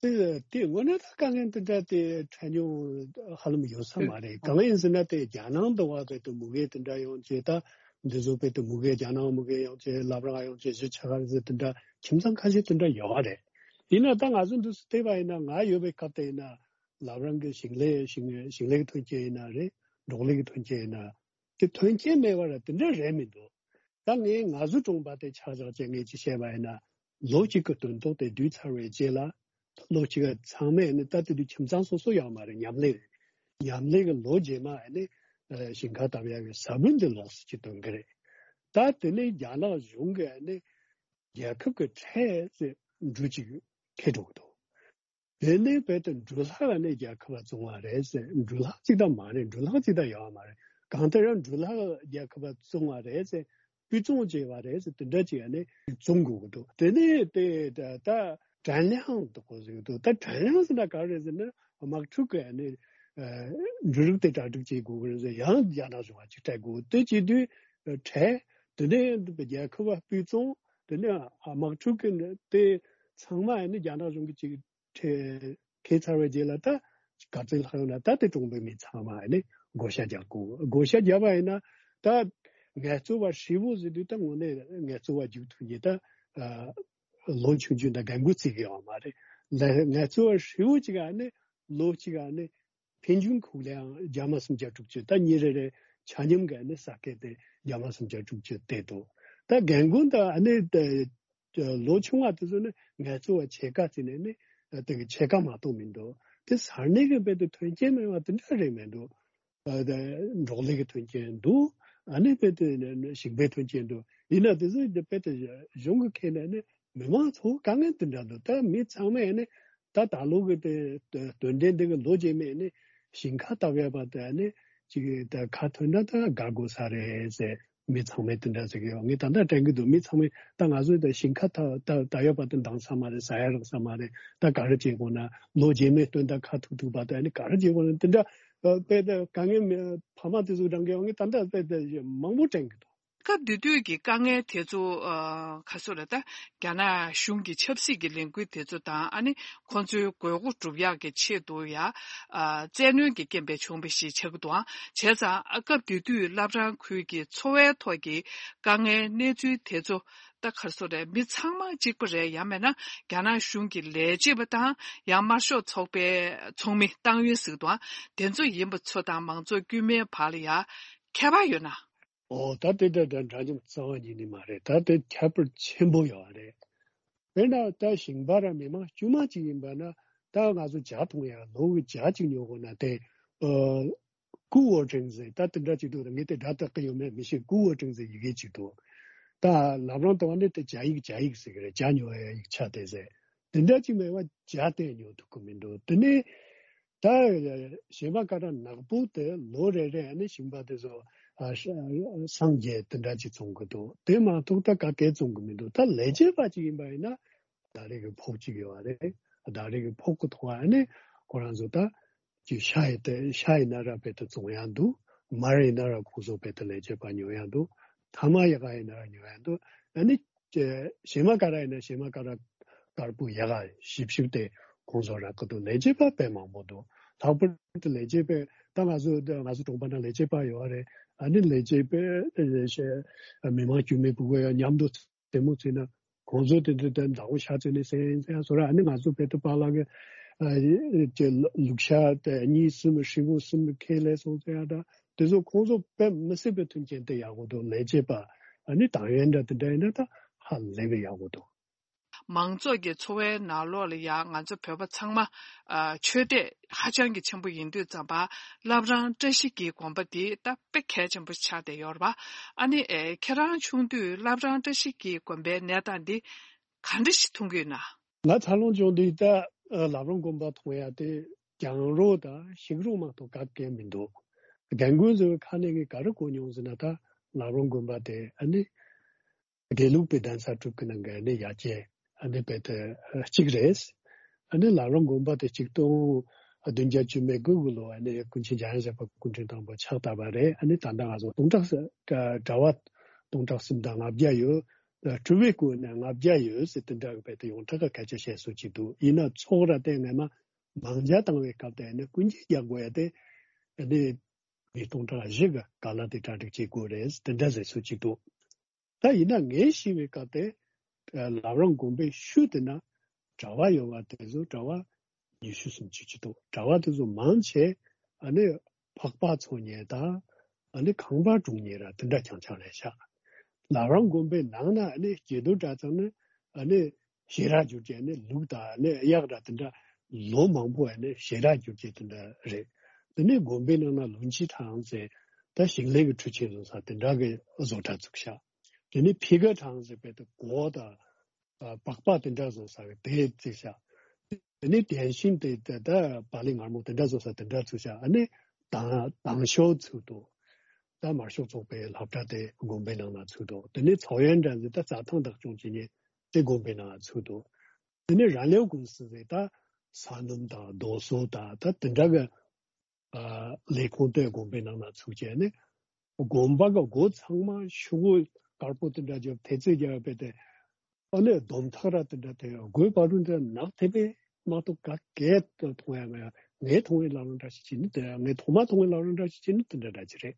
དེ་དེ་དངོས་གནས་ད་དཀའ་ངལ་འདི་འདྲ་དེ་འཕྲད་མྱོང་ཧ་ལམ་ཡོད་ས་མ་རེད། གང་ཡིན་ཟེར་ན་དེ་རྒྱ་ནང་འདི་བ་དཔེ་དེ་མུ་གེ་དེ་འདྲ་ཡོང་བྱས་ད་འདི་ཚོ་དཔེ་དེ་མུ་གེ་རྒྱ་ནང་མུ་གེ་ཡོང་བྱས་བླ་བྲང་ཡོང་བྱས་གཞིས་ཆགས་ཁ་ཟེར་དེ་འདྲ་ཁྱིམ་ཚང་ཁ་ཤས་དེ་འདྲ་ཡོད་རེད། ཡིན་ན་ད་ང་ཚོ་འདི་སུ་བལྟས་པ་ཡིན་ན་ང་ཡོད་པའི་སྐབས་དེ་ཡིན་ན་བླ་བྲང་གི་ཞིང་ལས་ཞིང་ཞིང་ལས་ཀྱི་ཐོན་སྐྱེད་ཡིན་ན་རེད། འབྲོག་ལས་ཀྱི་ཐོན་སྐྱེད་ཡིན་ན་དེ་ཐོན་སྐྱེད་མེད་པ་ར་དེ་འདྲ་རེད་མི་འདུག་ད་ངས་ང་ཚོ་གྲོང་པ་དེ་ཆ་བཞག་བྱས་ངས་ཅིག་བཤད་པ་ཡིན་ན། ལོ་གཅིག་གི་དོན་ཐོག་དེ་བསྡུས་ཚར་བའི་རྗེས་ལ། ལོ་གཅིག་ག་ཚང་མས་ནི་ད་དེ་དུས་ཁྱིམ་ཚང་སོ་སོ་ཡོད་མ་རེད། མཉམ་ལས་རེད། མཉམ་ལས་ཀྱི་ལོ་རྗེས་མ་ནི་ཞིང་ཁ་བཏབ་ཡག་གི་ས་བོན་དེ་ལོགས་སུ་ཅིག་ཐོན་གི་རེད། ད་དེ་ནས་རྒྱ་ནག་གཞུང་གིས་ནི་རྒྱལ་ཁབ་ཀྱི་ཁྲལ་ཟེར་འབྲུ་གཅིག་ཁེ་འགྲོ་གི་འདུག་དེ་ནས་བོད་དུ་འབྲུ་ལྷག་ནས་རྒྱལ་ཁབ་བཙོང་བ་རེད་ཟེར། འབྲུ་ལྷག་ཅིག་ད་མ་རེད། འབྲུ་ལྷག་ཅིག་ད་ཡོད་མ་རེད། གང་ལྟར་ཡང་འབྲུ་ལྷག་རྒྱལ་ཁབ་བཙོང་བ་རེད་ཟེར། སྤུས་གཙང་བྱས་པ་རེད་ཟེར། དེ་འདྲ་ཅིག་ནས་བཙོང་དགོས་ཀྱི་འདུག་དེ་ནས་དེ་ད་ད་དྲན་གླེང་འདུག་གོ་ཟེར་གྱི་འདུག་ད་དྲན་གླེང་ཟེར་ན་ག་རེ་རེད་ཟེར་ན། དམག་འཁྲུག་གི་ནས་འབྲུ་རིགས་དེ་གྲ་སྒྲིག་བྱེད་དགོས་ཀྱི་རེད་ཟེར། ཡང་རྒྱ་ནག་གཞུང་ལ་ཅིག་སྤྲད་དགོས། དེ་བྱེད་དུས་ཁྲལ། དེ་ནས་རྒྱལ་ཁབ་སྤུས་གཙང་། དེ་ནས་དམག་འཁྲུག་གི་དེ་ཚང་མ་ནས་རྒྱ་ནག་གཞུང་གིས་ཅིག་ཁྲལ་ཁེལ་ཚར་བའི་རྗེས་ལ་ད་ག་ཚོད་ལྷག་ཡོད་ན། ད་དེ་གྲོང་པའི་མི་ཚང་མ་ནས་བགོ་བཤའ་རྒྱག་དགོས། བགོ་བཤའ་བརྒྱབ་པ་ཡིན་ན་ད་ངལ་རྩོལ་བ་ཧྲིལ་བོ་ཟེར་དུས་ད་དངོས་གནས་ངལ་རྩོལ་བ་རྒྱུག་ཐུབ་མཁན་ད་ལོ་ཆུང་ཆུང་དང་རྒན་རྒོན་བརྩི་གི་ཡོད་མ་རེད། ལ་ངལ་རྩོལ་བ་ཧྲིལ་བོ་གཅིག་ནས་ལོ་གཅིག་ནས་ཕན་ཆད་ཁུག་ལའང་རྒྱ་མ་སུམ་བརྒྱ་དྲུག་ཅུ། ད་ཉིན་རེ་རེ་ཆ་སྙོམས་ཀྱི་ནས་ས་ཁེ་དེ་རྒྱ་མ་སུམ་བརྒྱ་དྲུག་ཅུ་དེ་འདུག་ད་རྒན་རྒོན་དང་ནས་ལོ་ཆུང་བ་དེ་ཚོ་ནི་ངལ་རྩོལ་བ་ཕྱེད་ཀ་བརྩིས་ནས་ནི་དེ་གི་ཕྱེད་ཀ་མ་གཏོགས་མི་འདུག་དེ་ས་གནས་ཀྱི་དཔེ་དེ་མཐུན་རྐྱེན་མེད་པ་དེ་འདྲ་རེད་མི་འདུག་ཨ་དེ་འབྲོག་ལས་ཀྱི་མཐུན་རྐྱེན་འདུག་ཨ་ནི་དཔེ་དེ་ཞིང་པའི་མཐུན་རྐྱེན་འདུག་ཡིན་ན་དེ་ཚོ་དེ་དཔེ་དེ་གཞུང་གི་ཁེ་ནས་ནི་མི་མང་ཚོ་དཀའ་ངལ་དེ་འདྲ་འདུག་ད་མི་ཚང་མས་ནི་ད་ད་ལོ་གི་དེ་དོན་ལྡན་འདི་གི་ལོ་རྗེས་མའི་ནི་ཞིང་ཁ་བཏབ་ཡ་པ་དེ་ནི་ཅིག་ད་ཁ་ཐོན་ན་ད་དགའ་དགོས་ས་རེད་ཟེར། མི་ཚང་མས་དེ་འདྲ་ཟེར་གི་ཡོད། ངས་ད་ལྟ་དྲན་གི་འདུག་མི་ཚང་མས་ད་ང་ཚོས་ད་ཞིང་ཁ་ད་ད་ད་ཡོད་པ་དེ་འདང་ས་མ་རེད། ཟ་ཡ་རག་ས་མ་རེད། ད་ག་རེ་བྱེད་དགོས་ན། ལོ་རྗེས་མའི་སྟོན་ཟླ་ཁ་ཐུག་ཐུག་པ་དེ་ནི་ག་རེ་བྱེད་དགོས་ན། དེ་འདྲ་དཔེ་ད་དཀའ་ངལ་མེད། ཕ་མ་དེ་ཚོ་འདྲ་གི་ཡོད། ངས་ད་ལྟ་དཔེ་ད་མང་པོ་དྲན་གི་འདུག་སྐབས་དེ་དུས་ཀྱི་དཀའ་ངལ་དེ་ཚོ་ཨ་ག་སོ་རེད། ད་རྒྱ་ནག་གཞུང་གི་ཆབ་སྲིད་ཀྱི་ལས་འགུལ་དེ་ཚོ་དང་ཨ་ནི་ཁོང་ཚོའི་དགོས་མཁོ་སྒྲུབ་ཡག་གི་ཆེད་དུ་ཡ་ཨ་བཙན་གནོན་གྱི་རྐྱེན་པས་བྱུང་བ་ཞིག་ཆགས་ཀྱི་འདུག་བྱས་ཙང་ཨ་སྐབས་དེ་དུས་བླ་བྲང་ཁུལ་གྱི་འཚོ་བའི་ཐོག་གི་དཀའ་ངལ་གནས་ཚུལ་དེ་ཚོ་ད་ག་སོ་རེད། མི་ཚང་མ་གཅིག་པ་རེད། ཡང་མིན་ན་རྒྱ་ནག་གཞུང་གི་ལས་བྱེད་པ་དང་ཡང་དམར་ཤོག་ཚོགས་པའི་ཚོགས་མི་ཏང་ཡོན་ཟེར་གི་འདུག་དེ་ཚོ་ཡིན་པ་ཚོ་དང་མང་ཚོགས་དཀྱུས་མའི་བར་ལ་ཡ་ཁྱད་པར་ཡོད་ན། ཨོ་ད་དེ་འདྲ་འདྲ་འདྲ་མཉམ་རྩ་བ་ཉིད་ནས་མ་རེད། ད་དེ་ཁྱད་པར་ཆེན་པོ་ཡོད་རེད། དཔེར་ན་ད་ཞིང་པ་ར་མི་མང་དཀྱུས་མ་གཅིག་ཡིན་པ་ན། ད་ང་ཚོ་ཇ་འཐུང་ཡ་ལོ་གི་ཇ་གཅིག་ཉོ་དགོས་ན་དེ་ཨ་ཀུ་ཝོ་ཀྲིང་ཟེར། ད་དེ་འདྲ་གཅིག་འདུག་ད་ངས་དེ་སྒྲ་དག་གི་ཡོད་མེད་མི་ཤེས། ཀུ་ཝོ་ཀྲིང་ཟེར་ཡི་གེ་གཅིག་འདུག་ད་ལམ་རང་དུ་བ་ནི་དེ་ཇ་ཡིག་ཇ་ཡིག་ཟེར་གི་རེད། ཇ་ཉོ་ཡ་ཡིག་ཆ་དེ་ཟེར། དེ་འདྲ་གཅིག་མེད་པ་ཇ་དེ་ཉོ་ཐུབ་ཀྱི་མི་འདུག་དེ་ནས་ད་གཞན་པ་ག་ར་ནག་པོ་དེ་ལོ་རེ་རེ་ནས་ཞིང་པ་དེ་ཚོ་ཨ་ཧྲ་སངས་རྒྱས་དེ་འདྲ་ཅིག་བཙོང་གི་འདུག་དེ་མ་གཏོགས་ད་ག་གེ་བཙོང་གི་མི་འདུག་ད་ལས་བྱེད་པ་ཅིག་ཡིན་པ་ཡིན་ན་ཟླ་རེ་གི་ཕོགས་ཅིག་ཡོད་རེད། ཟླ་རེ་གི་ཕོགས་ཀྱི་ཐོག་ཨ་ནི་ཁོ་རང་ཚོ་ད་ཅིག་ཤ་ཡི་དེ་ཤ་ཡིན་ན་ར་དཔེ་དེ་བཙོང་ཡ་འདུག་མར་ཡིན་ན་ར་ཁོང་ཚོ་དཔེ་དེ་ལས་བྱེད་པ་ཉོ་ཡ་འདུག་ཐ་མག་ཡག་ག་ཡིན་ན་ར་ཉོ་ཡ་འདུག་ཨ་ནི་ཀྱེ་གཞན་མ་ག་ར་ཡིན་ན་གཞན་མ་ག་ར་དཀར་པོ་ཡག་ག་ཞིབ་ཞིབ་དེ་ཁོང་ཚོ་རག་གི་འདུག་ལས་བྱེད་པ་དཔེ་མང་པོ་འདུག་ལྷག་པར་དུ་ལས་བྱེད་པས་ད་ང་ཚོ་ང་ཚོ་གྲོང་པ་ན་ལས་བྱེད་པ་ཡོད་རེད། ཨ་ནི་ལས་བྱེད་པས་མི་མང་དཀྱུས་མའི་ཕྲུ་གུ་ཡང་མཉམ་དུ་རྩེད་མོ་རྩེས་ན་ཁོང་ཚོ་དེ་དུས་དེ་མདང་དགོང་ཤ་རྩེས་ནས་སེང་སེང་སོ་ར། ཨ་ནི་ང་ཚོ་བོད་དུ་པཱ་ལགས་ཀྱི་ལུག་ཤ་དེ་གཉིས་གསུམ་ཧྲིལ་པོ་གསུམ་ཁྱེར་སླེབས་སོང་ཟེར་ཡ་འདྲ། དེ་ཚོ་ཁོང་ཚོ་དཔེ་མི་སྲིད་པའི་མཐུན་རྐྱེན་དེ་ཡག་པོ་འདུག་ལས་བྱེད་པ་ཨ་ནི་ཏང་ཡོན་འདྲ་དེ་འདྲ་ཡིན་ན་ད་ཧ་ལས་པའི་ཡག་པོ་འདུག་མང་ཚོགས་ཀྱི་འཚོ་བའི་ནང་ལོགས་ལ་ཡང་ང་ཚོ་བོད་པ་ཚང་མ་ཨ་ཆོས་དད་ཧ་ཅང་གི་ཆེན་པོ་ཡིན་དུས་ཙམ་པ་བླ་བྲང་བཀྲ་ཤིས་ཀྱི་དགོན་པ་འདི་ད་དཔེ་གལ་ཆེན་པོ་ཆགས་བསྡད་ཡོད་རེད་པ། ཨ་ནི་ཨེ་ཁྱེད་རང་ཆུང་དུས་བླ་བྲང་བཀྲ་ཤིས་ཀྱི་དགོན་པའི་གནས་སྟངས་འདི་ག་འདྲ་ཞིག་མཐོང་གི་ཡོད་ན། ང་འཚར་ལོངས་བྱུང་དུས་ད་ཨ་བླ་བྲང་དགོན་པ་མཐོང་ཡ་དེ་གྱང་རོ་དང་ཤིང་རོ་མ་གཏོགས་ག་གེ་མི་འདུག་རྒན་རྒོན་ཚོའི་ཁ་ནས་གི་ག་རེ་གོ་མྱོང་ཟེར་ན་ད་བླ་བྲང་དགོན་པ་དེ་ཨ་ནི་དགེ་ལུགས་པའི་གདན་ས་དྲུག་གི་ནང་གི་ཨ་ནི་ཡ་གྱལ་ཨ་ནི་དཔེ་དེ་གཅིག་རེད། ཨ་ནི་བླ་བྲང་དགོན་པ་དེ་ཆིག་སྟོང་བདུན་བརྒྱ་བཅུ་མེད་དགུ་གི་ལོ་ཨ་ནི་སྐུ་མཁྱེན་འཇམ་དབྱངས་བཞད་པ་སྐུ་ཕྲེང་དང་པོ་ཕྱག་བཏབ་པ་རེད། ཨ་ནི་ད་ལྟ་ང་ཚོ་སྟོང་ཕྲག་གྲྭ་པ་སྟོང་ཕྲག་གསུམ་དང་ལྔ་བརྒྱ་ཡོད། སྤྲུལ་པའི་སྐུ་ནི་ལྔ་བརྒྱ་ཡོད་ཟེར་དེ་འདྲ་གི་དཔེ་དེ་ཡོངས་གྲགས་ཀྱི་སྐད་ཆ་བཤད་སྲོལ་ཅིག་འདུག་ཡིན་ན་ཚོགས་ར་དེ་སྔ་མ་མང་ཇ་བཏང་བའི་སྐབས་དེ་ཨ་ནི་སྐུ་མཁྱེན་རྒྱག་དགོས་ཡ་དེ་ཨ་ནི་མི་སྟོང་ཕྲག་བཞི་གི་ག་ལ་དེ་གྲ་སྒྲིག་བྱེད་དགོས་རེད་དེ་འདྲ་ཟེར་སྲོལ་ཅིག་འདུག་ད་ཡིན་ན་ངས་ཤེས་པའི་སྐབས་དེ་ཨ་བླ་བྲང་དགོན་པའི་ཤུལ་དེ་ན་གྲྭ་པ་ཡོད་པ་དེ་ཚོ་གྲྭ་པ་ཉི་ཤུ་སུམ་ཅུ་ཅིག་འདུག་གྲྭ་པ་དེ་ཚོ་མང་ཆེ་ཨ་ནི་ཕག་པ་འཚོ་མཁན་དང་ཨ་ནི་ཁང་པ་སྲུང་མཁན་ར་དེ་འདྲ་རྐྱང་རྐྱང་རེད་ཤག་བླ་བྲང་དགོན་པའི་ནང་ན་ཨ་ནི་སྐྱེས་རྡོར་གྲྭ་ཚང་ནི་ཨ་ནི་ཞལ་རས་བསྒྱུར་གྱི་ཨ་ནི་ལུགས་དང་ཨ་ནི་གཡག་ར་དེ་འདྲ་ལོ་མང་པོ་ཨ་ནི་ཞལ་རས་བསྒྱུར་གྱི་དེ་འདྲ་རེད། དེ་ནས་དགོན་པའི་ནང་ན་ལུང་ཕྱིའི་ཐང་ཟེར་ད་ཞིང་ལས་ཀྱི་འཕྲུལ་ཆས་བཟོ་ས་དེ་འདྲ་གི་བཟོ་གྲྭ་བཙུགས་ཤག་དེ་ནས་ཕི་ག་ཐང་ཟེར་བའི་དེ་གོས་དང་ཨ་པགས་པ་དེ་འདྲ་བཟོ་ས་གི་དེ་བཙུགས་ཤག་དེ་ནས་དེ་བཞིན་དེ་ད་ད་བག་ལེབ་མངར་མོ་དེ་འདྲ་བཟོ་ས་དེ་འདྲ་ཚུགས་ཤག་ཨ་ནི་དང་དང་ཤོག་ཚུགས་འདུག་ད་དམར་ཤོག་ཚོགས་པའི་སློབ་གྲྭ་དེ་དགོན་པའི་ནང་ན་ཚུགས་འདུག་དེ་ནས་ཚོགས་ཡོན་འདྲ་ཟེར་ད་རྩྭ་ཐང་བདག་སྐྱོང་བྱེད་མཁན་དེ་དགོན་པའི་ནང་ཚུགས་འདུག་དེ་ནས་རང་ལས་ཀུང་སི་ཟེར་ད་ས་སྣུམ་དང་རྡོ་སོལ་དང་ད་དེ་འདྲ་གི་ཨ་ལས་ཁུངས་དེ་དགོན་པའི་ནང་ན་ཚུགས་བྱས་ནས། དགོན་པ་གི་སྒོ་ཚང་མ་ཤོག་གུ་དཀར་པོ་དེ་འདྲ་བརྒྱབ་ཐེལ་ཙེ་བརྒྱབ་པས་ཏེ། ཨ་ནི་སྡོམ་ཐག་ར་དེ་འདྲ་དེ་སྒོའི་བར་དུ་འདྲ་ནག་ཐེབས་པས་མ་གཏོགས་ག་གས་མཐོང་ཡ་མེད། ངས་མཐོང་བའི་ལམ་རིམ་འདྲ་ཞིག་བྱས་ནི་དེ་ངས་ཐོག་མ་མཐོང་བའི་ལམ་རིམ་འདྲ་ཞིག་བྱས་ནི་དེ་འདྲ་འདྲ་ཅིག་རེད།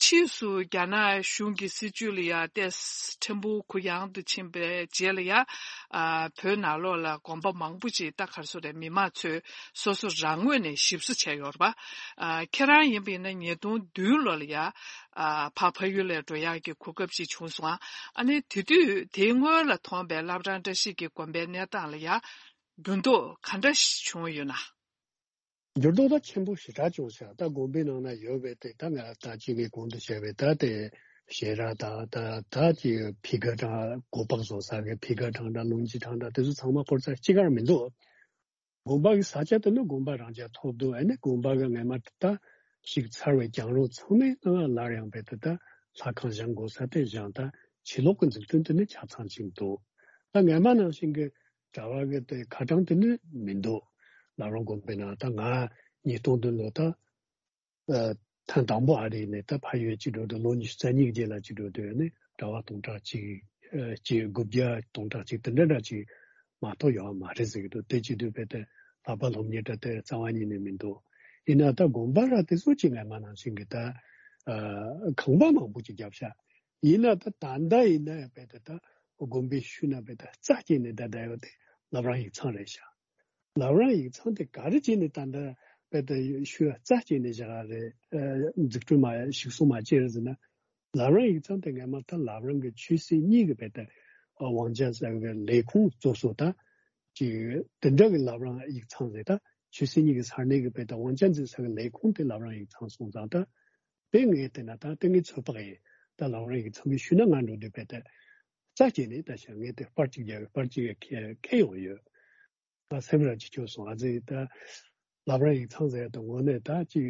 ཕྱིས་སུ་རྒྱ་ནག་གཞུང་གི་སྲིད་བྱུས་ལ་ཡ་ཏེས་ཕྲན་བུ་གུ་ཡངས་དུ་ཕྱིན་པའི་རྗེས་ལ་ཡ། ཨ་བོད་ནང་ལོགས་ལ་དགོན་པ་མང་པོ་ཅིག་ད་ག་རེ་ཟེར་རེད། མི་མང་ཚོས་སོ་སོ་རང་ངོས་ནས་ཞིབ་བཟོ་བྱས་ཡོད་རེད་པ། ཨ་ཁྱེད་རང་ཡིན་པ་ཡིན་ན་ཉིས་སྟོང་བདུན་ལོ་ལ་ཡ། ཨ་ཕ་ཕ་ཡུལ་ལ་འགྲོ་ཡག་གི་གོ་སྐབས་ཅིག་བྱུང་སོང་ཨ། ཨ་ནི་དེ་དུས་དེའི་སྔོན་ལ་མཐོང་པའི་བླ་བྲང་བཀྲ་ཤིས་ཀྱི་དགོན་པའི་གནས་སྟངས་ལ་ཡ། འགྱུར་ལྡོག་ག་འདྲ་ཞིག་བྱུང་ཡོད་ན། འགྱུར་ལྡོག་ད་ཆེན་པོ་ཞེ་དྲག་བྱུང་ཤག་ད་དགོན་པའི་ནང་ན་ཡོད་པའི་དེ་ད་ང་ད་ཅིག་ངས་གོང་དུ་བཤད་པའི་ད་དེ་ཞལ་རས་དང་ད་ད་ཅིག་ཕི་ག་གྲངས་སྒོ་པགས་བཟོ་ས་གི་ཕི་ག་གྲངས་དང་ལུང་སྤྱི་གྲངས་དང་དེ་ཚོ་ཚང་མ་སྐོར་ས་གཅིག་གར་མི་འདུག་དགོན་པ་གི་ས་ཆ་དེ་ནི་དགོན་པ་རང་ཅག་ཐོབ་འདུག་ཨ་ནི་དགོན་པ་གི་སྔས་མ་ད་ཞིག་ཚར་བའི་གྱང་རོ་ཚང་མའི་ནང་ལ་སླར་ཡང་བས་ད་ལྷ་ཁང་བཞེངས་དགོས་ས་དེ་བཞེངས། ད་ཕྱི་ལོགས་ཀྱི་འཛུགས་སྐྲུན་དེ་ནི་ཆ་ཚང་ཅིག་འདུག་ད་སྔས་མ་ནང་བཞིན་གྱི་གྲྭ་བ་གི་དེ་ཁ་གྲངས་དེ་ནི་མི་འདུག་བླ་བྲང་དགོན་པའི་ནང་ད་ང་ཉིས་སྟོང་བདུན་ལོ་ད་ཐེངས་དང་པོ་ཨ་རི་ནས་ད་ཕ་ཡུལ་གཅིག་འགྲོ་དུས་ལོ་ཉི་ཤུ་རྩ་གཉིས་ཀྱི་རྗེས་ལ་གཅིག་འགྲོ་དུས་ནི་གྲྭ་བ་སྟོང་ཕྲག་གཅིག་གཅིག་དགུ་བརྒྱ་སྟོང་ཕྲག་གཅིག་དེ་འདྲ་འདྲ་ཅིག་མ་གཏོགས་ཡོད་མ་རེད་ཟེར་གྱི་འདུག་དེ་བྱེད་དུས་བས་ཏེ་ལྷག་པ་སློབ་གཉེར་གྲྭ་དེ་རྩ་བ་ཉིད་ནས་མི་འདུག་ཡིན་ན་ད་དགོན་པ་ར་དེ་ཚོ་ཅིག་སྔས་མ་ནང་བཞིན་གྱི་ད་ཁང་པ་མང་པོ་ཅིག་བརྒྱབ་ཤག་ཡིན་ན་ད་ད་ལྟ་ཡིན་ན་ཡང་བས་ཏེ་ད་དགོན་པའི་ཤུལ་ན་བས་ཏེ་རྩ་བཅད་ནས་ད་བསྡད་ཡོད་དེ་བླ་བྲང་ཡིག་ཚང་རེད་ཤག་བླ་བྲང་ཡིག་ཚང་དེ་ག་རེ་བྱས་ནས་ད་ལྟ་བས་ཏེ་ཤུལ་རྩ་བཅད་ནས་བཞག་རེད། འཛུགས་སྐྲུན་མ་ཞིག་གསོ་མ་བྱས་རེད་ཟེར་ན། བླ་བྲང་ཡིག་ཚང་དེ་སྔས་མ་ད་བླ་བྲང་གི་ཆོས་སྲིད་གཉིས་ཀྱི་བས་ཏེ་དབང་ཆ་ཟེར་བའི་ལས་ཁུངས་གཙོ་སོ་ད་ཅིག་དེ་འདྲ་གི་བླ་བྲང་ཡིག་ཚང་རེད། ད་ཆོས་སྲིད་གཉིས་ཀྱི་ས་གནས་ཀྱི་བས་ཏེ་དབང་ཆ་འཛིན་ས་གི་ལས་ཁུངས་དེ་བླ་བྲང་ཡིག་ཚང་སོང་ཙང་ད་དེ་ངས་བལྟས་ན་ད་དེ་ངས་ཚོད་དཔག་ཡིན། ད་བླ་བྲང་ཡིག་ཚང་གི་ཤུལ་ན་ང་འགྲོ་དུས་བས་ཏེ་རྩ་བཅད་ནས་ད་ཤ་ངས་དེ་པར་གཅིག་རྒྱག་པར་གཅིག་ཁྱེར་ཁྱེར་ཡོང་ཡོད། ད་སེམས་ར་ཅིག་སྐྱོ་སོང་། ཨ་ཙི་ད་བླ་བྲང་ཡིག་ཚང་ཟེར་ཡ་ད་དངོས་གནས་ད་ཅིག་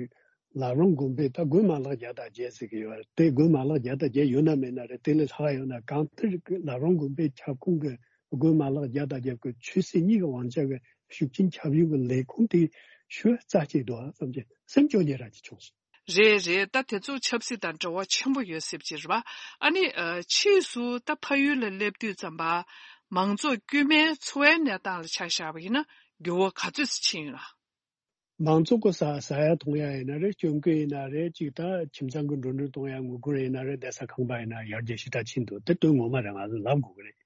བླ་བྲང་དགོན་པའི་ད་དགོན་མ་ལག་བརྒྱ་དང་བརྒྱད་ཟེར་གི་ཡོད་རེད། དེ་དགོན་མ་ལག་བརྒྱ་དང་བརྒྱད་ཡོད་ན་མེད་ན་རེད། དེ་ལས་ལྷག་ཡོད་ན་གང་ལྟར་གི་བླ་བྲང་དགོན་པའི་ཁྱབ་ཁོངས་ཀྱི་དགོན་མ་ལག་བརྒྱ་དང་བརྒྱད་ཀྱི་ཆོས་སྲིད་གཉིས་ཀྱི་དབང་ཆ་གི་ཤུགས་རྐྱེན་ཁྱབ་ཡུལ་གྱི་ལས་ཁུངས་དེ་ཤུལ་རྩ་གཅིག་འདུག་ཨ་བསམ་གྱི་སེམས་སྐྱོ་ཉེ་ར་ཅིག་བྱུང་སོང་། རེད་རེད། ད་དེ་ཚོ་ཆབ་སྲིད་དང་འབྲེལ་བ་ཆེན་པོ་ཡོད་སྲིད་ཀྱི་རེད་པ། ཨ་ནི་ཕྱིས་སུ་ད་ཕ་ཡུལ་ལ་སླེབས་དུས་ཙམ་པ་མང་ཚོགས་དཀྱུས་མའི་འཚོ་བའི་གནས་སྟངས་ལ་ཆ་བཞག་པ་ཡིན་ན་འགྱུར་བ་ག་ཚོད་ཅིག་ཕྱིན་ཡོད་ན། མང་ཚོགས་ཀྱི་ཟ་ཟ་ཡ་འཐུང་ཡ་ཡིན་ན་རེད། སྐྱོན་ཀུན་ཡིན་ན་རེད། ཅིག་ད་ཁྱིམ་ཚང་གི་འགྲོ་འགྲུལ་གཏོང་ཡ་དངུལ་སྒོར་ཡིན་ན་རེད། བསྡད་ས་ཁང་པ་ཡིན་ན་ཡར་རྒྱས་ཞེ་དྲག་ཕྱིན་འདུག་དེ་དོན་ངོ་མ་རེད། ང་ཚོ་ལབ་དགོས་ཀྱི་རེད།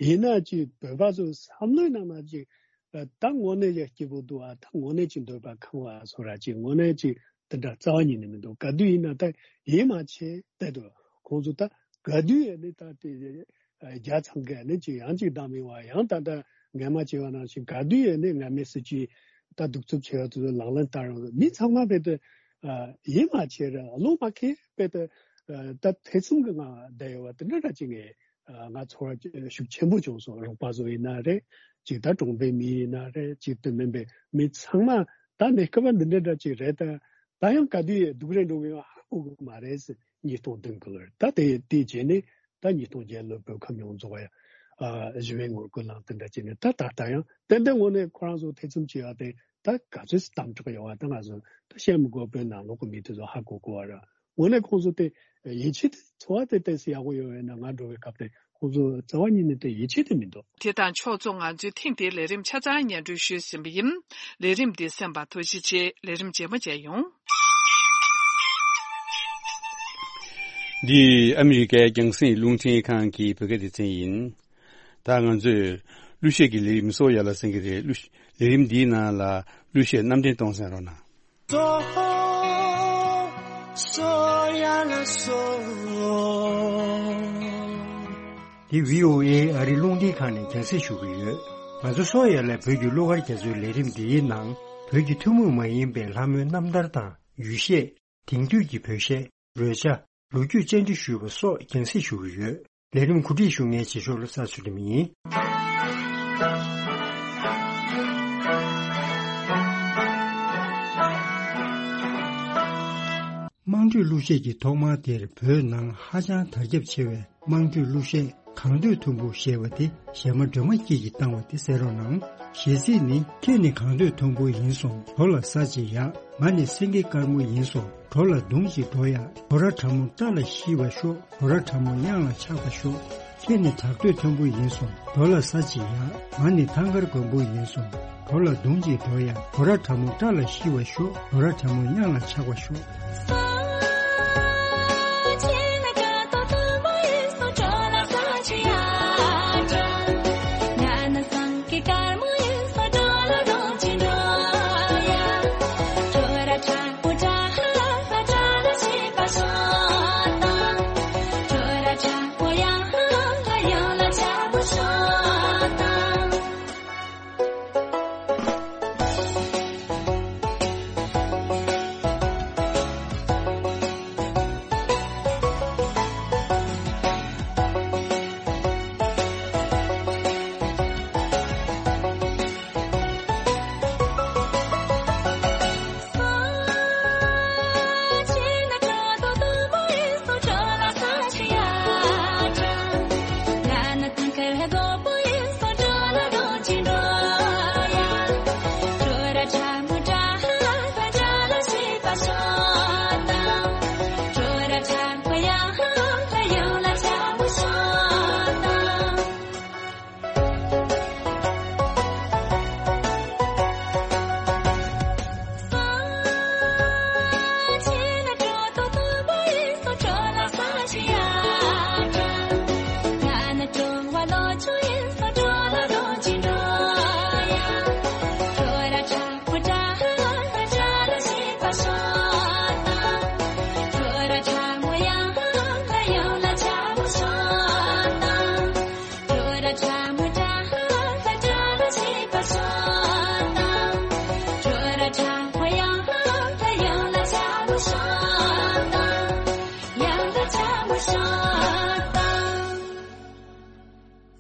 ཡིན་ན་ཅིག་བོད་པ་ཚོ་བསམ་བློའི་ནང་ན་ཅིག་ད་དངོས་གནས་ཀྱི་སྐྱིད་པོ་འདུག་ཨ། ད་དངོས་གནས་ཀྱི་འདོད་པ་ཁེངས་པ་བཟོ་ར་ཅིག་དངོས་གནས་ཀྱི་དེ་འདྲ་རྩ་བ་ཉིད་ནས་མི་འདུག་ག་དུས་ཡིན་ན་ད་ཡིད་མ་ཆེས་བསྡད་འདུག་ཁོང་ཚོ་ད་ག་དུས་ཡིན་ནའི་ད་དེ་རྒྱ་ཚང་གི་ནི་ཅིག་ཡང་ཅིག་བདམས་ཡོང་བ་ཡང་ད་ལྟ་ངས་མ་བྱས་པ་ནང་བཞིན་ག་དུས་ཡིན་ནའི་ང་མི་སྲིད་ཀྱི་ད་གདུག་རྩུབ་ཆེ་བ་དེ་ཚོ་ལག་ལེན་བསྟར་ཡོང་། མི་ཚང་མ་བས་ད་ཡིད་མ་ཆེས་ར་བློ་མ་ཁེལ་བས་ད་ད་ཐེ་ཚོམ་གྱི་ངང་བསྡད་ཡོད་པ་དེ་འདྲ་འདྲ་ཅིག་ངས་ང་ཚོར་ཤུགས་ཆེན་པོ་བྱུང་སོང་། རོགས་པ་ཚོ་ཡིན་ན་རེད། ཅིག་ད་གྲོང་པའི་མི་ཡིན་ན་རེད། ཅིག་དེ་མིན་པའི་མི་ཚང་མ་ད་གནས་སྐབས་འདི་འདྲ་འདྲ་ཅིག་རེད། ད་ད་ཡང་ག་དུས་ཡིན་སྡུག་རུ་འགྲོ་གི་ཡོད་ཧ་གོ་གི་མ་རེད་ཟེར། ཉིས་སྟོང་བདུན་གི་ལོར་ད་དེ་དེ་བྱས་ནས་ད་ཉིས་སྟོང་བརྒྱད་ལོར་བོད་ཁམས་ཡོངས་རྫོགས་ཡ་ཨ་ཞི་བའི་ངོ་རྒོལ་ལངས་དེ་འདྲ་བྱས་ནས་ད་ད་ལྟ་ཡང་ཏན་ཏན་དངོས་གནས་ཁོ་རང་ཚོ་ཐེ་ཚོམ་བྱེད་ཡ་དེ་ད་ག་ཚོད་དམ་དྲག་ཡོད་བ་ད་ང་ཚོ་ད་བཤད་མི་དགོས། བོད་ནང་ལོགས་ཀྱི་མི་དེ་ཚོ་ཧ་གོ་གོ་བ་ར། དངོས་གནས་ཁོང་ཚོ་དེ་ཡིད་ཆེས་དེ་འཚོ་བ་དེ་ཏོག་ཙམ་ཡག་པོ་ཡོད་པས་ན་ང་འགྲོ་བའི་སྐབས་དེ་ཁོང་ཚོ་རྩ་བ་ཉིད་ནས་དེ་ཡིད་ཆེས་དེ་མི་འདུག་དེ་དང་ཕྱོགས་མཚུངས་ང་ཚོའི་ཐེངས་འདིའི་ལས་རིམ་ཆ་ཚང་སྙན་སྒྲོན་ཞུས་ཟིན་པ་ཡིན། ལས་རིམ་འདི་གསན་པར་ཐུགས་རྗེ་ཆེ། ལས་རིམ་རྗེས་མ་མཇལ་ཡོང་། འདི་ཨ་མི་རི་ཀའི་རྒྱང་སྲིང་རླུང་འཕྲིན་ཁང་གི་བོད་སྐད་སྡེ་ཚན་ཡིན། ད་ང་ཚོས་གླུ་གཞས་ཀྱི་ལས་རིམ་སོགས་ཡར་ལ་གསན་གྱི་རེད། གླུ་ལས་རིམ་འདིའི་ནང་ལ་གླུ་གཞས་རྣམ་འདྲེན་གཏོང་གསན་རོགས་གནང་། འདི་བྷི་ཨོ་ཨེ་ཨ་རི་རླུང་འཕྲིན་ཁང་ནས་རྒྱང་སྲིང་ཞུ་གི་ཡོད། ང་ཚོ་སོག་ཡ་ལ་བོད་ཀྱི་གླུ་གར་རྒྱ་མཚོའི་ལས་རིམ་འདིའི་ནང་བོད་ཀྱི་ཐུན་མོང་མ་ཡིན་པའི་ལྷ་མོའི་རྣམ་ཐར་དང་ཡུལ་གཞས། དེང་དུས་ཀྱི་བོད་གཞས། རོལ་ཆ། ལོ་རྒྱུས་བཅར་འདྲི་ཞུས་པ་སོགས་རྒྱང་སྲིང་ཞུ་གི་ཡོད། ལས་རིམ་གོ་སྒྲིག་ཞུ་མཁན་རྗེས་ཕྱོགས་ལ་ས་ཚུལ་ལེམ་ཡིན། བསྡུས་གླུ་གཞས་ཀྱི་ཐོག་མ་དེར་བོད་ནང་ཧ་ཅང་དར་ཁྱབ་ཆེ་བའི་དམངས་ཁྲོད་གླུ་གཞས་གང་འདོད་ཐུམ་བུ་ཞེས་པ་དེ་གཞས་མ་སྒྲོལ་མ་སྐྱིད་ཀྱིས་བཏང་བ་དེ་གསན་རོགས་གནང་། གཞས་ཚིག་ནི། ཁྱེད་ནི་གང་འདོད་ཐུམ་བུ་ཡིན་སོང་གྲོ་ལ་ཟ་ཅིག་ཡག་ང་ནི་སེང་གེ་དཀར་མོ་ཡིན་སོང་གྲོ་ལ་བརྡུང་ཅིག་འགྲོ་ཡག་གྲོ་ར་ཁྲ་མོ་སྐྲ་ལ་ཤི་བ་ཤོག་གྲོ་ར་ཁྲ་མོ་གཡང་ལ་ཆགས་པ་ཤོག་ཁྱེད་ནི་དྲག་སྟོད་མཐོན་པོ་ཡིན་སོང་གྲོ་ལ་ཟ་ཅིག་ཡག་ང་ནི་ཐང་དཀར་མགོན་པོ་ཡིན་སོང་གྲོ་ལ་བརྡུང་ཅིག་འགྲོ་ཡག་གྲོ་ར་ཁྲ་མོ་སྐྲ་ལ་ཤི་བ་ཤོག་གྲོ་ར་ཁྲ་མོ་གཡང་ལ་ཆགས་པ་ཤོག་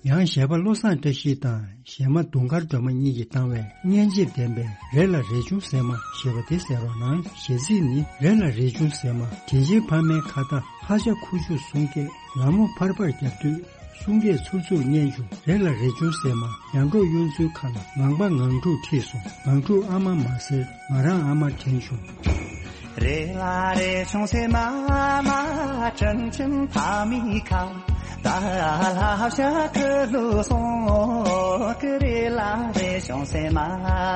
ཡང་གཞས་པ་བློ་བཟང་བཀྲ་ཤིས་དང་གཞས་མ་དུང་དཀར་སྒྲོལ་མ་གཉིས་ཀྱིས་བཏང་བའི་སྙན་འཇེབས་ལྡན་པའི་རེ་ལ་རེ་ཆུང་ཟེར་མ་ཞེས་པ་དེ་གསན་རོགས་གནང་། གཞས་ཚིག་ནི། རེ་ལ་རེ་ཆུང་ཟེར་མ། དྲིན་ཆེན་ཕ་མའི་ཁ་བརྡ། ཧ་ཤ་ཁུ་བྱུག་གསུང་སྐད། ལ་མོ་ཕར་ཕར་རྒྱབ་དུས། གསུང་སྐད་ཚུར་ཚུར་སྙན་བྱུང་། རེ་ལ་རེ་ཆུང་ཟེར་མ། ཡར་འབྲོག་གཡུ་མཚོའི་ཁ་ལ། ངང་པ་ངང་ཕྲུག་ཁྲིད་སོང་། ངང་ཕྲུག་ཨ་མ་མ་ཟེར། ང་རང་ཨ་མ་དྲན་བྱུང་། རེ་ལ་རེ་ཆུང་ཟེར་མ་མ། དྲིན་ཆེན་ཕ་མའི་ཁ་བརྡ། ལྷ་བྱ་ཁུ་ལུ་སོང་གི། རེ་ལ་རེ་ཆུང་ཟེར་མ་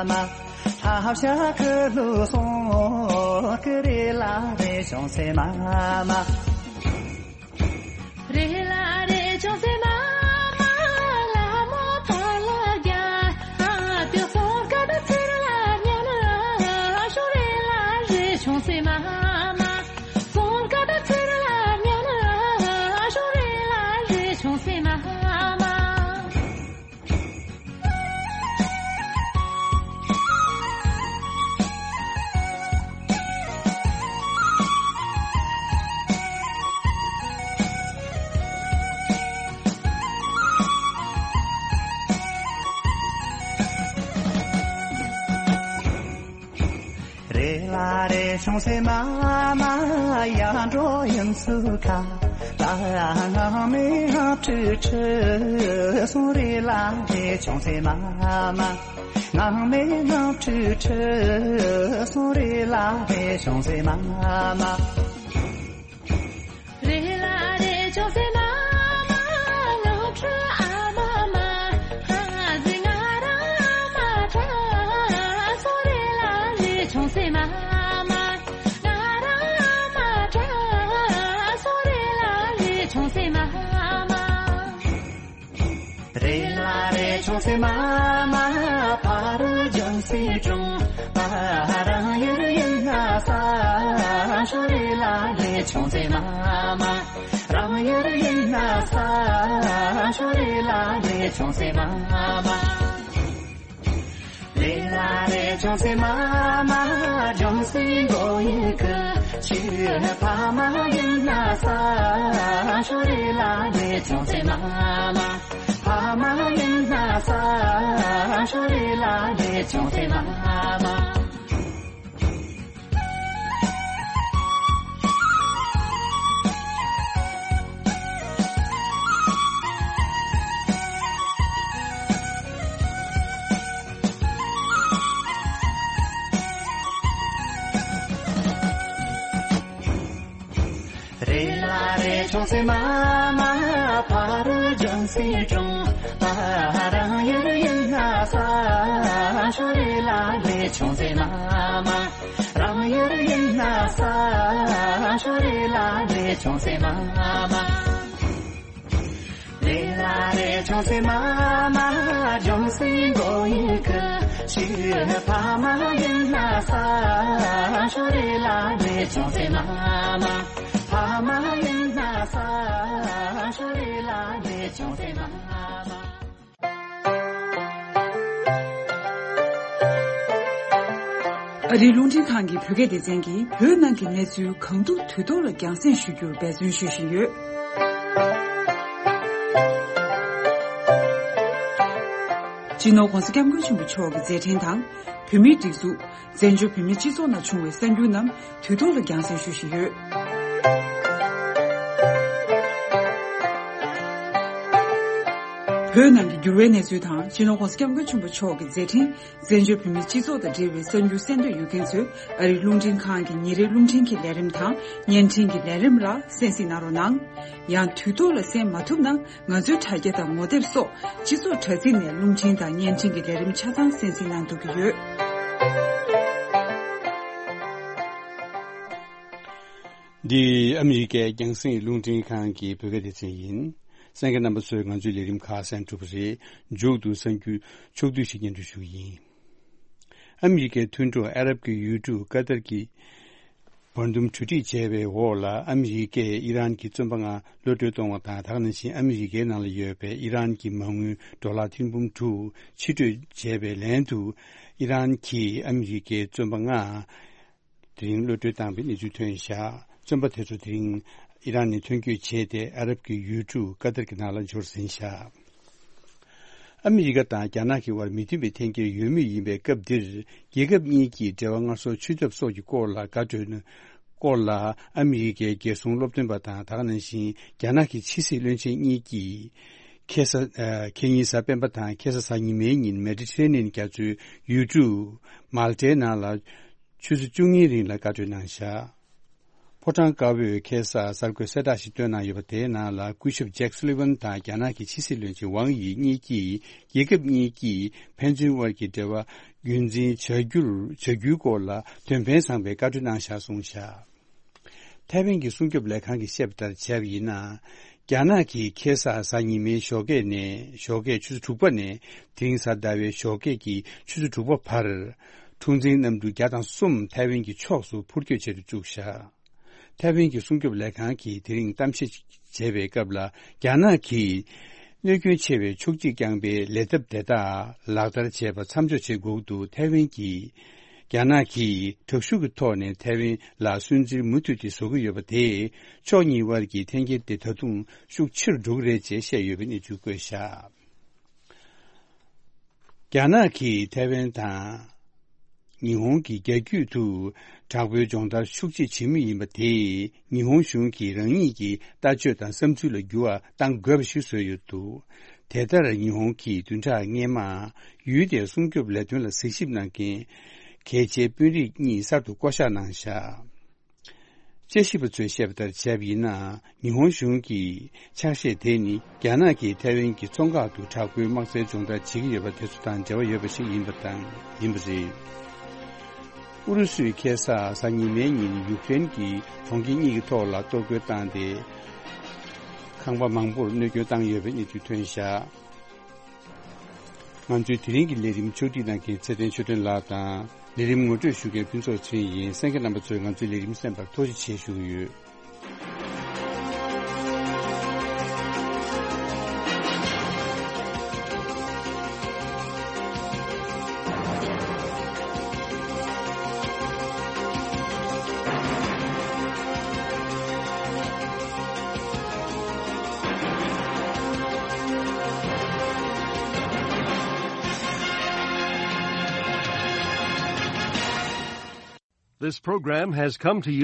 མ། ལྷ་བྱ་ཁུ་ལུ་སོང་གི། རེ་ལ་རེ་ཆུང་ཟེར་མ་མ། རེ་ལ་རེ་ཆུང་ཟེར་མ་མ། ལ་མོ་ཕར་ལ་རྒྱབ། ཨ་དེ་སོང་ཀ་ད་ཚུར་ལ་ཉན་ན་ཤོག་རེ་ལ་རེ་ཆུང་ཟེར་མ་མ། སོང་ཀ་ད་ཚུར་ལ་ཉན་ན་ཤོག་རེ་ལ་རེ་ཆུང་ཟེར་མ་མ། རེ་ལ་རེ་ཆུང་ཟེར་མ་མ། ཡར་འབྲོག་གཡུ་མཚོའི་ཁ་ལ། ངང་མེད་ངང་ཁྲིད་ཁྲིད་སོང་། རེ་ལ་རེ་ཆུང་ཟེར་མ་མ། ངང་མེད་ངང་ཁྲིད་ཁྲིད་སོང་། རེ་ལ་རེ་ཆུང་ཟེར་མ་མ། རེ་ལ་རེ་ཆུང་ཟེར་མ་མ། ངང་ཁྲིད་ཨ་མ་མ། ཧ་ཟེར་ང་རང་ཨ་མ་དྲན་སོང་། རེ་ལ་རེ་ཆུང་ཟེར་མ་མ། ང་རང་ཨ་མ་དྲན་སོང་། རེ་ལ་རེ་ཆུང་ཟེར་མ་མ། རེ་ལ་རེ་ཆུང་ཟེར་མ་མ། ཕ་རོལ་ལྗོན་ཤིང་གྲོང་། ང་རང་ཡུལ་ཡིན་ན་ས་ཤོག་རེ་ལ་རེ་ཆུང་ཟེར་མ་མ། རང་ཡུལ་ཡིན་ན་ས་ཤོག་རེ་ལ་རེ་ཆུང་ཟེར་མ་མ། རེ་ལ་རེ་ཆུང་ཟེར་མ་མ། ལྗོན་ཤིང་མགོ་ཡི་གི། ཁྱེད་ཕ་མ་ཡིན་ན་ས་ཤོག་རེ་ལ་རེ་ཆུང་ཟེར་མ་མ། ཕ་མ་ཡིན་ན་ས་ཤོག་རེ་ལ་རེ་ཆུང་ཟེར་མ་མ། ཆུང་སེ་མ་མ་ཕ་རུ་ལྗོན་སེ་ཀྲུང་། ང་རང་ཡུལ་ཡིན་ན་ས་ཞོ་རེ་ལ་ལེ། ཆུང་སེ་མ་མ་རང་ཡུལ་ཡིན་ན་ས་ཞོ་རེ་ལ་ལེ། ཆུང་སེ་མ་མ་ལེ་ལ་རེ། ཆུང་སེ་མ་མ་ལྗོན་སེ་མགོ་ཡི་གི་ཤི་ཕ་མ་ཡིན་ན་ས་ཞོ་རེ་ལ་ལེ། ཆུང་སེ་མ་མ་ཕ་མ་ཡིན་ན་ས་ཞོ་རེ་ལ་ལེ། ཆུང་སེ་མ་མ། ཨ་རིའི་རླུང་འཕྲིན་ཁང་གི་བོད་སྐད་སྡེ་ཚན་གྱིས་བོད་ནང་གི་གནས་ཚུལ་གང་ཐུབ་དུས་ཐོག་ལ་རྒྱང་སྲིང་ཞུ་རྒྱུར་འབད་བརྩོན་ཞུ་བཞིན་ཡོད། སྤྱི་ནོར་༧གོང་ས་༧སྐྱབས་མགོན་ཆེན་པོ་མཆོག་གི་མཛད་འཕྲིན་དང་། བོད་མིའི་སྒྲིག་འཛུགས། བཙན་བྱོལ་བོད་མིའི་སྤྱི་ཚོགས་ནང་བྱུང་བའི་གསར་འགྱུར་རྣམས་དུས་ཐོག་ལ་རྒྱང་སྲིང་ཞུ་བཞིན་ཡོད། བོད་ནང་གི་འགྱུར་བའི་གནས་ཚུལ་དང་། སྤྱི་ནོར་༧གོང་ས་༧སྐྱབས་མགོན་ཆེན་པོ་མཆོག་གི་མཛད་འཕྲིན། བཙན་བྱོལ་བོད་མིའི་སྤྱི་ཚོགས་དང་འབྲེལ་བའི་གསར་འགྱུར་གསན་འདོད་ཡོད་མཁན་ཚོས་ཨ་རིའི་རླུང་འཕྲིན་ཁང་གི་ཉིན་རེའི་རླུང་འཕྲིན་གྱི་ལས་རིམ་དང་། བརྙན་འཕྲིན་གྱི་ལས་རིམ་ལ་གསན་གཟིགས་གནང་རོགས་གནང་། ཡང་དུས་ཐོག་ལ་གསན་མ་ཐུབ་ན། ང་ཚོའི་དྲ་རྒྱ་དང་ངོ་དེབ་སོགས་སྤྱི་ཚོགས་དྲ་ཚིགས་ནས་རླུང་འཕྲིན་དང་བརྙན་འཕྲིན་གྱི་ལས་རིམ་ཆ་ཚང་གསན་གཟིགས་གནང་ཐུབ་ཀྱི་ཡོད། འདི་ཨ་མི་རི་ཀའི་རྒྱང་སྲིང་རླུང་འཕྲིན་ཁང་གི་བོད་སྐད་སྡེ་ཚན་ཡིན། གསན་མཁན་རྣམ་པ་ཚོས་ང་ཚོའི་ལས་རིམ་ཁག་གསན་གྲུབ་པ་རེད། མཇུག་ཏུ་གསར་འགྱུར་ཕྱོགས་བསྡུས་ཤིག་སྙན་སྒྲོན་ཞུ་གི་ཡིན། ཨ་མི་རི་ཀའི་མཐུན་གྲོགས་ཨ་རབ་ཀྱི་ཡུལ་གྲུ་ཀ་ཏར་གྱིས། བར་འདུམ་གྲོས་འགྲིག་བྱས་པའི་འོག་ལ། ཨ་མི་རི་ཀས་ཨི་རན་གྱི་བཙོན་པ་ལྔ་གློད་གྲོལ་གཏོང་བ་དང་། དེ་ག་ནང་བཞིན་ཨ་མི་རི་ཀའི་ནང་ལ་ཡོད་པའི་ཨི་རན་གྱི་མ་དངུལ་ཌོ་ལར་ཐེར་འབུམ་དྲུག་ཕྱིར་སྤྲོད་བྱས་པའི་ལན་དུ། ཨི་རན་གྱིས་ཨ་མི་རི་ཀའི་བཙོན་པ་ལྔ་དེ་རིང་གློད་གྲོལ་བཏང་བའི་གནས་ཚུལ་ཐོན་བཞག་བཙོན་པ་དེ་ཚོ་དེ་རིང་ཨི་རན་ནས་ཐོན་སྐྱོད་བྱས་ཏེ། ཨ་རབ་ཀྱི་ཡུལ་གྲུ་ཀ་ཏར་གྱི་ནང་ལ་འབྱོར་ཟིན་བཞག་ཨ་མི་རི་ཀ་དང་རྒྱ་ནག་གི་དབར་མི་མཐུན་པའི་འཐེན་འཁྱེར་ཡོད་མུས་ཡིན་པའི་སྐབས་འདིར། རྒྱལ་ཁབ་གཉིས་ཀྱི་འབྲེལ་བ་སྔར་སྲོལ་འཆུས་ཐབས་སོགས་ཀྱི་སྐོར་ལ་བཀའ་གྲོས་སྐོར་ལ། ཨ་མི་རི་ཀའི་རྒྱལ་སྲུང་སློབ་སྟོན་པ་དང་། དེ་ག་ནང་བཞིན་རྒྱ་ནག་གི་ཕྱི་སྲིད་བློན་ཆེན་གཉིས་ཀྱིས། ཁ་སང་ཨ་ཁ་ཉིན་གཟའ་སྤེན་པ་དང་ཁ་སང་གཟའ་ཉི་མའི་ཉིན་མེ་ཌི་ཊི་རེ་ནི་ཡན་རྒྱ་མཚོའི་ཡུལ་གྲུ་མཱལ་ཏའི་ནང་ལ་ཆུ་ཚོད་བཅུ་གཉིས་རིང་ལ་བཀའ་གྲོས་གནང་བཞག་ཕོ་བྲང་དཀར་པོས་ཁ་སང་གསར་འགོད་གསལ་བསྒྲགས་ཤིག་བཏོན་གནང་ཡོད་པ་དེའི་ནང་ལ། སྐུ་ཞབས་ཇེག་སུ་ལི་ཝན་དང་རྒྱ་ནག་གི་ཕྱི་སྲིད་བློན་ཆེན་ཝང་ཡི་གཉིས་ཀྱིས། རྒྱལ་ཁབ་གཉིས་ཀྱིས་ཕན་ཚུན་དབར་གྱི་འབྲེལ་བ་རྒྱུན་འཛིན་བྱ་རྒྱུར་བྱ་རྒྱུའི་སྐོར་ལ་དོན་ཕན་བཟང་པའི་བཀའ་འཁྲོལ་གནང་བཞག་གསུངས་བཞག་ཐའེ་ཝན་གྱི་སྲུང་སྐྱོབ་ལས་ཁང་གིས་བཤད་པ་ལྟར་བྱས་པ་ཡིན་ན། རྒྱ་ནག་གིས་ཁ་སང་གཟའ་ཉི་མའི་ཞོགས་ཀས་ནས། ཞོགས་ཀས་ཆུ་ཚོད་དྲུག་པ་ནས་དེ་རིང་གཟའ་ཟླ་བའི་ཞོགས་ཀས་ཀྱི་ཆུ་ཚོད་དྲུག་པ་བར། འཁྲུག་འཛིང་གནམ་གྲུ་བརྒྱ་དང་གསུམ་ཐའེ་ཝན་གྱི་ཕྱོགས་སུ་འཕུར་སྐྱོད་བྱེད་དུ་བཅུག་བཞག་ཐའེ་ཝན་གྱི་སྲུང་སྐྱོབ་ལས་ཁང་གིས་དེ་རིང་གཏམ་བཤད་བྱས་པའི་སྐབས་ལ། རྒྱ་ནག་གིས་གནོད་སྐྱོན་ཆེ་བའི་ཕྱོགས་གཅིག་རྐྱང་པའི་ལས་ཐབས་དེ་དག་ལག་བསྟར་བྱས་པ་མཚམས་འཇོག་བྱེད་དགོས་འདུག་ཐའེ་ཝན་གྱིས། རྒྱ་ནག་གིས་དྲག་ཤུགས་ཀྱི་ཐོག་ནས་ཐའེ་ཝན་ལ་སུན་གཙེར་མུ་མཐུད་དེ་བཟོ་གི་ཡོད་པ་དེས། ཕྱོགས་གཉིས་དབར་གྱི་འཐེན་འཁྱེར་དེ་ད་དུང་ཤུགས་ཆེ་རུ་འགྲོ་གི་རེད་ཅེས་བཤད་ཡོད་པའི་གནས་ཚུལ་བཀོད་བཞག་རྒྱ་ནག་གིས་ཐའེ་ཝན་དང་ཉི་ཧོང་གི་རྒྱ་རྒྱུད་དུ་དྲག་པོའི་སྦྱོང་བརྡར་ཤུགས་ཆེ་བྱེད་མུས་ཡིན་པ་དེས། ཉི་ཧོང་གཞུང་གིས་རང་ཉིད་ཀྱི་ལྟ་སྤྱོད་དང་བསམ་ཚུལ་ལ་འགྱུར་བ་གཏང་དགོས་པ་ཞིག་བཟོས་ཡོད་འདུག་དེ་ལྟར་ཉི་ཧོང་གིས་བདུན་ཕྲག་སྔོན་མ་ཡུལ་དེའི་སྲུང་སྐྱོབ་ལས་དོན་ལ་གཟིགས་ཞིབ་གནང་མཁན་གལ་ཆེའི་དཔོན་རིགས་གཉིས་གསར་དུ་བསྐོ་བཞག་གནང་བཞག་དཔྱད་ཞིབ་པ་ཚོས་བཤད་པ་ལྟར་བྱས་པ་ཡིན་ན། ཉི་ཧོང་གཞུང་གི་ཕྱག་བཞེས་དེ་ནི་རྒྱ་ནག་གིས་ཐའེ་ཝན་གྱི་མཚོ་འགག་ཏུ་དྲག་པོའི་དམག་རྩལ་སྦྱོང་བརྡར་བྱེད་ཀྱི་ཡོད་པ་དེ་ཚོ་དང་འབྲེལ་བ་ཡོད་པ་ཞིག་ཡིན་པ་དང་། ཡིན་པ་རེད། ཨུ་རུ་སུས་ཁ་སང་གཟའ་ཉི་མའི་ཉིན་ཡུཀ་རེན་གྱི་གྲོང་ཁྱེར་གཉིས་ཀྱི་ཐོག་ལ་གཏོར་རྒོལ་བཏང་སྟེ། ཁང་པ་མང་པོར་གནོད་སྐྱོན་བཏང་ཡོད་པའི་གནས་ཚུལ་ཐོན་བཞག་ང་ཚོའི་དེ་རིང་གི་ལས་རིམ་ཕྱོགས་སྒྲིག་གནང་མཁན་ཚེ་བརྟན་ཆོས་སྒྲོན་ལགས་དང་། ལས་རིམ་ངོ་སྤྲོད་ཞུ་མཁན་ཕུན་ཚོགས་ཚེ་རིང་ཡིན། གསན་མཁན་རྣམ་པ་ཚོས་ང་ཚོའི་ལས་རིམ་གསན་པར་ཐུགས་རྗེ་ཆེ་ཞུ་གི་ཡོད། This program has come to you